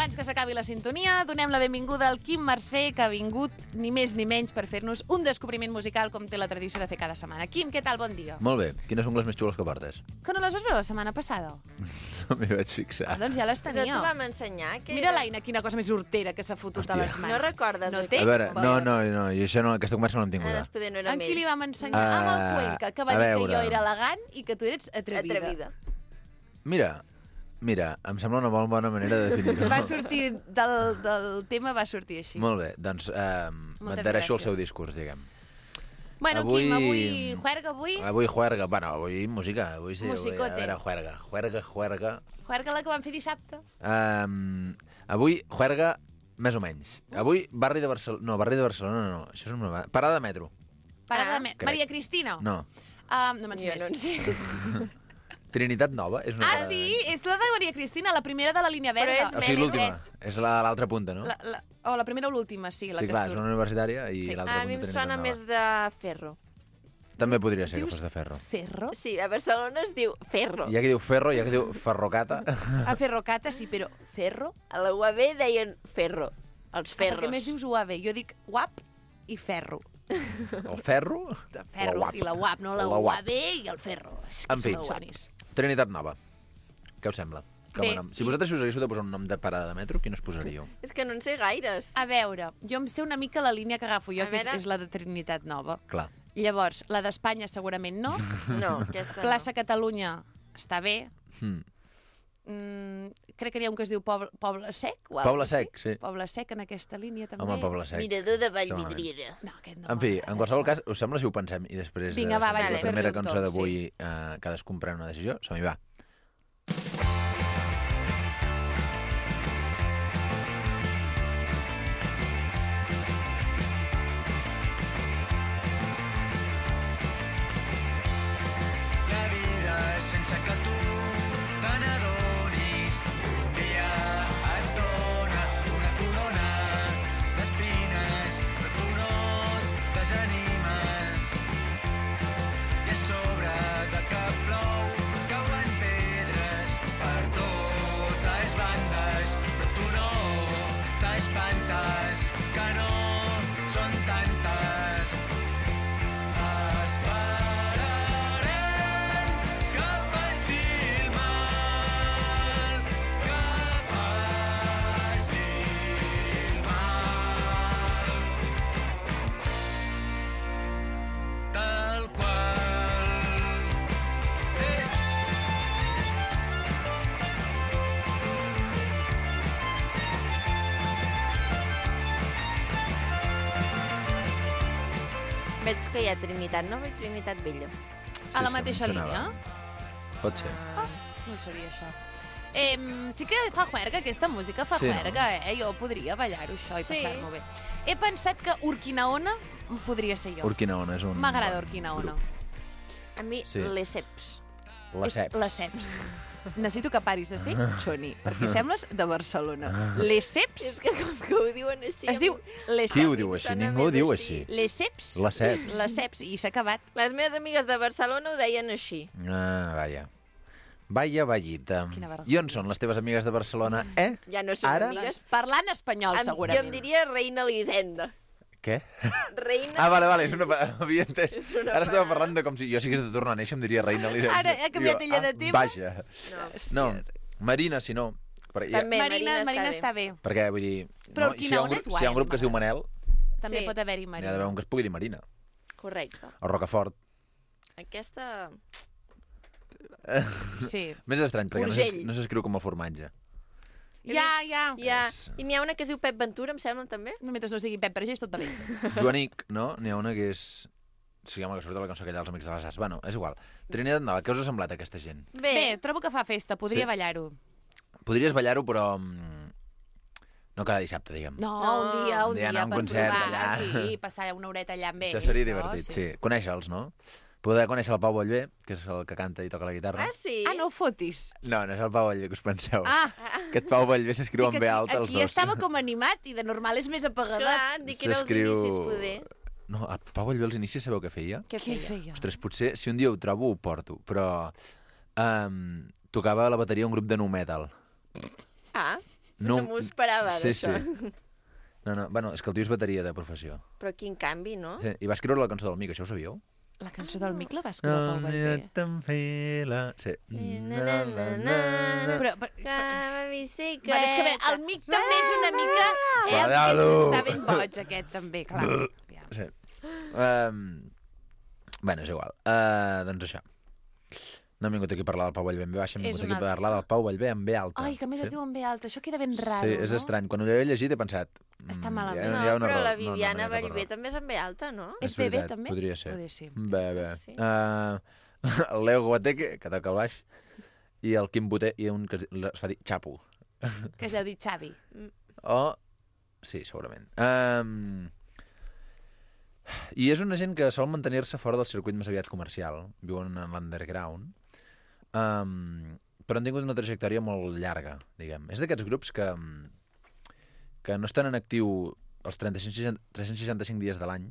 A: abans que s'acabi la sintonia, donem la benvinguda al Quim Mercè, que ha vingut ni més ni menys per fer-nos un descobriment musical com té la tradició de fer cada setmana. Quim, què tal? Bon dia.
L: Molt bé. Quines ungles més xules que portes?
A: Que no les vas veure la setmana passada?
L: No m'hi vaig fixar.
A: Ah, doncs ja les
B: Però
A: tenia.
B: tu vam ensenyar que...
A: Mira l'Aina, quina cosa més hortera que s'ha fotut
L: Hòstia.
A: a les mans.
B: No recordes?
A: No
B: oi?
A: té?
L: A veure, no, no, no, i això no, aquesta conversa no l'hem
B: Ah,
L: tinguda.
B: doncs poder no era
A: En
B: amb
A: qui
B: ell.
A: li vam ensenyar?
L: Ah,
A: Amb el Cuenca, que va
L: a
A: dir que
L: veure.
A: jo era elegant i que tu eres atrevida.
B: Atrevida.
L: Mira, mira, em sembla una molt bona manera de definir-ho.
A: Va sortir del, del tema, va sortir així.
L: Molt bé, doncs eh, m'adhereixo al
A: gràcies.
L: seu discurs, diguem.
A: Bueno,
L: Avui-
A: Quim, avui juerga, avui?
L: Avui juerga, bueno, avui música, avui sí. Avui,
A: Musicote.
L: a veure, juerga, juerga, juerga.
A: Juerga la que vam fer dissabte.
L: Um, avui juerga més o menys. Avui barri de Barcelona... No, barri de Barcelona no, no. Això és una... Parada de metro.
A: Parada
B: Ah.
A: de me...
L: Crec.
A: Maria Cristina?
L: No.
A: Um, no me'n sé
B: Jo no en
A: més.
B: sé.
L: Trinitat Nova és una
A: Ah,
L: parada de
A: sí? És la de Maria Cristina, la primera de la línia
B: Però
A: verda.
B: és
L: O sigui, l'última.
B: Tres.
L: És la- l'altra punta, no?
A: La, la, o la primera o l'última, sí, la
L: sí,
A: que
L: clar,
A: surt.
L: és una universitària i
A: Sí.
L: l'altra
B: A mi em
L: punta
B: sona
L: Trinitat
B: més
L: Nova.
B: de ferro.
L: També podria ser
A: Dius-
L: que fos de ferro.
A: Ferro?
B: Sí, a Barcelona es diu ferro.
L: Hi ha qui diu ferro, hi ha qui diu ferrocata.
A: A Ferrocata, sí, però ferro?
B: A la U A B deien ferro. Els
A: Ah,
B: ferros.
A: perquè més dius U A B. Jo dic guap i ferro.
L: El ferro?
A: De ferro
L: La U A B.
A: i la U A B, no la,
L: La
A: U
L: U
A: A
L: A
A: B i el ferro. És que
L: En fi.
A: són xuanis.
L: Trinitat Nova. Què us sembla? Com
A: Bé,
L: a nom? Si
A: i-
L: vosaltres us haguéssiu de posar un nom de parada de metro, quin us posaríeu?
B: És que no en sé gaires.
A: A veure, jo em sé una mica la línia que agafo jo,
B: A
A: que és,
B: veure.
A: és la de Trinitat Nova.
L: Clar.
A: Llavors, la d'Espanya segurament no.
B: No, aquesta
A: Plaça Catalunya està bé.
L: Hmm.
A: Mm, crec que n'hi ha un que es diu Poble, Poble Sec. O
L: Poble
A: alguna cosa
L: Sec,
A: així.
L: sí.
A: Poble Sec en aquesta línia també.
L: Home, Poble
B: no.
L: Sec.
B: Mirador de
L: Segurament.
B: Vallvidriera.
A: No, aquest no
L: En fi,
A: m'agrada,
L: en qualsevol
A: això.
L: cas, us sembla si ho pensem i després
A: Vinga, va,
L: eh,
A: vaig
L: la
A: a fer-li
L: primera
A: un
L: cançó
A: tom,
L: d'avui eh, cadascun pren una decisió? Som-hi, va.
F: La vida és sense que tu te n'adonis. Un dia et dona una corona d'espines, però tu no et desanimes. I a sobre de que plou cauen pedres per totes bandes, però tu no t'espantes, que no són tantes. Esperarem que passi el mal, que passi el mal. Tal qual. Eh.
B: Veig que hi ha Trinitat Nova i Trinitat Vella.
A: A la
L: és que
A: mateixa
L: em sonava.
A: línia?
L: Pot ser.
A: Ah, no ho sabia, això. Eh, sí que fa juerga, aquesta música fa
L: Sí, no?
A: juerga, eh? Jo podria ballar-ho, això, i
B: Sí.
A: passar-m'ho bé. He pensat que Urquinaona podria ser jo.
L: Urquinaona és un...
A: M'agrada Urquinaona.
B: A mi,
L: Sí.
B: les ceps.
L: La
A: És
L: Ceps.
A: Les Ceps. Necessito que paris de ser xoni, perquè sembles de Barcelona. Les
B: És
A: Ceps
B: que com que ho diuen així...
A: es diu Les
L: Qui ho
A: Ceps.
L: diu així?
B: Sona
L: Ningú ho
B: més
L: diu
B: així.
L: així.
A: Les Ceps.
L: La Ceps.
A: Les Ceps, i s'ha acabat.
B: Les meves amigues de Barcelona ho deien així.
L: Ah, vaja. Vaya, vallita.
A: Quina vergonya.
L: I on són les teves amigues de Barcelona, eh?
B: Ja no són
L: Ara?
B: amigues.
A: Doncs parlant espanyol,
B: Em, jo
A: segurament.
B: em diria Reina Elisenda.
L: Què?
B: Reina...
L: Ah, vale, vale, és una... pa- Havia entès.
B: És una
L: Ara estava
B: parada.
L: parlant de com si jo sigués de tornar a néixer, em diria Reina Elisenda.
A: Ara ha canviat
L: Diu,
A: ella de
L: ah,
A: tema?
L: Vaja.
B: No.
L: No, Marina, si no. Perquè, ja,
B: També,
A: Marina,
B: Marina,
A: Marina
B: està
A: està bé.
L: perquè vull dir...
A: Però
L: no? I si hi ha un,
A: Urquinaona és
L: grup,
A: guai,
L: si hi ha un
A: a mi
L: grup que es diu
A: m'agrada.
L: Manel,
A: També
B: Sí.
A: pot haver-hi
L: n'hi ha
A: Marina.
L: d'haver un que es pugui dir Marina.
B: Correcte.
L: O Rocafort.
B: Aquesta...
A: Sí.
L: Més estrany, perquè no s'es-
B: Urgell.
L: no s'escriu com a formatge.
A: Ja, ja.
B: Hi ha...
L: És-
B: I n'hi ha una que es diu Pep Ventura, em sembla, també?
A: No, mentre no es digui Pep Vergés, tot va bé.
L: Joanic, no? N'hi ha una que és... Sí, home, que surt de la cançó aquella dels Amics de les Arts. Bueno, és igual. Trinitat Nova, què us ha semblat aquesta gent?
B: Bé,
A: Bé, trobo que fa festa, podria
L: Sí.
A: ballar-ho.
L: Podries ballar-ho, però... mm, no cada dissabte, diguem.
A: No,
B: No.
A: un dia, un
L: Un dia
A: dia,
L: anar a un
A: per
L: concert
A: provar,
L: allà.
A: sí, passar una horeta allà amb ells.
L: Això seria
A: no?
L: divertit, sí. Conèixer-los, no? Poder conèixer el Pau Ballbé, que és el que canta i toca la guitarra.
B: ah, sí?
A: Ah, no ho fotis.
L: No, no és el Pau Ballbé que us penseu.
A: Ah,
L: Aquest Pau Ballbé s'escriu
A: dic,
L: amb B
A: aquí,
L: alta, els
A: aquí
L: dos.
A: estava com animat i de normal és més apagadot.
B: Clar, dic que era els inicis, poder.
L: No, el Pau Ballbé als inicis sabeu què feia?
B: Què
A: Què
B: feia?
A: feia?
L: Ostres, potser si un dia ho trobo ho porto, però um, tocava a la bateria un grup de nu metal.
B: Ah, No m'ho esperava,
L: sí,
B: d'això.
L: Sí. No, no, bueno, és que el tio és bateria de professió.
B: Però quin canvi, no?
L: Sí, i va escriure la cançó del Mic, això ho sabíeu?
A: La cançó del Mic la va escriure Pau Vallvé.
L: Sí.
B: Na, na, na, na, na.
A: Però, però,
B: Cada bicicleta.
A: Bueno, és que bé, el Mic també és una mica... Eh,
L: Cuidado.
A: està ben boig, aquest, també, clar.
L: Sí. Um, bueno, és igual. Uh, doncs això. No hem vingut aquí a parlar del Pau Vallvé en ve baixa, hem
A: És
L: vingut aquí
A: una-
L: a parlar del Pau Vallvé en ve alta.
A: Ai, que a més
L: sí?
A: es diu en ve alta. Això queda ben raro,
L: Sí, és
A: no?
L: estrany. Quan ho he llegit he pensat...
A: Està
L: mm,
A: malament.
L: hi ha-
B: No,
L: hi ha una
B: però
L: raó.
B: la
L: No, no, no
B: Viviana
L: hi ha cap
B: Vallvé
L: raó.
B: també és en ve alta, no?
A: És B B,
L: veritat,
A: també?
L: Podria ser.
A: Podria ser.
L: Bé, bé.
B: Sí.
L: Uh, el Leo Guateque, que toca el baix, i el Quim Boter, i un que es es fa dir Chapo.
A: Que es deu dir Xavi.
L: O... Sí, segurament. Um... I és una gent que sol mantenir-se fora del circuit més aviat comercial. Viuen en l'underground. Um... Però han tingut una trajectòria molt llarga, diguem. És d'aquests grups que, que no estan en actiu els trenta-cinc, tres-cents seixanta-cinc dies de l'any,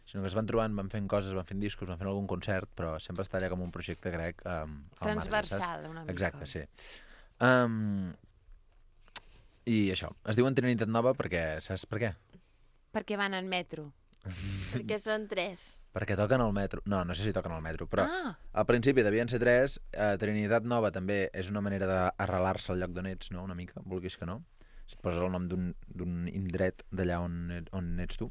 L: sinó que es van trobant, van fent coses, van fent discos, van fent algun concert, però sempre està allà com un projecte grec um, al
A: Transversal,
L: marge,
A: una mica.
L: Exacte, sí. Um, I això, es diuen Trinitat Nova perquè, saps per què?
A: Perquè van en metro.
B: Perquè són tres.
L: Perquè toquen al metro. No, no sé si toquen al metro, però
A: Ah.
L: al principi devien ser tres. Eh, Trinitat Nova també és una manera d'arrelar-se al lloc d'on ets, no? Una mica, vulguis que no. Si et poses el nom d'un indret d'allà on, on ets tu.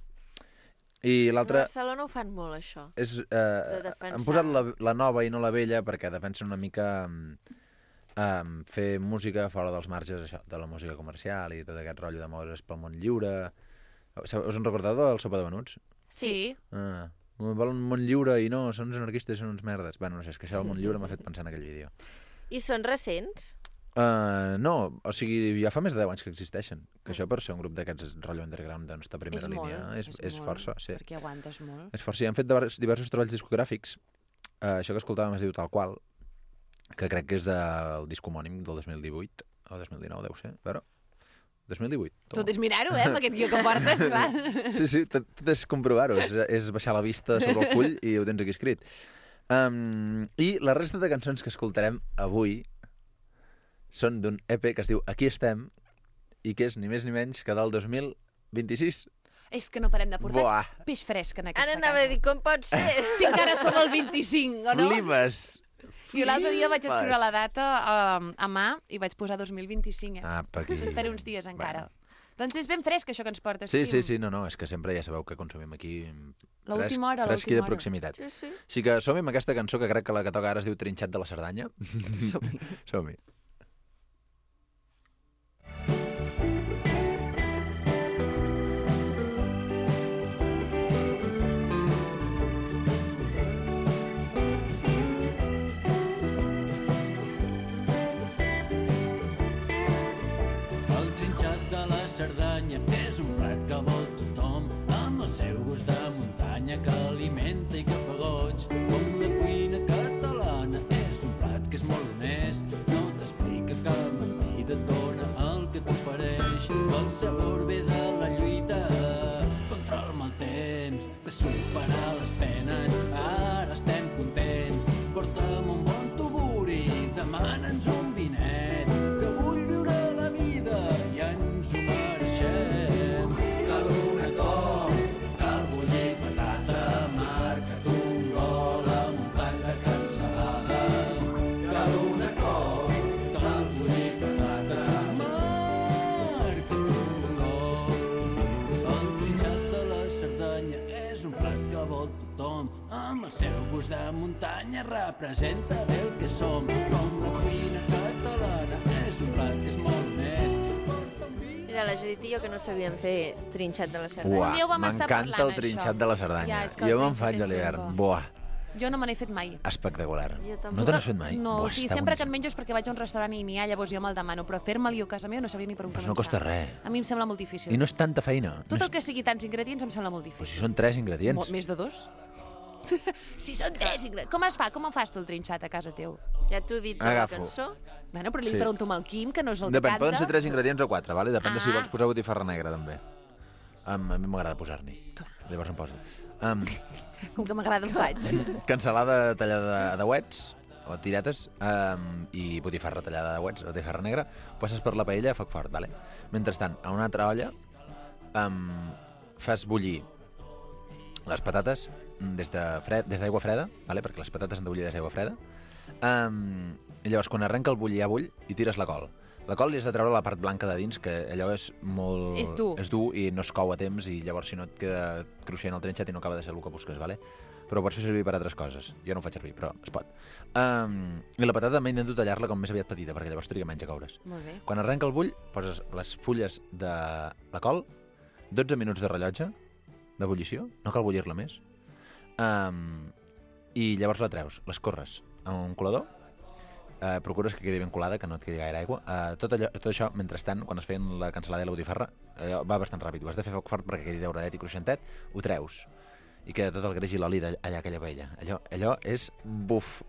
L: I
B: A
L: l'altre...
B: Barcelona ho fan molt, això.
L: És,
B: De
L: eh,
B: defensar.
L: han posat la, la nova i no la vella perquè defensen una mica um, fer música fora dels marges això, de la música comercial i tot aquest rotllo de moure's pel món lliure. Us en recordeu del Sopa de Venuts?
A: Sí.
L: Ah, volen un món lliure i no, són uns anarquistes, són uns merdes. Bueno, no sé, és que això del món lliure m'ha fet pensar en aquell vídeo.
B: I són recents?
L: Uh, no, o sigui, ja fa més de deu anys que existeixen. Que això per ser un grup d'aquests rotllo underground doncs, de primera
A: És molt,
L: línia és,
A: és
L: és,
A: molt,
L: força. Sí.
A: perquè aguantes molt.
L: És força. I han fet diversos, diversos treballs discogràfics. Uh, això que escoltàvem es diu Tal Qual, que crec que és del disc homònim del dos mil divuit, o dos mil dinou, deu ser. A veure, dos mil divuit.
A: Tot és mirar-ho, eh, amb aquest guió que portes, clar.
L: Sí, sí, tot, tot és comprovar-ho. És, és baixar la vista sobre el full i ho tens aquí escrit. Um, I la resta de cançons que escoltarem avui són d'un E P que es diu Aquí estem i que és ni més ni menys que del dos mil vint-i-sis.
A: És que no parem de portar
L: Buah.
A: peix fresc en aquesta
B: Ara anava
A: casa.
B: a dir, com pot ser?
A: Si encara som al vint-i-cinc, o no?
L: Flipes!
A: Jo l'altre dia vaig
L: Flipes.
A: escriure la data a, a mà i vaig posar dos mil vint-i-cinc, eh?
L: Ah, per aquí.
A: Això estaré uns dies encara. Doncs és ben fresc, això que ens portes,
L: Sí,
A: Quim.
L: sí, sí, no, no, és que sempre ja sabeu que consumim aquí fresc,
A: L'última hora,
L: fresc i
A: l'última
L: de
A: hora.
L: proximitat.
B: Sí, sí.
L: Així que som-hi amb aquesta cançó que crec que la que toca ara es diu Trinxat de la Cerdanya.
A: Som-hi.
L: Som-hi.
F: El trinxat de la Cerdanya és un plat que vol tothom, amb el seu gust de muntanya que alimenta i que fa goig. Com la cuina catalana és un plat que és molt honest, no t'explica cap mentida, et dona el que t'ofereix. El sabor ve de la lluita contra el mal temps, de superar les penes, ara estem contents. Porta'm un bon tuguri, demana'ns un vinet, que vull viure la vida i ens ho mereixem. Cal una cop, cal bullir patata, marca't un gol amb un plat de cansalada. Cal una cop, cal bullir patata, marca't un gol. El trinxat de la Cerdanya és un plat que vol tothom, amb el seu gust de muntanya representa bé el que som. Com la cuina catalana és un plat que és molt honest.
B: Mira, la Judit i jo que no sabíem fer trinxat de la Cerdanya.
L: Buah,
A: Un dia ho vam estar
L: m'encanta
A: parlant,
L: el trinxat
A: això.
L: de la Cerdanya.
A: Ja, és que el
L: jo me'n
A: trinxat
L: faig
A: és
L: a l'hivern.
A: ben bo.
L: Buah,
A: Jo no me n'he fet mai.
L: espectacular.
B: Jo tampoc.
L: No te n'has fet mai?
A: No,
L: Buah,
A: o sigui,
L: està
A: sempre que en
L: boníssim.
A: menjo és perquè vaig a un restaurant i n'hi ha, llavors jo me'l demano, però fer-me'l jo a casa meva no sabria ni per on
L: Però
A: començar.
L: no costa res.
A: A mi em sembla molt difícil.
L: I no és tanta feina.
A: Tot
L: no
A: el
L: és...
A: que sigui tants ingredients em sembla molt
L: Però
A: difícil.
L: si són tres ingredients.
A: Mo- Més de dos? Si són tres ingredients. Com es fa? Com en fas tu el trinxat a casa teu?
B: Ja t'ho he dit de
L: Agafo.
B: la cançó.
A: Bueno, però li
L: Sí.
A: pregunto al Quim, que no és el
L: Depèn,
A: que
L: poden
A: canta.
L: ser tres ingredients o quatre, vale? Depèn de si
A: Ah.
L: vols posar botifarra negra, també. Um, a mi m'agrada posar-n'hi. Llavors em poso. Um,
A: Com que m'agrada ho faig.
L: cansalada tallada a dauets, o tiretes, um, i botifarra tallada de uets, o botifarra negra, passes per la paella a foc fort, vale? Mentrestant, a una altra olla, um, fas bullir les patates des de fred, des d'aigua freda, vale? Perquè les patates han de bullir des d'aigua freda, um, i llavors quan arrenca el bullir a bull, hi tires la col. La col li has de treure la part blanca de dins, que allò és molt...
A: És dur.
L: És dur i no es cou a temps, i llavors si no et queda cruixent el trinxat i no acaba de ser el que busques, vale? Però ho pots fer servir per altres coses. Jo no ho faig servir, però es pot. Um, I la patata també intento tallar-la com més aviat petita, perquè llavors triga menys a coure's.
A: Molt bé.
L: Quan arrenca el bull, poses les fulles de la col, dotze minuts de rellotge d'ebullició, no cal bullir-la més, um, i llavors la treus, l'escorres a un colador, Uh, procures que quedi ben colada, que no et quedi gaire aigua. Uh, tot, allò, tot això, mentrestant, quan es feien la cansalada i la botifarra, uh, va bastant ràpid. Ho has de fer foc fort perquè quedi dauradet i cruixentet, ho treus. I queda tot el greix i l'oli allà aquella paella. Allò, allò és buf.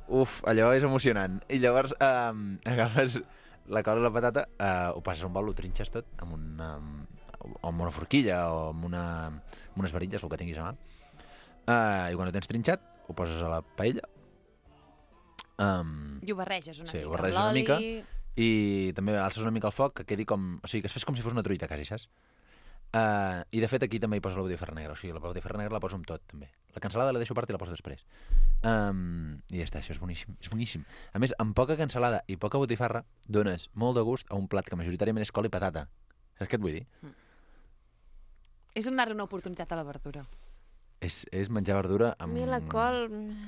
L: Uf, allò és emocionant. I llavors um, agafes la col i la patata, uh, ho passes a un bol, ho trinxes tot amb una, o amb una forquilla o amb, una, amb unes varilles, el que tinguis a mà. Uh, I quan ho tens trinxat, ho poses a la paella. Um,
A: I ho barreges una
L: sí,
A: mica
L: ho barreges
A: amb
L: una mica
A: l'oli.
L: i també alces una mica el foc, que quedi com... O sigui, que es fes com si fos una truita, quasi, saps? Uh, I de fet aquí també hi poso la botifarra negra, o sigui, la botifarra negra la poso amb tot, també. La cansalada la deixo a part i la poso després. Um, I ja està, això és boníssim, és boníssim. A més, amb poca cansalada i poca botifarra dones molt de gust a un plat que majoritàriament és col i patata. Saps què et vull dir?
A: Mm. És donar-li una oportunitat a la verdura.
L: És, és menjar verdura amb...
B: A mi la col...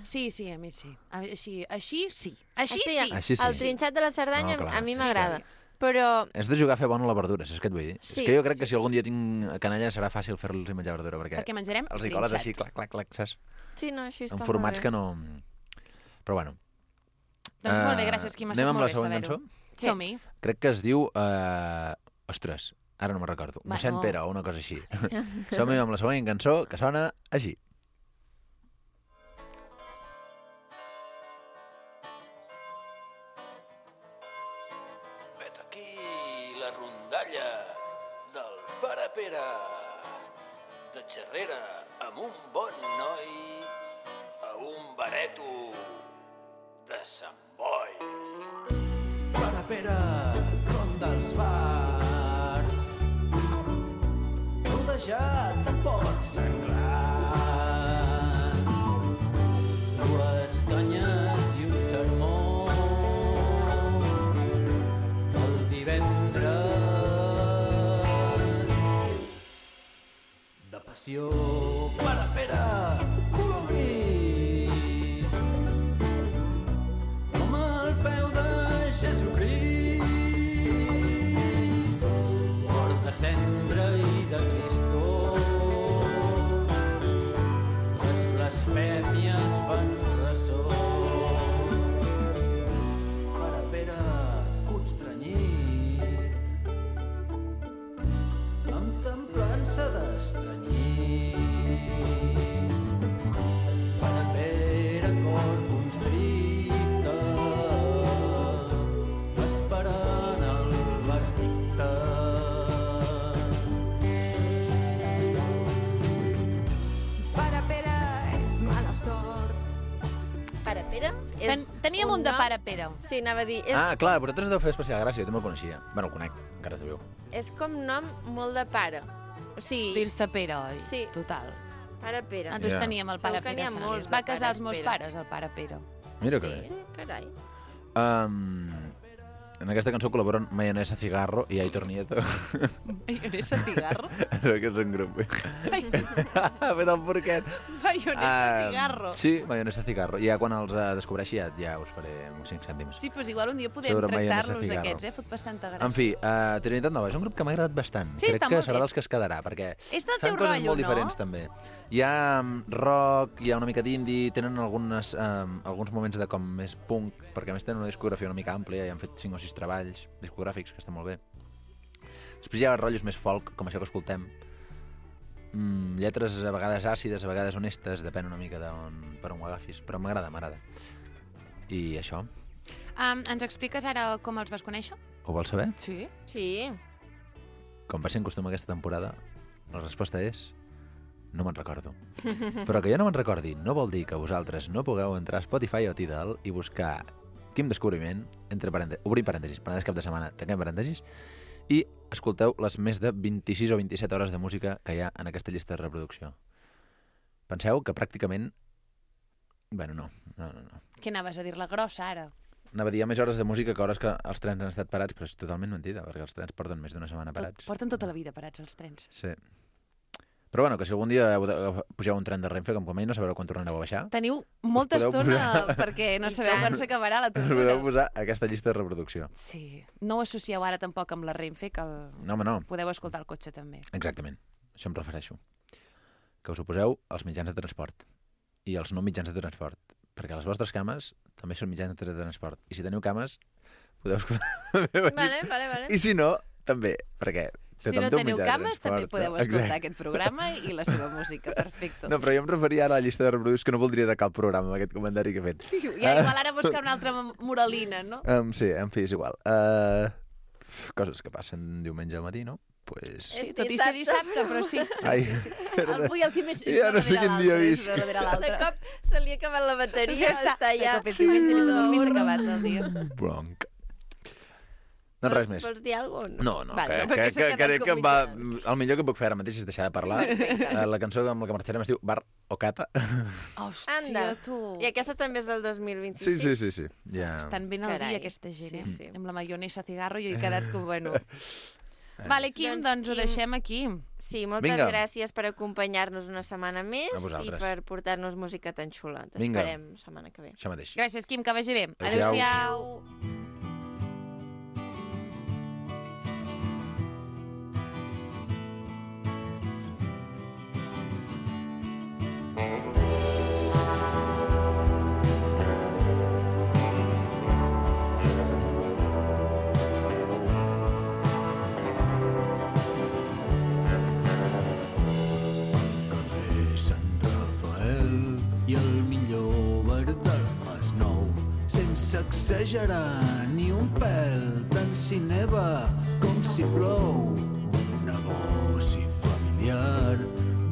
A: Sí, sí, a mi sí. A, així, així sí. Així
B: Així,
A: sí.
L: Així sí.
B: El trinxat de la Cerdanya
L: No, clar,
B: a mi
L: sí,
B: m'agrada.
A: sí.
B: Però...
L: És de jugar a fer bona la verdura, saps què et vull dir?
B: Sí,
L: és que jo crec
B: sí.
L: que si algun dia tinc canalla serà fàcil fer-los menjar verdura, perquè,
A: Perquè menjarem
L: els hi coles
A: trinxat.
L: així, clac, clac, clac, saps?
B: Sí, no, així està
L: En
B: molt
L: formats
B: bé.
L: que no... Però bueno.
A: Doncs molt bé,
L: Eh,
A: gràcies, Quim. Ha
L: anem
A: estat
L: amb
A: molt
L: la
A: bé
L: següent
A: saber-ho.
L: cançó?
A: Som-hi.
L: Crec que es diu... Eh... Ostres, ara no me'n recordo.
A: Bueno.
L: Mossèn Pere o una cosa així. Som-hi amb la següent cançó, que sona així.
M: Vet aquí la rondalla del Pare Pere, de xerrera amb un bon noi a un bareto de Sant Boi. Pare Pere, ronda els bars, rodejat de porcs senglars, dues canyes i un sermó. De passió, Pare Pere, color gris, com el peu de Jesucrist, porta cendra i de tristor, les blasfèmies fan ressò. Pare Pere, constranyit, amb templança d'estranyit. Pare Pere, cor constricte, esperant el veredicte.
J: Pare Pere és mala sort.
B: Pare Pere és
A: Ten, teníem un de
B: nom-
A: Pare Pere.
B: Sí, anava a dir... És,
L: Ah, clar, però vosaltres deu fer especial gràcia, jo també el coneixia. Bueno, el conec, encara es veu.
B: és com nom molt de pare. O sigui...
A: Dir-se Pere, oi?
B: Sí.
A: Total.
B: Pare Pere.
A: Nosaltres
L: Ja.
A: teníem el
B: Segur
A: Pare
B: que n'hi
A: Pere.
B: ha
A: Sant
B: molts
A: Elies.
B: de
A: Va casar els
B: pares
A: meus
B: Pere.
A: pares, el Pare Pere.
L: Mira que
B: Sí,
L: bé.
B: carai.
L: Um, en aquesta cançó col·laboren Mayonesa Cigarro i Aitor Nieto.
A: Mayonesa Cigarro?
L: No, que és un grup. Ha fet el porquet.
A: Mayonesa
L: Um,
A: Cigarro.
L: Sí, Mayonesa Cigarro. I ja quan els uh, descobreixi ja, ja us faré uns cinc cèntims.
A: Sí, doncs igual un dia podem
L: Sobre Mayonesa
A: tractar-los
L: Cigarro.
A: aquests, eh? Fot bastanta gràcia.
L: En fi, uh, Trinitat Nova és un grup que m'ha agradat bastant.
A: Sí,
L: Crec
A: està
L: que
A: molt
L: serà
A: bé.
L: dels que es quedarà, perquè
A: És del
L: fan
A: teu
L: coses
A: rotllo,
L: molt
A: no?
L: diferents, també. Hi ha um, rock, hi ha una mica d'indie, tenen algunes, um, alguns moments de com més punk, perquè a més tenen una discografia una mica àmplia i han fet cinc o sis treballs discogràfics, que està molt bé. Després hi ha rotllos més folk, com això que escoltem. Mm, lletres a vegades àcides, a vegades honestes, depèn una mica d'on, per on ho agafis, però m'agrada, m'agrada. I això,
A: Um, ens expliques ara com els vas conèixer?
L: ho vols saber?
A: Sí.
B: Sí.
L: Com va ser en costum aquesta temporada, la resposta és no me'n recordo. Però que jo no me'n recordi no vol dir que vosaltres no pugueu entrar a Spotify o Tidal i buscar Quim Descobriment, entre parèntesis, obrim parèntesis, Penedès cap de setmana, tanquem parèntesis, i escolteu les més de vint-i-sis o vint-i-set hores de música que hi ha en aquesta llista de reproducció. Penseu que pràcticament... Bueno, no, no, no. no.
A: Què anaves a dir-la grossa, ara?
L: Anava a dir, hi ha més hores de música que hores que els trens han estat parats, però és totalment mentida, perquè els trens porten més d'una setmana parats.
A: Tot, porten tota la vida parats, els trens.
L: Sí. Però bueno, que si algun dia heu de, pugeu un tren de Renfe, com com ell, no sabreu quan tornareu a baixar.
A: Teniu molta estona posar... perquè no sabeu quan s'acabarà la tortura.
L: Podeu posar aquesta llista de reproducció.
A: Sí. No ho associeu ara tampoc amb la Renfe, que el...
L: no, home, no.
A: podeu escoltar el cotxe també.
L: Exactament. Això em refereixo. Que us ho poseu als mitjans de transport i als no mitjans de transport. Perquè les vostres cames també són mitjans de transport. I si teniu cames, podeu escoltar la meva
B: Vale,
L: llista.
B: vale, vale.
L: I si no, també, perquè...
A: Si no teniu cames, també podeu escoltar aquest programa i la seva música. Perfecte.
L: No, però jo em referia ara a la llista de reproduccions que no voldria tacar el programa amb aquest comentari que he fet.
A: Ja, igual ara buscar una altra moralina, no?
L: Um, sí, en fi, és igual. Uh, coses que passen diumenge al matí, no? Pues...
A: Sí, tot i ser dissabte, però sí. sí,
L: Ai,
A: sí, sí. Avui el Quim és
L: ja no sé quin dia visc.
B: De cop se li ha acabat la bateria,
A: Ja està.
B: està ja...
A: De cop és diumenge, anem a dormir, s'ha acabat el dia.
L: Bronc. Doncs res més.
B: Vols dir alguna cosa?
L: No, no,
A: Vale,
L: que,
A: perquè
L: que,
A: s'ha
L: que,
A: quedat
L: crec que va,
A: complicat.
L: el millor que puc fer ara mateix és deixar de parlar. Uh, la cançó amb la que marxarem es diu Bar o Cata.
A: Hòstia,
B: Anda.
A: tu.
B: I aquesta també és del dos mil
L: Sí,
B: vint-i-sis.
L: sí, sí, sí. Ja...
A: Estan ben al
B: Carai.
A: dia, aquesta gent,
B: Sí,
A: eh?
B: sí.
A: Amb la maionesa cigarro jo he quedat com, bueno... Vale, Quim,
B: Doncs,
A: doncs ho
B: Quim,
A: deixem aquí.
B: Sí, moltes
L: Vinga.
B: gràcies per acompanyar-nos una setmana més
L: A vosaltres.
B: i per portar-nos música tan xula.
L: Vinga.
B: T'esperem setmana que ve.
L: Això mateix.
A: Gràcies, Quim, que vagi bé.
L: Adéu-siau.
A: Adéu-siau.
M: Carrer Sant Rafael i el millor bar del Masnou, sense exagerar ni un pèl, tant si neva com si plou. Un negoci familiar,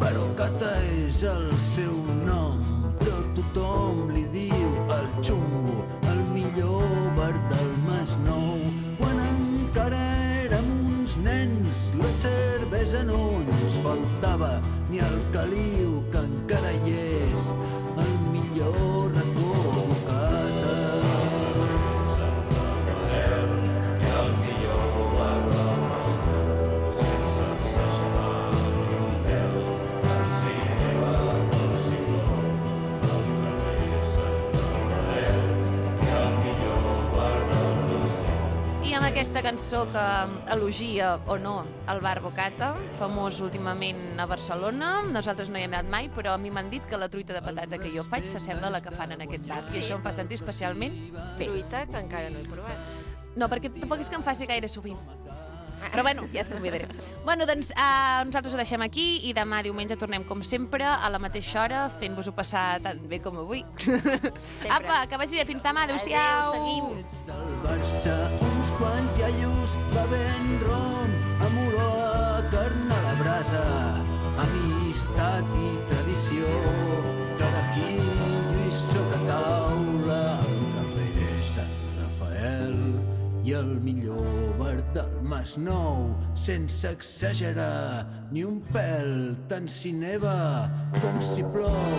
M: Barocata és el seu nom, però tothom li diu el xungo, el millor bar del Masnou. Quan encara érem uns nens, la cervesa no ens faltava, ni el caliu que encara hi és, el millor racó Bocata. Sant Rafael i el millor bar del Masnou, sense exagerar ni un pèl, tant si neva com si plou. Al carrer Sant Rafael i el millor bar del Masnou.
A: I amb aquesta cançó que elogia, o no, el bar Bocata, famós últimament a Barcelona. Nosaltres no hi hem anat mai, però a mi m'han dit que la truita de patata que jo faig s'assembla a la que fan en aquest bar. I això em fa sentir especialment bé.
B: Truita que encara no he provat.
A: No, perquè tampoc és que em faci gaire sovint. Però bueno, ja et convidaré. Bueno, doncs uh, nosaltres ho deixem aquí i demà diumenge tornem com sempre a la mateixa hora fent-vos-ho passar tan bé com avui. Apa, que vagi bé. Fins demà. Adéu-siau.
B: Adéu, seguim.
M: Del Barça, uns quants iaios bevent rom, amb olor a carn a la brasa, amistat i tradició, carajillo i sobre taula, al carrer Sant Rafael i el millor bar del Masnou, sense exagerar ni un pèl, tant si neva com si plou.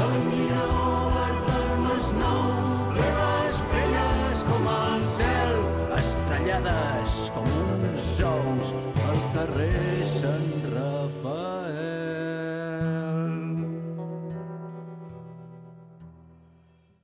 M: El millor bar del Masnou, ple d'estrelles com el cel, estrellades com uns ous, al carrer Sant Rafael.